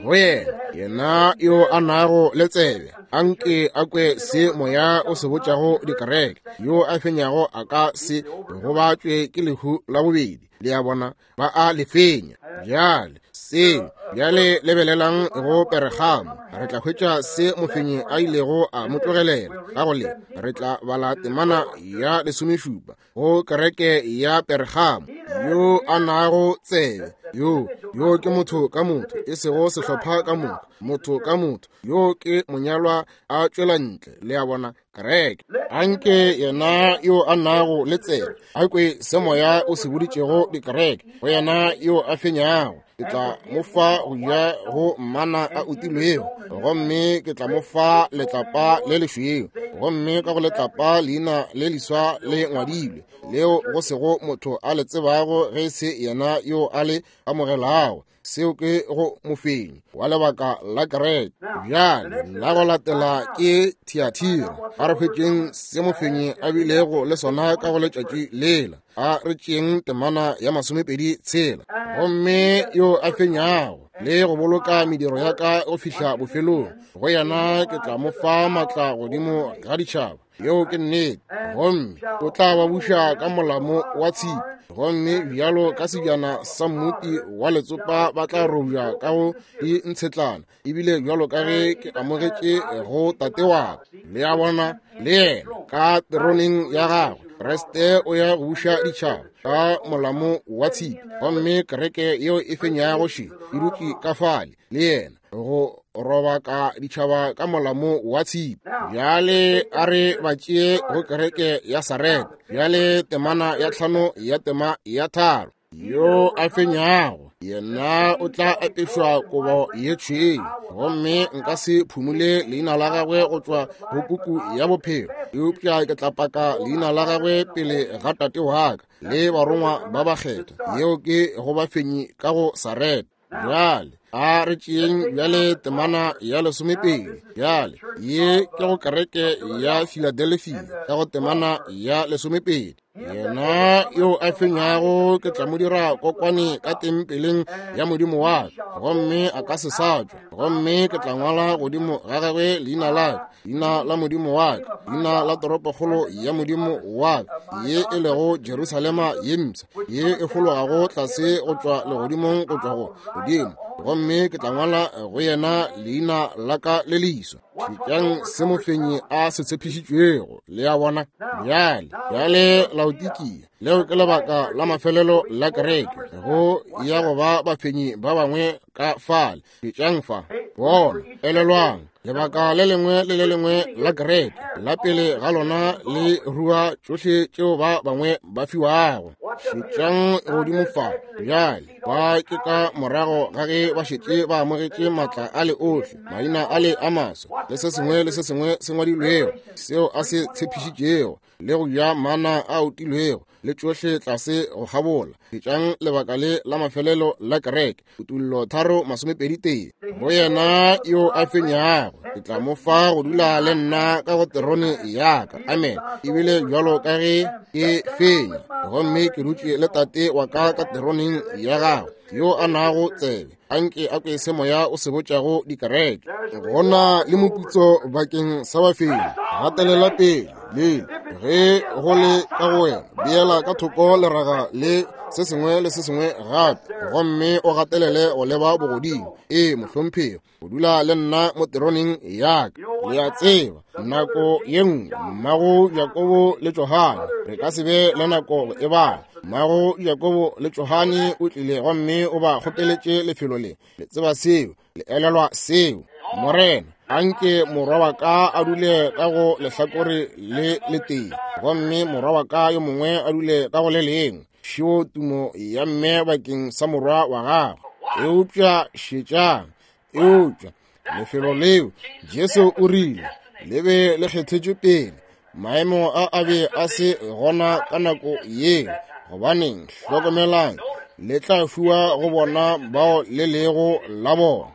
go yena, yena yo a nago le tsebe, anke a kwe se moya o se botšago dikereke. Yo a fenyago a ka se gobatšwe ke lehu la bobedi. Le a bona, ba a le fenya. Bjale seo, bjale lebelelang go Peregamo, re tla hwetša se mofenyi a ilego a mo tlogelela ka go le. Re tla bala temana ya 17 go kereke ya Pergamo. Yo a nago tsebe, yo yo ke motho ka motho, e sego sehlopha ka motho, motho ka motho, yo ke monyalwa a tšwela ntle. Le a bona, kereke. Anke yena yo a nago le tsebe a kwe se moya o se boditšego dikereke. Go yena yo a fenyago, ke tla mo fa go ja go mana a utilwego, gomme ke tla mo fa letlapa le lešweu, gomme ka go letlapa leina le leswa le ngwadilwe, leo go sego motho a le tsebago ge e se yena yo a le amogelago. Seo ke go mofenyi wa lebaka la kereke. Bjale la go latela ke Thiatira. A re hwetšeng se mofenyi a bilego le sona ka go letšatši lela. A re tšeeng temana ya 26. Gomme yo a fenyago le go boloka mediro ya ka go fihla bofelong, go yena ke tla mo fa matla godimo ga ditšhaba. Yeo ke nnete. Gomme o tla ba buša ka molamo wa tshipi, gomme bjalo ka sebjana sa mmopi wa letsopa ba tla robja ka go dintshetlana, ebile bjalo ka ge ke amogetše go tate wa ka. Le a bona, le yena ka teroneng ya gagwe, Kriste o ya go buša ditšhaba ka molamo wa tshipi, gomme kereke yeo e fenyago še e dutše ka fale le yena go robaka ditšhaba ka molamo wa tshipi. Bjale a re ba tšee go kereke ya Sareta. Bjale temana ya 5 ya tema ya 3. Yo a fenyago yena o tla apešwa kobo ye tšhweu, gomme nka se phumule leina la gagwe go tšwa go puku ya bophelo, eupša ke tla paka leina la gagwe pele ga tate wa ka le barongwa ba bakgethwa. Yeo ke go bafenyi ka go Sareta. Bjale a re tšeeng bjale temana ya 12. Bjale ye ke go kereke ya Philadelphia ka go temana ya 12. Yena yo a fenyago ke tla mo dira kokwane ka tempeleng ya Modimo wa ka, gomme a ka se sa tšwa. Gomme ke tla ngwala godimo ga gagwe leina la ka, leina la Modimo wa ka, leina la toropokgolo ya Modimo wa ka, ye e lego Jerusalema ye mpsha, ye e fologago tlase go tšwa legodimong go tšwa go Modimo. Gomme ke tla ngwala go yena leina la ka le leswa. Šetšang se mofenyi a se tshepišitšwego. Le a bona? Bjale, bjale Laodikia, leo ke lebaka la mafelelo la kereke, go ya go ba bafenyi ba bangwe ka fale. Šetšang fa, bona, elelwang, lebaka le lengwe le le lengwe la kereke la pele ga lona le rua tšohle tšeo ba bangwe ba fiwago. Šetšang godimo fa bjale, ba ke ka morago ga ge ba šetše ba amogetše maatla a le ohle, maina a le a maswa, le se sengwe le se sengwe se ngwadilwego seo a se tshepišitšego, le go ja mana a otilwego, le tšohle tlase go kgabola. Šetšang lebaka le la mafelelo la kereke, Kutullo 3:21. Go yena yo a fenyago, ke tla mo fa go dula le nna ka go terone ya ka. Amen. Ebile bjalo ka ge ke fenya, gomme ke dutše le Tate wa ka ka teroneng ya gagwe, yo a nago tsebe, anke a kwe se moya o se botšago dikereke. Go na le moputso bakeng sa bafenyi. Gatelela pele le ge go le ka go wena, beela ka thoko leraga le se sengwe le se sengwe gape, gomme o gatelele go leba bogodimo. Ee, mohlomphegi, o dula le nna mo teroneng ya ka. Le a tseba, nako ye nngwe mmago Jakobo le Johane, re ka se be le nako go e bala. Mmago Jakobo le Johane o tlile gomme o ba kgopeletše lefelo le. Le tseba seo, le elelwa seo. Morena, anke morwa wa ka a dule ka go lehlakore le letee, gomme morwa wa ka yo mongwe a dule ka go le lengwe. Šeo tumo ya mme bakeng sa morwa wa gagwe. Eupša šetšang, eupša lefelo leo Jesu o rile le be le kgethetšwe pele. Maemo a a be a se gona ka nako yeo. Gobaneng, hlokomelang, le tla fiwa go bona bao le lego la bona.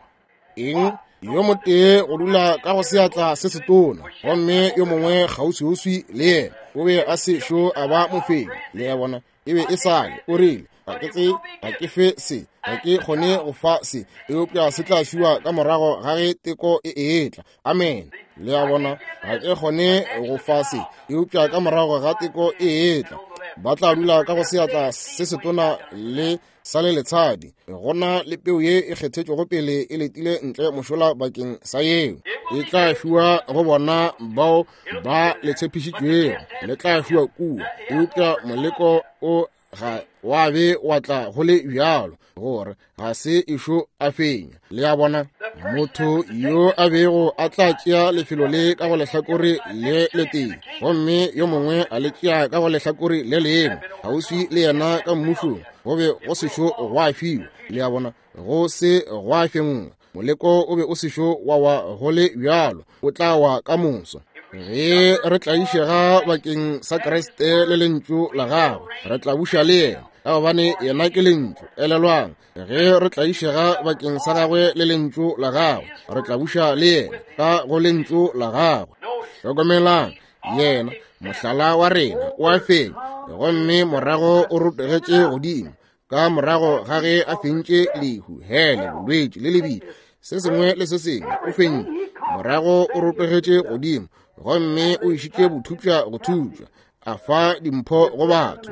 Eng? Yo motee go dula ka go seatla se setona, gomme yo mongwe kgauswiuswi le yena. O be a sešo a ba mofenyi. Le a bona, e be e sa le. O rile, ga ke tse, ga ke fe se, ga ke kgone go fa se, eupša se tla fiwa ka morago ga ge teko e etla. Amen. Le a bona, ga ke kgone go fa se, eupša ka morago ga teko e etla, ba tla dula ka go seatla se setona le sa le letshadi. Go na le peu ye e kgethetšwego pele e letile ntle mošola bakeng sa yeo. E tla fiwa go bona bao ba le tshepišitšwego, le tla fiwa kua. Eupša moleko o ga wa be wa tla go le bjalo, gore ga se ešo a fenya. Le a bona, motho yo a bego a tla tšea lefelo le ka go lehlakore le letee, gomme yo mongwe a le tšea ka go lehlakore le lengwe, kgauswi le yena ka mmušong, go be go sešo gwa fiwa. Le a bona, go se gwa fenngwa. Moleko o be o sešo wa wa go le bjalo, o tla wa ka moso. Ge re tlaišega bakeng sa Kriste le lentšu la gagwe, re tla buša le yena, ka gobane yena ke lentšu. Elelwang, ge re tlaišega bakeng sa gagwe le lentšu la gagwe, re tla buša le yena ka go lentšu la gagwe. Hlokomelang, yena mohlala wa rena o a fenya, gomme morago o rotogetše godimo ka morago ga ge a fentše lehu, hele, bolwetši le lebitla, se sengwe le se sengwe. O fentše, morago o rotogetše godimo gomme o išitše bothupša go thupša, a fa dimpho go batho.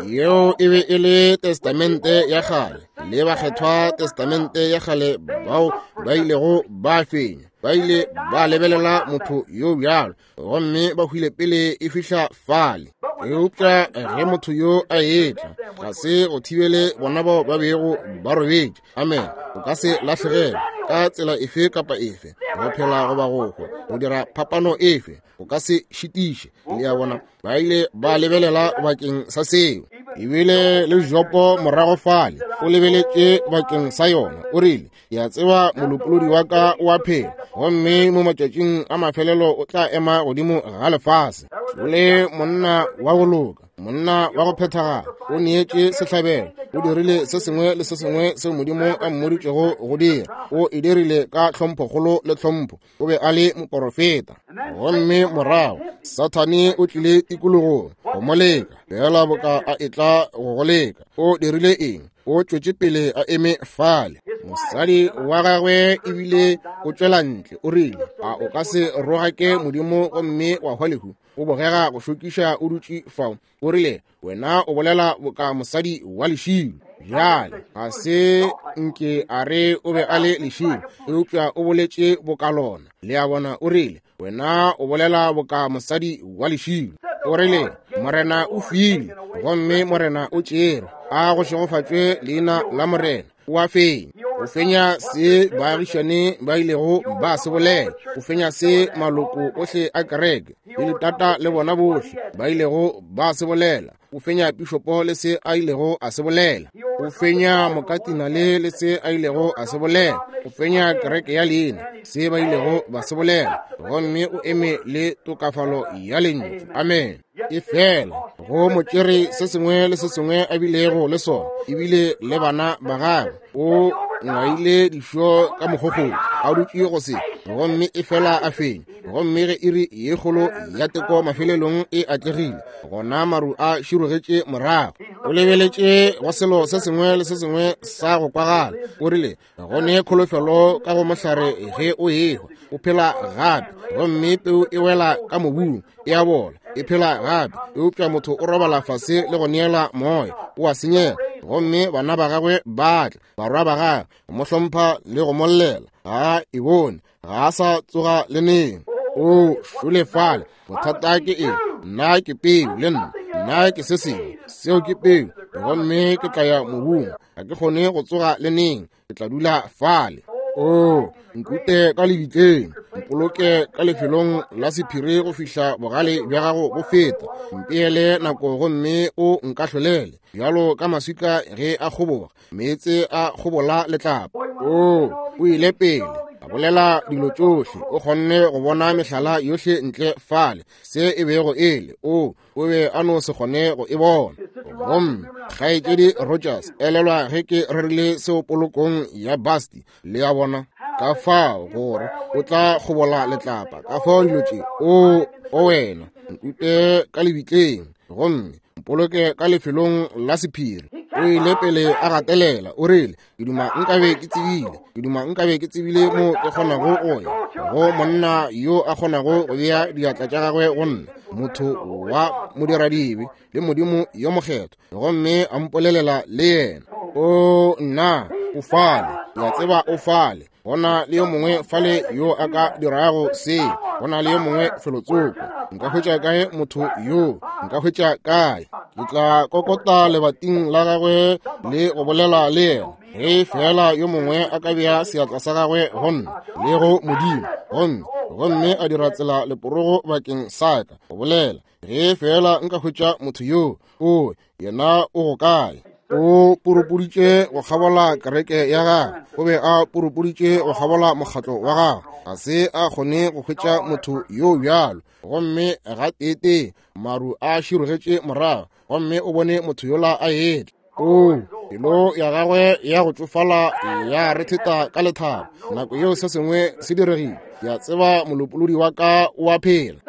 Yeo e be e le Testamente ya kgale, le bakgethwa Testamente ya kgale bao ba ilego ba fenya, ba ile ba lebelela motho yo bjalo, gomme ba hwile pele e fihla fale. Eupša ge motho yo a etla, ga se go thibele bona bao ba bego ba robetše. Amen. O ka se lahlegelwe ka tsela efe kapa efe, go phela goba go hwa, go dira phapano efe, o ka se šitiše. Le a bona, ba ile ba lebelela bakeng sa seo. Ebile le Jopo morago fale o lebeletše bakeng sa yona. O rile, ke a tseba molopolodi wa ka o a phela, gomme mo matšatšing a mafelelo o tla ema godimo ga lefase. O le monna wa go loka, monna wa go phethagala, o neetše sehlabelo, o dirile se sengwe le se sengwe seo Modimo a mmoditšego go dira, o e dirile ka tlhomphokgolo le tlhompho. O be a le moporofeta. Gomme morago Sathane o tlile tikologong go mo leka, fela boka a etla go go leka. O dirile eng? O tšwetše pele a eme fale. Mosadi wa gagwe ebile o tšwela ntle, o rile, a o ka se rogake Modimo gomme wa hwa lehu? O bogega go šokiša o dutše fao. O rile, Wena o bolela boka mosadi wa lešilo. Bjale, ga se nke a re o be a le lešilo, eupša o boletše boka lona. Le a bona, o rile, Wena o bolela boka mosadi wa lešilo. O rile, Morena o file, gomme Morena o tšere. A go šegofatšwe leina la Morena. O a fenya. O fenya se baagišane ba ilego ba se bolela. O fenya se maloko ohle a kereke le ditata le bona bohle ba ilego ba se bolela. O fenya pišopo le se a ilego a se bolela. O fenya mokatinale le se a ilego a se bolela. O fenya kereke ya leina, se ba ilego ba se bolela. Gomme o eme le tokafalo ya lentšu. Amen. Efela go mo tšere se sengwe le se sengwe a bilego le sona, ebile le bana ba gagwe. O ngwaile dišo ka mokgokgong, a dutše go se, gomme efela a fenya. Gomme ge iri ye kgolo ya teko mafelelong e atlegile, gona maru a širogetše morago. O lebeletše go selo se sengwe le se sengwe sa go kwagala. O rile, go ne kholofelo ka go mohlare ge o ehwa, o phela gape. Gomme peu e wela ka mobung, e a bola, e phela gape. Eupša motho o robala fase le go neela moya, o a senyega. Gomme bana ba gagwe ba tla, barwa ba gagwe, go mo hlompha le go mo llela. Ga a e bone, ga a sa tsoga le neng. O šole fale. Bothata ke eng? Nna ke peu le nna. Nna ke se sengwe. Seo ke peu. Gomme ke tla ya mobung. Ga ke kgone go tsoga le neng. Ke tla dula fale. O nkute ka lebitleng, mpoloke ka lefelong la sephiri go fihla bogale bja gago bo feta. Mpeele nako gomme o nkahlolele bjalo ka maswika ge a kgoboga, meetse a kgobola letlapa. O o ile pele a bolela dilo tšohle, o kgonne go bona mehlala yohle ntle fale, se e bego e le. O o be a no se kgone go e bona. Gomme Kgaetšedi Rogers, elelwa ge ke rerile seo polokong ya Basti, le a bona, ka fao gore o tla kgobola letlapa, ka fao dilo tše. O, o wena, nkute ka lebitleng, gomme mpoloke ka lefelong la sephiri. O ile pele a gatelela, o rile, Ke duma nkabe ke tsebile, ke duma nkabe ke tsebile mo ke kgonago go ya go monna yo a kgonago go bea diatla tša gagwe go nna, motho wa modiradibe le Modimo yo mokgethwa, gomme a mpolelela le yena. O nna, o fale, ke a tseba o fale. Go na le yo mongwe fale yo a ka dirago se. Go na le yo mongwe felotsoko. Nka hwetša kae motho yo? Nka hwetša kae? Ke tla kokota lebating la gagwe le go bolela le yena. Ge fela yo mongwe a ka bea seatla sa gagwe go nna le go Modimo, gomme, gomme a dira tsela leporogo bakeng sa ka go bolela. Ge fela nka hwetša motho yo, o yena o go kae? O purupuditše go kgabola kereke ya gagwe, o be a purupuditše go kgabola mokgatlo wa gagwe, ga se a kgone go hwetša motho yo bjalo. Gomme gateetee maru a širogetše morago, gomme o bone motho yola a etla. O, pelo ya gagwe ya go tšofala ya retheta ka lethabo. Nako yeo se sengwe se diregile. Ke a tseba molopolodi wa ka o a phela.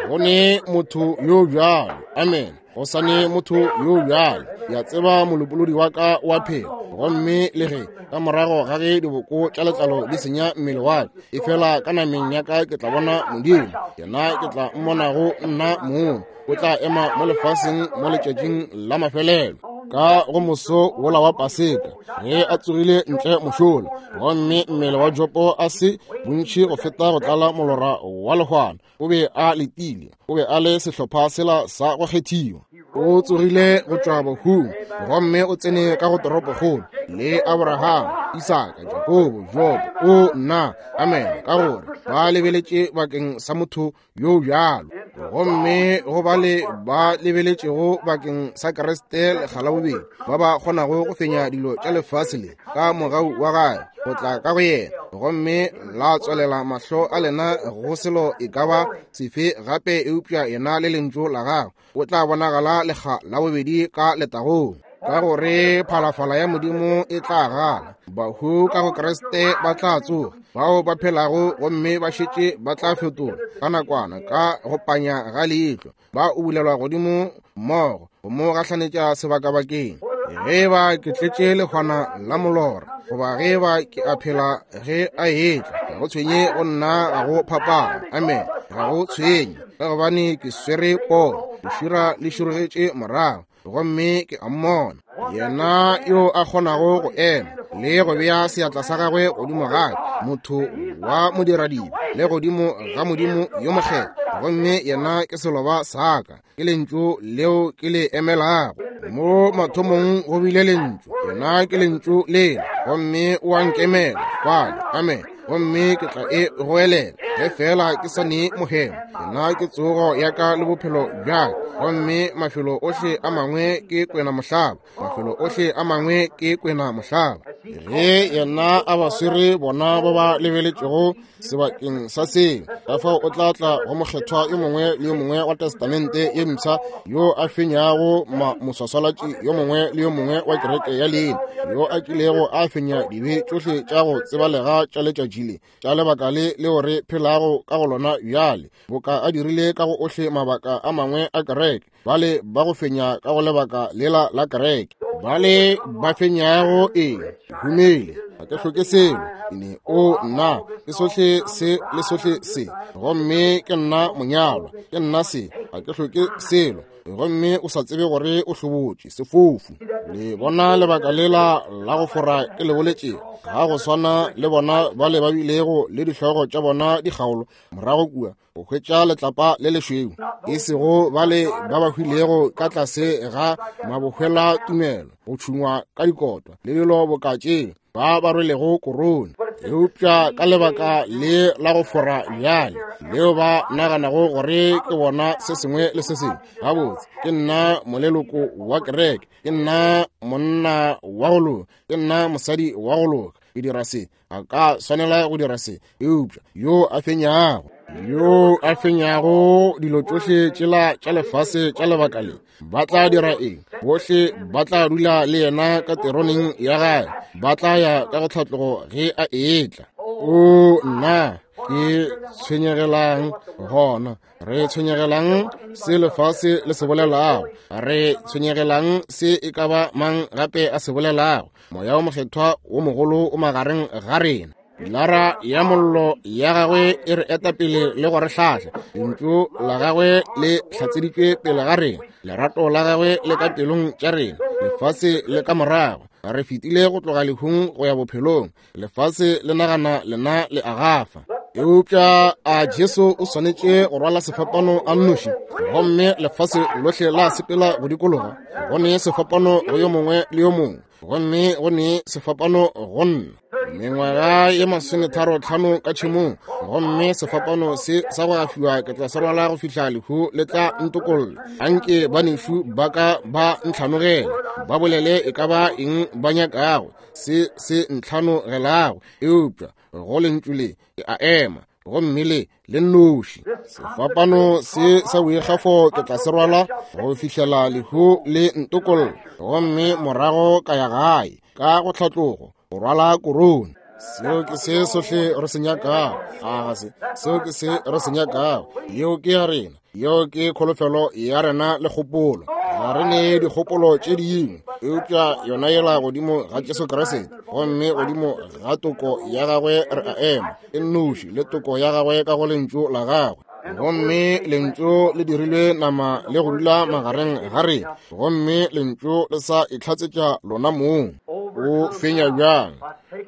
Go ne motho yo bjalo. Amen. Go sa ne motho yo bjalo. Ke a tseba molopolodi wa ka o a phela. Gomme le ge ka morago ga ge diboko tša letlalo di senya mmele wa ka, efela ka nameng ya ka ke tla bona Modimo. Yena ke tla mmonago nna mong. O tla ema mo lefaseng mo letšatšing la mafelelo, ka go moso wola wa Paseka, ge a tsogile ntle mošola, gomme mmele wa Jopo a se bontši go feta go tlala molora wa lehwana. O be a letile, o be a le sehlopha sela sa go kgethiwa. O tsogile go tšwa bahung, gomme o tsene ka go toropokgolo le Abraham, Isaka, Jakobo, Jobo. O nna, amen, ka gore ba lebeletše bakeng sa motho yo bjalo. Gomme go bale ba lebeletšego bakeng sa Kriste lekga la bobedi, ba ba kgonago go fenya dilo tša lefase le ka mogau wa gagwe go tla ka go yena, gomme la tswalela mahlo a lena go selo e ka ba sefe gape eupša yena le lentšu la gagwe, o tla bonagala lekga la bobedi ka letagong. Ka gore phalafala ya Modimo e tla gala, bahu ka go Kriste ba tla tsoga, bao ba phelago gomme ba šetše ba tla fetola ka nakwana ka go panya ga leihlo, ba ubulelwa godimo mmogo go mo gahlanetša sebakabakeng. Ge ba ke tletše lehwana la molora, goba ge ba ke a phela ge a etla, ga go tshwenye go nna, ga go phapano. Amen. Ga go tshwenye. ka gobane ke swere pono. Lešira le širogetše morago, gomme ke a mmona. Yena yo a kgonago go ema le go bea seatla sa gagwe godimo ga ka, motho wa modiradibe, le godimo ga Modimo yo mokgethwa, gomme yena ke seloba sa ka, ke lentšu leo ke le emelago. Mo mathomong go bile lentšu, yena ke lentšu lela, gomme o a nkemela fale. Amen. Gomme ke tla e goelela ge fela ke sa ne mohemo. Yena ke tsogo ya ka le bophelo bja ka, gomme mafelo ohle a mangwe ke kwena mohlaba, mafelo ohle a mangwe ke kwena mohlaba. Ge yena a ba swere bona ba ba lebeletšego sebakeng sa seo, ka fao o tla tla go mokgethwa yo mongwe le yo mongwe wa Testamente ye Mpsha yo a fenyago moswaswalatši yo mongwe le yo mongwe wa kereke ya leina, yo a kilego a fenya dibe tšohle tša go tsebalega tša letšatši le, tša lebaka le leo re phelago ka go lona bjale, boka a dirile ka go ohle mabaka a mangwe a kereke. Bale ba go fenya ka go lebaka lela la kereke, bale ba fenyago eng? Humile, ga ke hloke selo. Ne o nna ke sohle se le sohle se, gomme ke nna monyalwa, ke nna se, ga ke hloke selo. Gomme o sa tsebe gore o hlobotše, sefofu. Le bona lebaka lela la go fora ke le boletšego, ga go swana le bona bale ba bilego le dihlogo tša bona di kgaolwa morago kua go hwetša letlapa le lešweu, e sego bale ba ba hwilego ka tlase ga mabohwela tumelo, go tšhungwa ka dikotwa le dilo boka tše, ba ba rwelego korone. Eupša ka lebaka le la go fora bjale, leo ba naganago gore ke bona se sengwe le se sengwe, gabotse ke nna moleloko wa kereke, ke nna monna wa go loka, ke nna mosadi wa go loka, ke dira se, a ka swanela go dira se. Eupša yo a fenyago, yo a fenyago dilo tšohle tšela tša lefase tša lebaka le, ba tla dira eng? Bohle ba tla dula le yena ka teroneng ya gae, ba tla ya ka go tlhatlogo ge a etla. O nna, ke tshwenyegelang gona? Re tshwenyegelang se lefase le se bolelago? Re tshwenyegelang se e ka ba mang gape a se bolelago? Moya o Mokgethwa wo mogolo o magareng ga rena. Pilara ya mollo ya gagwe e re eta pele le go re hlahla. Lentšu la gagwe le hlatseditšwe pele ga rena. Lerato la gagwe le ka pelong tša rena. Lefase le ka morago. Re fetile go tloga lehung go ya bophelong. Lefase le nagana lena le a gafa. Eupša a Jesu o swanetše go rwala sefapano a nnoši, gomme lefase lohle la sepela go dikologa. Go ne sefapano go yo mongwe le yo mongwe, gomme go ne sefapano go nna. Mengwaga ye 35 ka tšhemong, gomme sefapano se sa go afiwa ke tla se rwala go fihla lehu le tla ntokolla. Anke banešu ba ka ba ntlhanogele, ba bolele e ka ba eng ba nyakago, se se ntlhanogelago, eupša go lentšu le ke a ema, gomme le le nnoši. Sefapano se sa boikgafo ke tla se rwala go fihlela lehu le ntokolla, gomme morago ka ya gae ka go tlhatlogo go rwala korone. Seo ke se sohle re se nyakago. A ga se? Seo ke se re se nyakago. Yeo ke ya rena. Yeo ke kholofelo ya rena le kgopolo. Ga re ne dikgopolo tše dingwe, eupša yona yela godimo ga Jesu Kriste, gomme godimo ga toko ya gagwe re a ema, e nnoši le toko ya gagwe ka go lentšu la gagwe. Gomme lentšu le dirilwe nama le go dula magareng ga rena, gomme lentšu le sa itlhatsetša lona mong. O fenya bjang?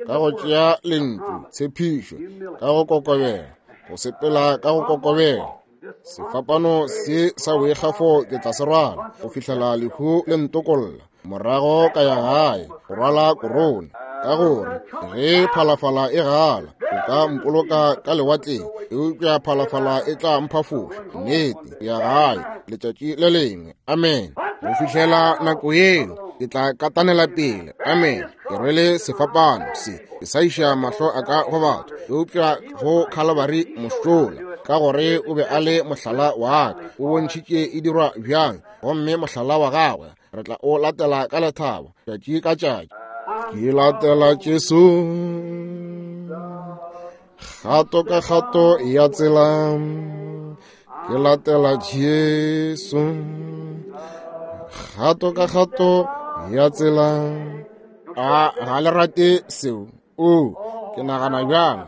Ka go tšea lentšu, tshepišo, ka go kokobela, go sepela ka go kokobela. Sefapano se sa boikgafo ke tla se rwala go fihlela lehu le ntokolla, morago ka ya gae go rwala korone. Ka gore ge phalafala e gala, o ka mpoloka ka lewatleng, eupša phalafala e tla mphafoša. Nnete, ke ya gae letšatši le lengwe. Amen. Go fihlela nako yeo, ke tla katanela pele. Amen. Ke rwele sefapano se, ke sa iša mahlo a ka go batho, eupša go Khalabari mošola, ka gore o be a le mohlala wa ka. O bontšhitše e dirwa bjang, gomme mohlala wa gagwe re tla o latela ka lethabo tšatši ka tšatši. Ke latela Jesu kgato ka kgato ya tsela, ke latela Jesu kgato ka kgato ya tsela. A ga le rate seo? O, ke nagana bjang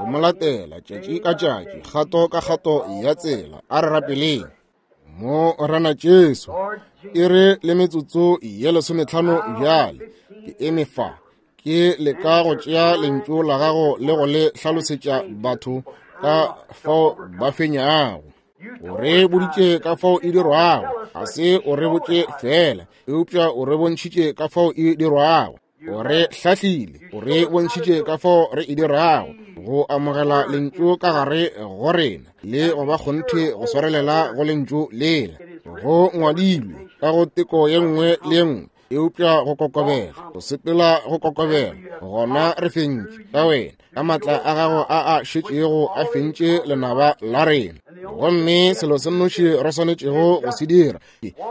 go mo latela tšatši ka tšatši, kgato ka kgato ya tsela. A re rapeleng. Morena Jesu, e re le metsotso ye 15 bjale, ke eme fa, ke leka go tšea lentšu la gago le go le hlalosetša batho ka fao ba fenyago. O re boditše ka fao e dirwago, ga se o re botše fela, eupša o re bontšhitše ka fao e dirwago. O re hlahlile, o re bontšhitše ka fao re e dirago, go amogela lentšu ka gare go rena le go ba kgonthe go swarelela go lentšu lela. Go ngwadilwe ka go teko ye nngwe le ye nngwe, eupša go kokobela, go sepela go kokobela, gona re fentše ka wena, ka matla a gago a a šetšego a fentše lenaba la rena. Gomme selo se nnoši re swanetšego go se dira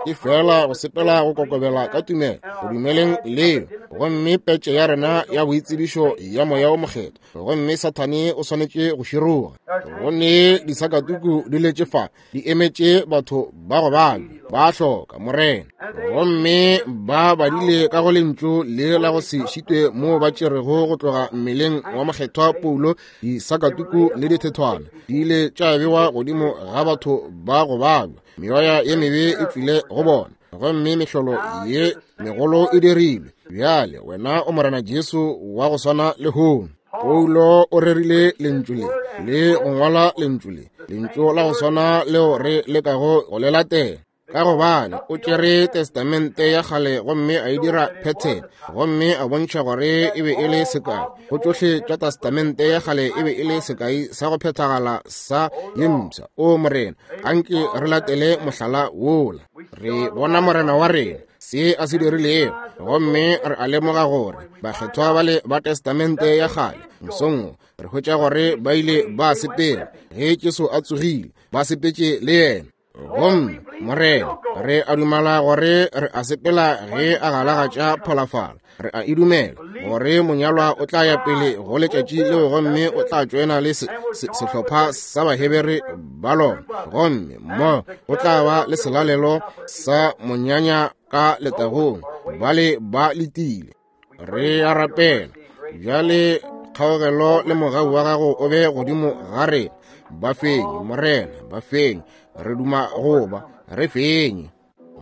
ke fela go sepela go kokobela ka tumelo go dumeleng leo, gomme petše ya rena ya boitsebišo ya Moya o Mokgethwa. Gomme Sathane o swanetše go široga. Go ne disakatuku di letše fa, di emetše batho ba go babja, ba hloka Morena. Gomme ba badile ka go lentšu le la go se šitwe moo ba tšerego go tloga mmeleng wa Mokgethwa Paulo disakatuku le dithethwana di ile tša bewa godimo ga batho ba go babja, meoya ye mebe e tšwile go bona, gomme mehlolo ye megolo e dirilwe. Bjale wena o Morena Jesu wa go swana lehono. Paulo o rerile lentšu le le go ngwala lentšu le, lentšu la go swana leo re lekago go le latela, ka gobane o tšere testamente ya kgale gomme a e dira phethene, gomme a bontšha gore e be e le sekai go tšohle tša testamente ya kgale, e be e le sekai sa go phethagala sa ye mpsha. O Morena, anke re latele mohlala wola. Re bona Morena wa rena se a se dirilego, gomme re a lemoga gore bakgethwa bale ba testamente ya kgale mosong re hwetša gore ba ile ba sepela ge Jesu a tsogile, ba sepetše le yena. Gomme Morena, re a dumela gore re a sepela ge a galagatša pholafala. Re a e dumela gore monyalwa o tla ya pele go letšatši leo, gomme o tla tšoena le sehlopha sa Bahebere ba lona, gomme mo go tla ba le selalelo sa monyanya ka letagong. Bale ba letile. Re a rapela bjale, kgaogelo le mogau wa gago o be godimo ga rena. Ba fenye Morena, ba fenye. Re duma go ba re fenye.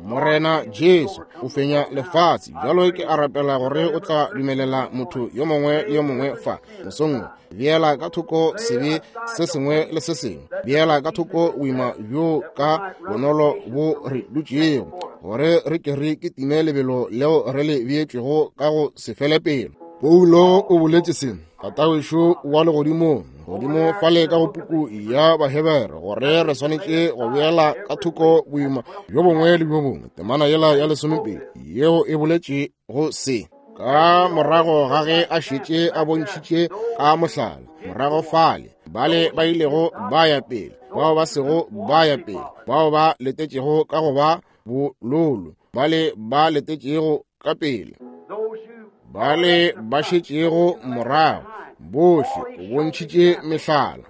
Morena Jesu o fenya lefase. Bjalo ke a rapela gore o tla dumelela motho yo mongwe le yo mongwe fa mosong, beela ka thoko sebe se sengwe le se sengwe, beela ka thoko boima bjo ka bonolo bo re dutšego, gore re ke re kitime lebelo leo re le beetšwego ka go se fele pelo. Paulo o boletše se, Tatawešo wa legodimong, godimo fale ka go puku ya Bahebere, gore re swanetše go beela ka thoko boima bjo bongwe le bjo bongwe. Temana yela ya 12 yeo e boletše go se, ka morago ga ge a šetše a bontšhitše ka mohlala morago fale, bale ba ilego ba ya pele, bao ba sego ba ya pele, bao ba letetšego ka go ba bololo, bale ba letetšego ka pele, bale ba šetšego morago, bohle o bontšhitše mehlala.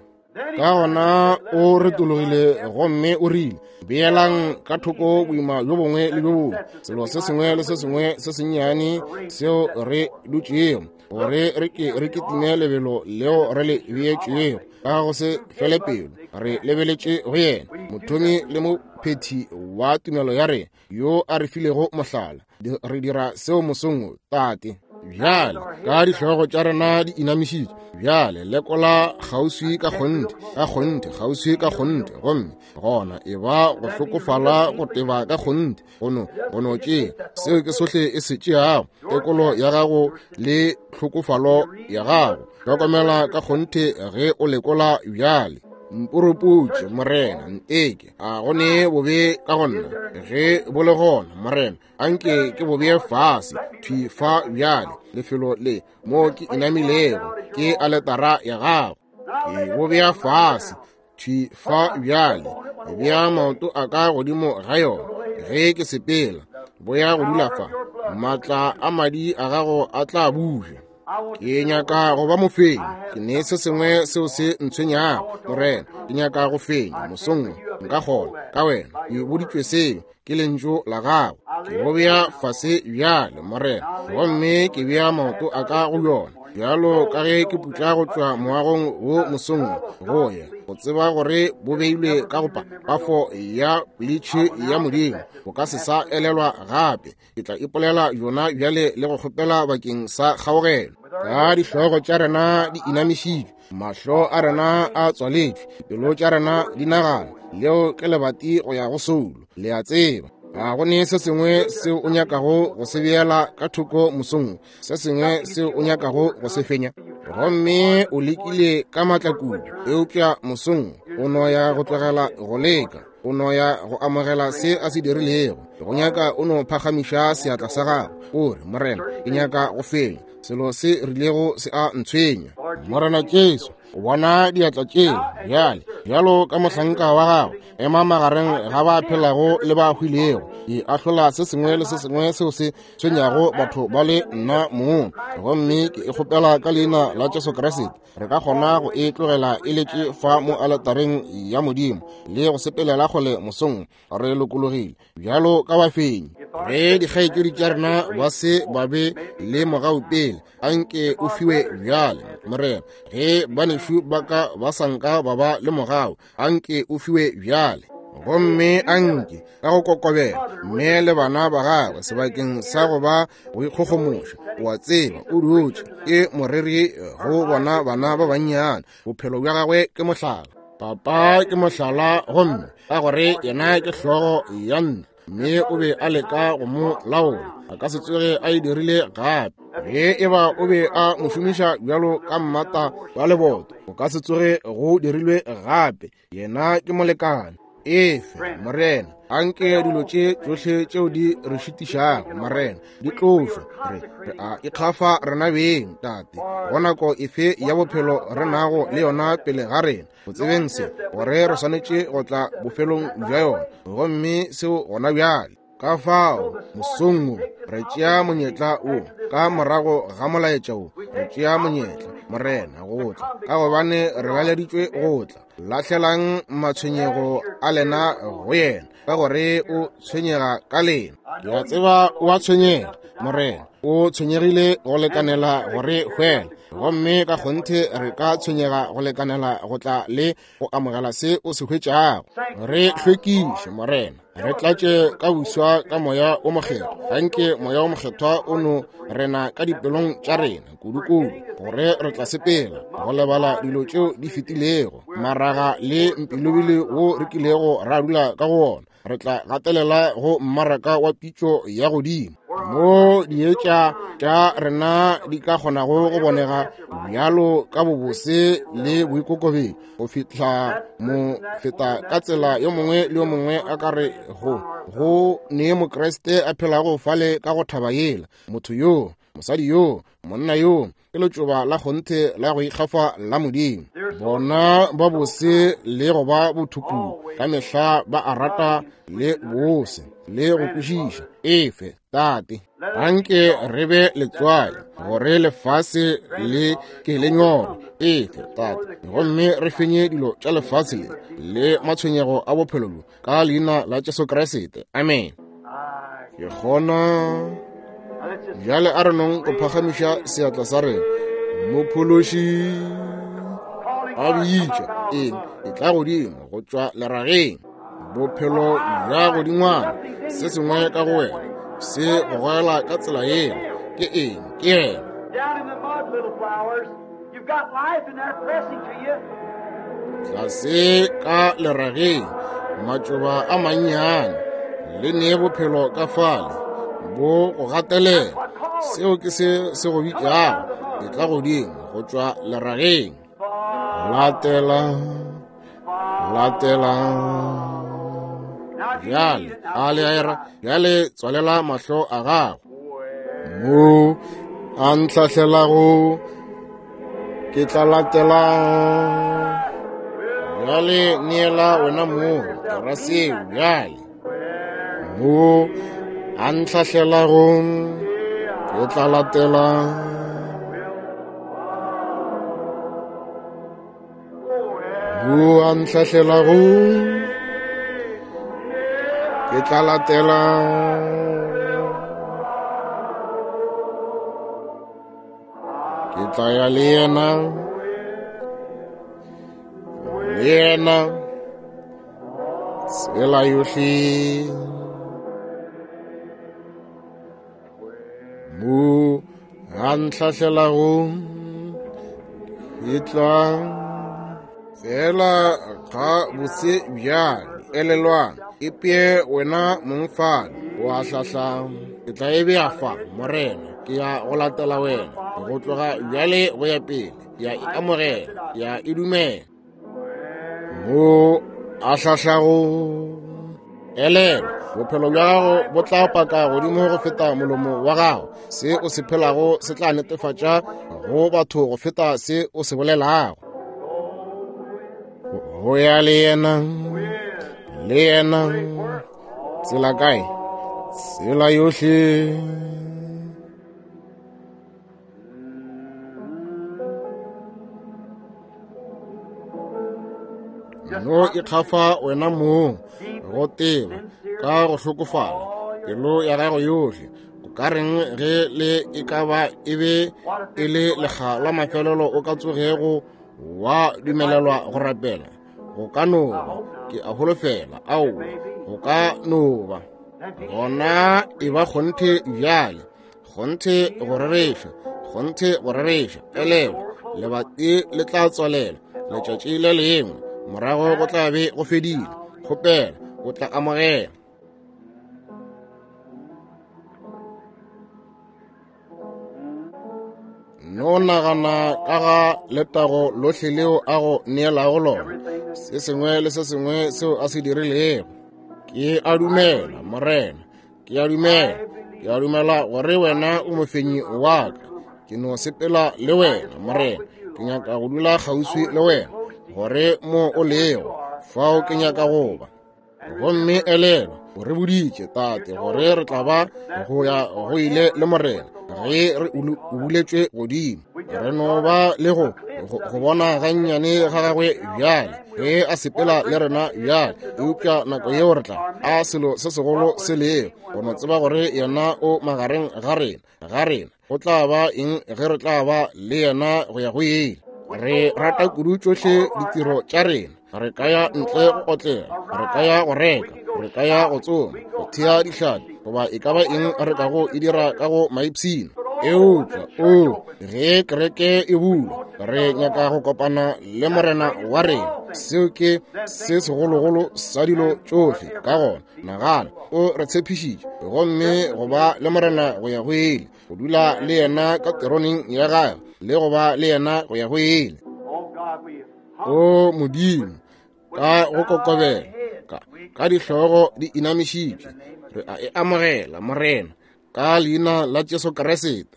Ka gona o retologile gomme o rile, beelang ka thoko boima bjo bongwe le bjo bongwe, selo se sengwe le se sengwe se sennyane seo re dutšego, gore re ke re kitime lebelo leo re le beetšwego ka go se fele pelo, re lebeletše go yena, mothomi le mophethi wa tumelo ya rena, yo a re filego mohlala. Re dira seo mosong wo, Tate. Bjale ka dihlogo tša rena di inamišitše, bjale lekola kgauswi ka kgonthe, ka kgonthe, kgauswi ka kgonthe, gomme gona e ba go hlokofala go teba ka kgonthe, go no tšea seo ke sohle e se tšeago, tekolo ya gago le hlokofalo ya gago. Hlokomela ka kgonthe ge o lekola bjale. Mporopotše, Morena, nteke, a go ne bobe ka go nna? Ge bo le gona, Morena, anke ke bo bee fase thwi fa bjale, lefelo le mo ke inamilego ke aletara ya gago. Ke bo bea fase thwi fa bjale, bea maoto a ka godimo ga yona ge ke sepela, bo ya go dula fa, maatla a madi a gago a tla buša. Ke nyaka go ba mofenyi, ke ne se sengwe seo se ntshwenyago, Morena. Ke nyaka go fenya mosong wo, nka kgona ka wena. Ke boditšwe seo ke lentšu la gago. Ke bo bea fase bjale, Morena, gomme ke bea maoto a ka go yona. Bjalo ka ge ke putla go tšwa moagong wo mosong go ya go tseba gore bo beilwe ka go pafo ya politšhi ya Modimo, bo ka se sa elelwa gape. Ke tla ipolela yona bjale le go kgopela bakeng sa kgaogelo. Ka dihlogo tša rena di inamišitšwe, mahlo a rena a tswaletšwe, dipelo tša rena di nagana, leo ke lebati go ya go soulo. Le a tseba, ga go ne se sengwe seo o nyakago go se beela ka thoko mosong, se sengwe seo o nyakago go se fenya, gomme o lekile ka maatla kudu, eupša mosong o no ya go tlogela go leka, o no ya go amogela se a se dirilego. Go nyaka o no phagamiša seatla sa gago, o re, Morena, ke nyaka go fenya selo se rilego se a ntshwenya. Morena Jesu, o bona diatla tšeo bjale, bjalo ka mohlanka wa gago, ema magareng ga ba phelago le ba hwilego, ke ahlola se sengwe le se sengwe seo se tshwenyago batho ba le nna mong, gomme ke e kgopela ka leina la Jesu Kriste. Re ka kgona go e tlogela e letše fa mo aletareng ya Modimo le go sepelela kgole mosong re lokologile bjalo ka bafenyi. Ge dikgaetšedi tša rena ba se ba be le mogau pele, anke o fiwe bjale, Morena. Ge banešu ba ka ba sa nka ba ba le mogau, anke o fiwe bjale. Gomme anke ka go kokobela mme le bana ba gagwe sebakeng sa go ba go ikgogomoša, o a tseba o dutše ke moreri go bona bana ba bannyane. Bophelo bja gagwe ke mohlala, papa ke mohlala, gomme ka gore yena ke hlogo ya ntlo, mme o be a leka go mo laola, a ka se tsoge a e dirile gape. Ge e ba o be a mo šomiša bjalo ka mmata wa leboto, o ka se tsoge go dirilwe gape. Yena ke molekane. Efe, Morena, anke dilo tše tšohle tšeo di re šitišago, Morena, di tlošwe. Re a ikgafa rena beng, Tate, go nako efe ya bophelo re nago le yona pele ga rena, go tsebeng se, gore re swanetše go tla bofelong bja yona, gomme seo gona bjale. Ka fao mosong wo re tšea monyetla wo, ka morago ga molaetša wo re tšea monyetla, Morena, go tla, ka gobane re laleditšwe go tla. Lahlelang matshwenyego a lena go yena, ka gore o tshwenyega ka lena. Ke a tseba o a tshwenyega, Morena, o tshwenyegile go lekanela go re hwela, gomme ka kgonthe re ka tshwenyega go lekanela go tla le go amogela se o se hwetšago. Re hlwekiše, Morena, re tlatše ka buswa ka Moya o Mokgethwa. Anke Moya o Mokgethwa o no rena ka dipelong tša rena kudu-kudu, gore re tla sepela go lebala dilo tšeo di fetilego, maraga le mpilobile wo re kilego ra dula ka go ona. Re tla gatelela go mmaraka wa pitšo ya godimo, mo dietša tša rena di ka kgonago go bonega bjalo ka bobose le boikokobetšo, go fihla mo feta ka tsela yo mongwe le yo mongwe a ka re go ne Mokriste a phelago fale ka go thaba yela, motho yo, mosadi yo, monna yo, ke letšoba la kgonthe la go ikgafa la Modimo. Bona ba bose le go ba bothukudu, ka mehla ba a rata le bose le go kwešiša. Efe, Tate, anke re be letswai gore lefase le ke le nyorwe. Efe, Tate, gomme re fenye dilo tša lefase le le matshwenyego a bophelo bjo, ka leina la Jesu Kriste. Amen. Ke kgona bjale a re nong go phagamiša seatla sa rena. Mophološi a bitša eng, e tla godimo go tšwa lerageng, bophelo bja godingwana, se sengwe ka go wena se go goela ka tsela yela. Ke eng? Ke yena. Tlase ka lerageng, matšoba a mannyane, le ne bophelo ka fale, bo go gatelela. Seo ke se se go bitšago, e tla godimo go tšwa lerageng. Latela, latela. Bjale, a le a era, bjale tswalela mahlo a gago. Mo a ntlhahlelago, ke tla latela. Bjale neela wena mong, ke ra seo bjale. Mo a ntlhahlelago, ke tla latela. Mo a ntlhahlelago, ke tla latela. Ke tla ya le yena, le yena, tsela yohle. Mo a ntlhahlelago, ke tla fela ga botse bjale. Elelwang, epee wena mong fale, o a hlahla. Ke tla e bea fa, Morena, ke ya go latela wena go tloga bjale go ya pele. Ke ya e amogela, ke ya e dumela. Mo a hlahlago, elelwa, bophelo bja gago bo tla paka godimo go feta molomo wa gago. Se o se phelago se tla netefatša go batho go feta se o se bolelago. Go ya le yena, le yena, tsela kae? Tsela yohle. No ikgafa wena mong go teba ka go hlokofala pelo ya gago yohle. O ka reng ge le e ka ba e be e le lekga la mafelelo o ka tsogego wa dumelelwa go rapela? Go ka no ba, ke a holofela, aowa, go ka no ba. Gona e ba kgonthe bjale, kgonthe go rereša, kgonthe go rereša. Elelwa, lebati le tla tswalela letšatši le lengwe, morago go tla be go fedile. Kgopela, o tla amogela. No nagana ka ga letago lohle leo a go neelago lona, se sengwe le se sengwe seo a se dirilego. Ke a dumela, Morena, ke a dumela, ke a dumela gore wena o mofenyi wa ka. Ke no sepela le wena, Morena. Ke nyaka go dula kgauswi le wena, gore mo o lego, fao ke nyaka go ba. Gomme elelwa, o re boditše, Tate, gore re tla ba go ya go ile le Morena ge re ubuletšwe godimo. Re no ba le go bona gannyane ga gagwe bjale ge a sepela le rena bjale, eupša nako yeo re tla a selo se segolo se lego go no tseba gore yena o magareng ga rena, ga rena. Go tla ba eng ge re tla ba le yena go ya go ile? Re rata kudu tšohle ditiro tša rena. Re ka ya ntle go otlela, re ka ya go reka, re ka ya go tsoma, go thea dihlapi, goba e ka ba eng re kago e dira ka go maipshino. Eupša, o, ge kereke e bulwa, re nyaka go kopana le Morena wa rena. Seo ke se segologolo sa dilo tšohle. Ka gona, nagana, o re tshepišitše, gomme go ba le Morena go ya go ile, go dula le yena ka teroneng ya gagwe, le go ba le yena go ya go ile. O Modimo, ka go kokobela, ka dihlogo di inamišitšwe, re a e amogela, Morena, ka leina la Jesu Kriste.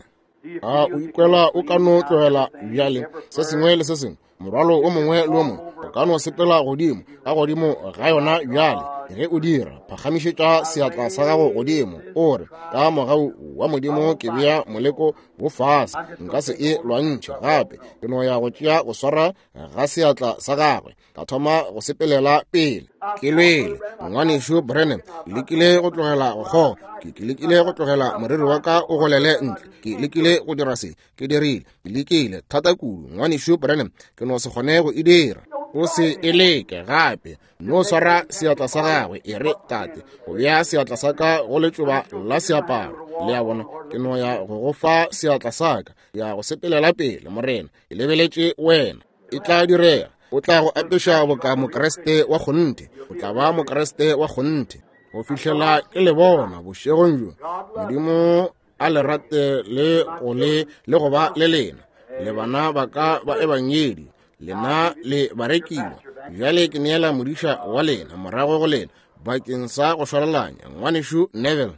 A o ikwela o ka no tlogela bjale se sengwe le se sengwe, morwalo o mongwe le o mongwe, o ka no sepela godimo ka godimo ga yona bjale. Ge o dira, phagamišetša seatla sa gago godimo, o re, ka mogau wa Modimo ke bea moleko wo fase, nka se e lwantšhe gape. Ke no ya go tšea go swara ga seatla sa gagwe, ka thoma go sepelela pele. Ke lwele, ngwanešu Branham, ke lekile go tlogela go kgoga, ke lekile go tlogela moriri wa ka o golele ntle, ke lekile go dira se, ke dirile, ke lekile thata kudu, ngwanešu Branham, ke no se kgone go e dira. O se e leke gape, no swara seatla sa gagwe, e re, Tate, go bea seatla sa ka go letšoba la seaparo. Le a bona, ke no ya go go fa seatla sa ka, ya go sepelela pele, Morena, ke lebeletše wena. E tla direga. O tla go apeša boka Mokriste wa kgonthe. O tla ba Mokriste wa kgonthe go fihlela ke le bona bošegong bjo. Modimo a le rate le go le le go ba le lena, le bana ba ka ba ebangedi, lena le barekiwa. Bjale ke neela modiša wa lena morago go lena bakeng sa go šwalalanya, ngwanešu Neville.